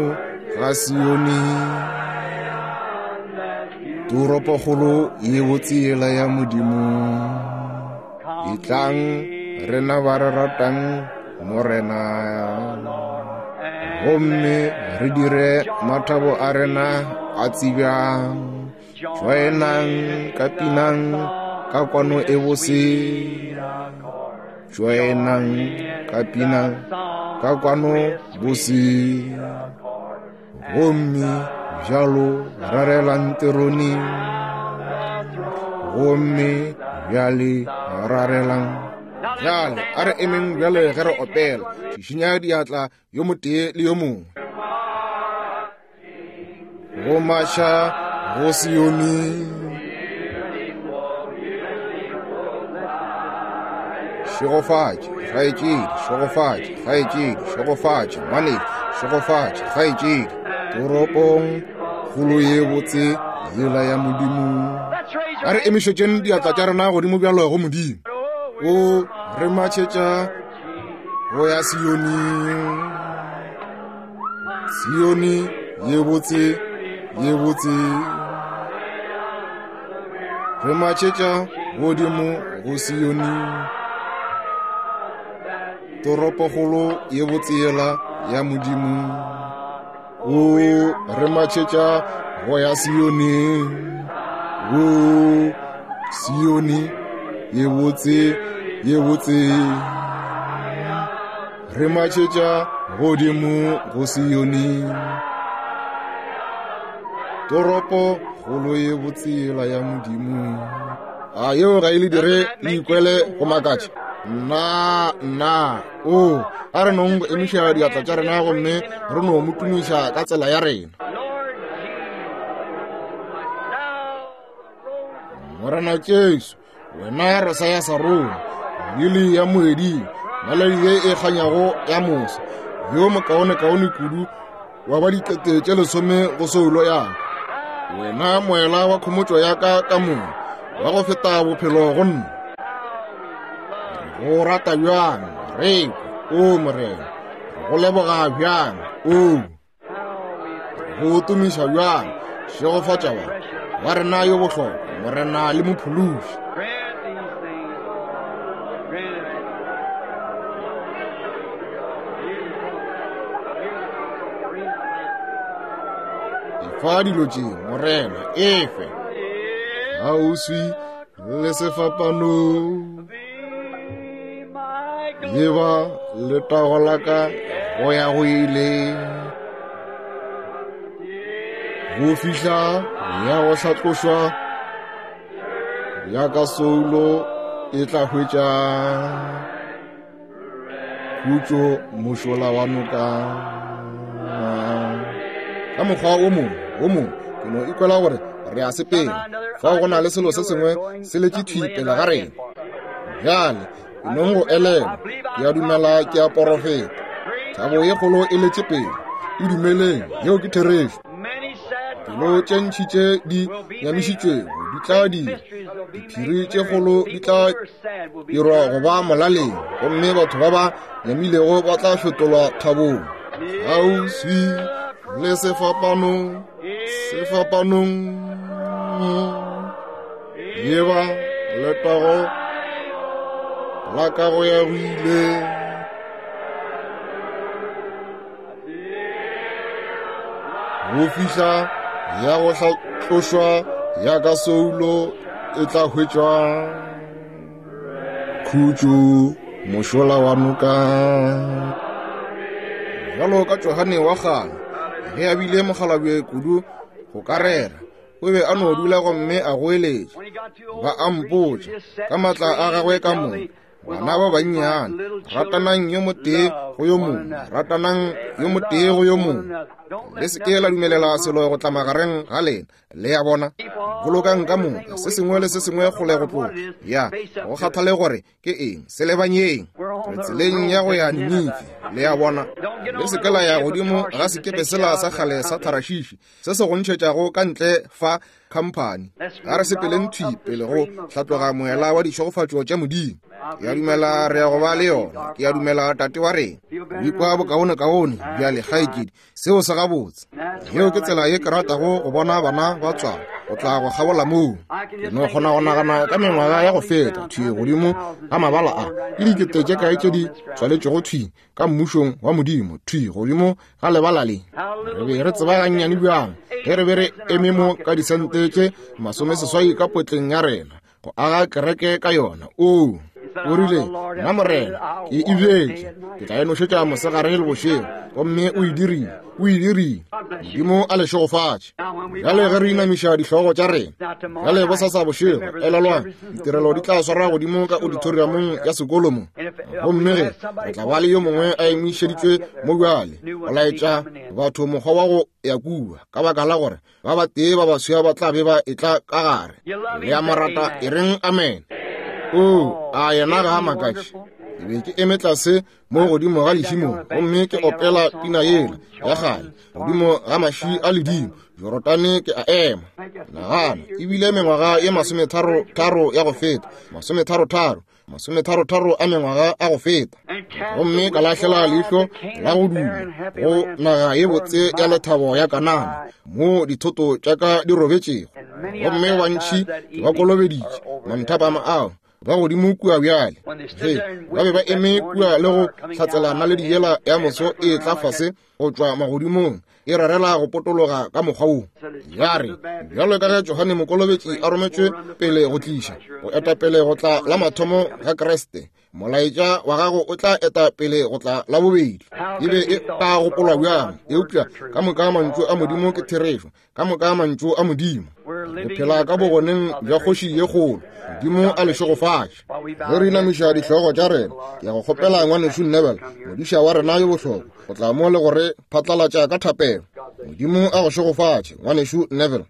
ga Sione, toropokgolo ye botse yela ya Modimo. Etlang rena ba re ratang Morena, gomme re dire mathabo a rena a tsebjang. Joinang ka pinang ka kwano e bose, joinang ka pinang ka kwano bose. Gomme bjalo rarelang terone, gomme bjale rarelang. Bjale a re emeng bjale ge re opela, šišinya diatla yo motee le yo mongwe. Go maša go Sione, šegofatše kgaetšedi, šegofatše kgaetšedi, šegofatše ngwanešu, šegofatše kgaetšedi. Toropong kgolo ye botse yela ya Modimo. A re emišetšeng diatla tša rena godimo bjalo go Modimo. O re matšhetša go ya Sione, Sione ye botse, ye botse. Re matšhetša godimo go Sione, toropokgolo ye botse yela ya Modimo. O re matšhetša go ya Sione, o Sione ye botse, ye botse. Re matšhetša godimo go Sione. Toropo kgolo ye botsela ya Modimo. A yeo ga e le dire le ikwele go makatša? Nna, nna, o, a re nong go emiša diatla tša rena gomme re no mo tumiša ka tsela ya rena. Morena Jesu, wena rosa ya Sarona, lili ya moeding, naledi ye e kganyago ya mosa, yo mokaonekaone kudu wa ba dikete tše lesome go soulo ya ka. Wena moela wa khomotšo ya ka ka moka, wa go feta bophelo go nna. Re go rata bjang, re kwe, o Morena. Re go leboga bjang, o. Re go tumiša bjang, šegofatša ba wa rena yo bohlokwa, Morena le Mophološi. Efa dilo tše, Morena, efe. Kgauswi le sefapano, leba letago la ka go ya go ile. Go fihla ya go hlatlošwa ya ka soulo e tla hwetša khutšo mošola wa noka. Ka mokgwa o mongwe o mongwe ke no ikwela gore re a sepela. Fao go na le selo se sengwe se letše thwi pele ga rena. Bjale ke nong go elelwa, ke a dumela ke a porofeta. Thabo ye kgolo e letše pele. E dumeleng, yeo ke therešo. Pelo tše ntši tše di nyamišitšwego di tla dira, diphiri tše kgolo di tla dirwa go ba molaleng, gomme batho ba ba nyamilego ba tla fetolwa thabong. Kgauswi le sefapano, sefapanong, leba letago la ka go ya go ile. Go fihla ya go hlatlošwa ya ka soulo e tla hwetšwa khutšo mošola wa noka. Bjalo ka Johane wa kgale, ge a bile mokgalabje kudu go ka rera, o be a no dula gomme a goeletša. Ba a mpotša ka maatla a gagwe ka moka, bana ba bannyane, ratanang yo motee go yo mongwe, ratanang yo motee go yo mongwe. Le se ke la dumelela selo go tla magareng ga lena. Le a bona? Bolokang ka moka se sengwe le se sengwe kgole go tloga. Ya, go kgathale gore ke eng, se lebanyeng. Re tseleng ya go ya Ninife. Le a bona? Le se ke la ya godimo ga sekepe sela sa kgale sa Tarashishi se se go ntšhetšago ka ntle fa khamphani. A re sepeleng thwi pele go hlatloga moela wa dišegofatšo tša Modimo. Ke a dumela re ya go ba le yona. Ke a dumela Tate wa rena. O ikwa bokaonekaone bjale, kgaetšedi. Seo se gabotse. Yeo ke tsela ye ke ratago go bona bana ba tswalwa, go tla go kgabola moo. Ke no kgona go nagana ka mengwaga ya go feta thwi godimo ga mabala a, ke dikete tše kae tše di tswaletšego thwi ka mmušong wa Modimo, thwi godimo ga lebala le. Re be re tseba gannyane bjang ge re be re eme mo ka disente tše masomeseswai ka potleng ya rena go aga kereke ka yona. O o rile, nna Morena ke e bjetše, ke tla e nošetša mosegare le bošego. Gomme o e dirile, o e dirile. Modimo a le šegofatše. Bjale ge re inamiša dihlogo tša rena, bjale bosasa bošego, elelwang, ditirelo di tla swarwa godimo ka auditoriumong ya sekolo mo. Gomme ge re tla ba le yo mongwe a emišeditšwe mo bjale, go laetša batho mokgwa wa go ya kua, ka baka la gore ba batee ba baswa ba tla be ba etla ka gare. Le a mo rata, e reng amen. O, a yena ga a makatše. Ke be ke eme tlase mo godimo ga lešimo gomme ke opela pina yela ya kgale godimo ga maši a ledimo Jorodane ke a ema. Nagana, ebile mengwaga ye masometharo tharo ya go feta, masometharo tharo, masometharo tharo a mengwaga a go feta. Gomme ka lahlela leihlo la go duma go naga ye botse ya lethabo ya Kanana, mo dithoto tša ka di robetšego. Gomme bantši ke ba kolobeditše manthapama ao ba godimo kua bjale. Ge ba be ba eme kua le go hlatsela naledi yela ya moso e tla fase go tšwa magodimong, e rarela go potologa ka mokgwa wo. Ya re, bjalo ka ge Johane Mokolobetši a rometšwe pele go tliša, go eta pele go tla la mathomo ga Kriste, Molaetša wa gago o tla eta pele go tla la bobedi. E be e ka gopolwa bjang? Eupša ka moka mantšu a Modimo ke therešo, ka moka mantšu a Modimo. Re phela ka bogoneng bja kgoši ye kgolo. Modimo a le šegofatše. Ge re inamiša dihlogo tša rena, ke ya go kgopela ngwanešu Neville, modiša wa rena yo bohlokwa, go tla mo le go re phatlalatša ka thapelo. Modimo a go šegofatše, ngwanešu Neville.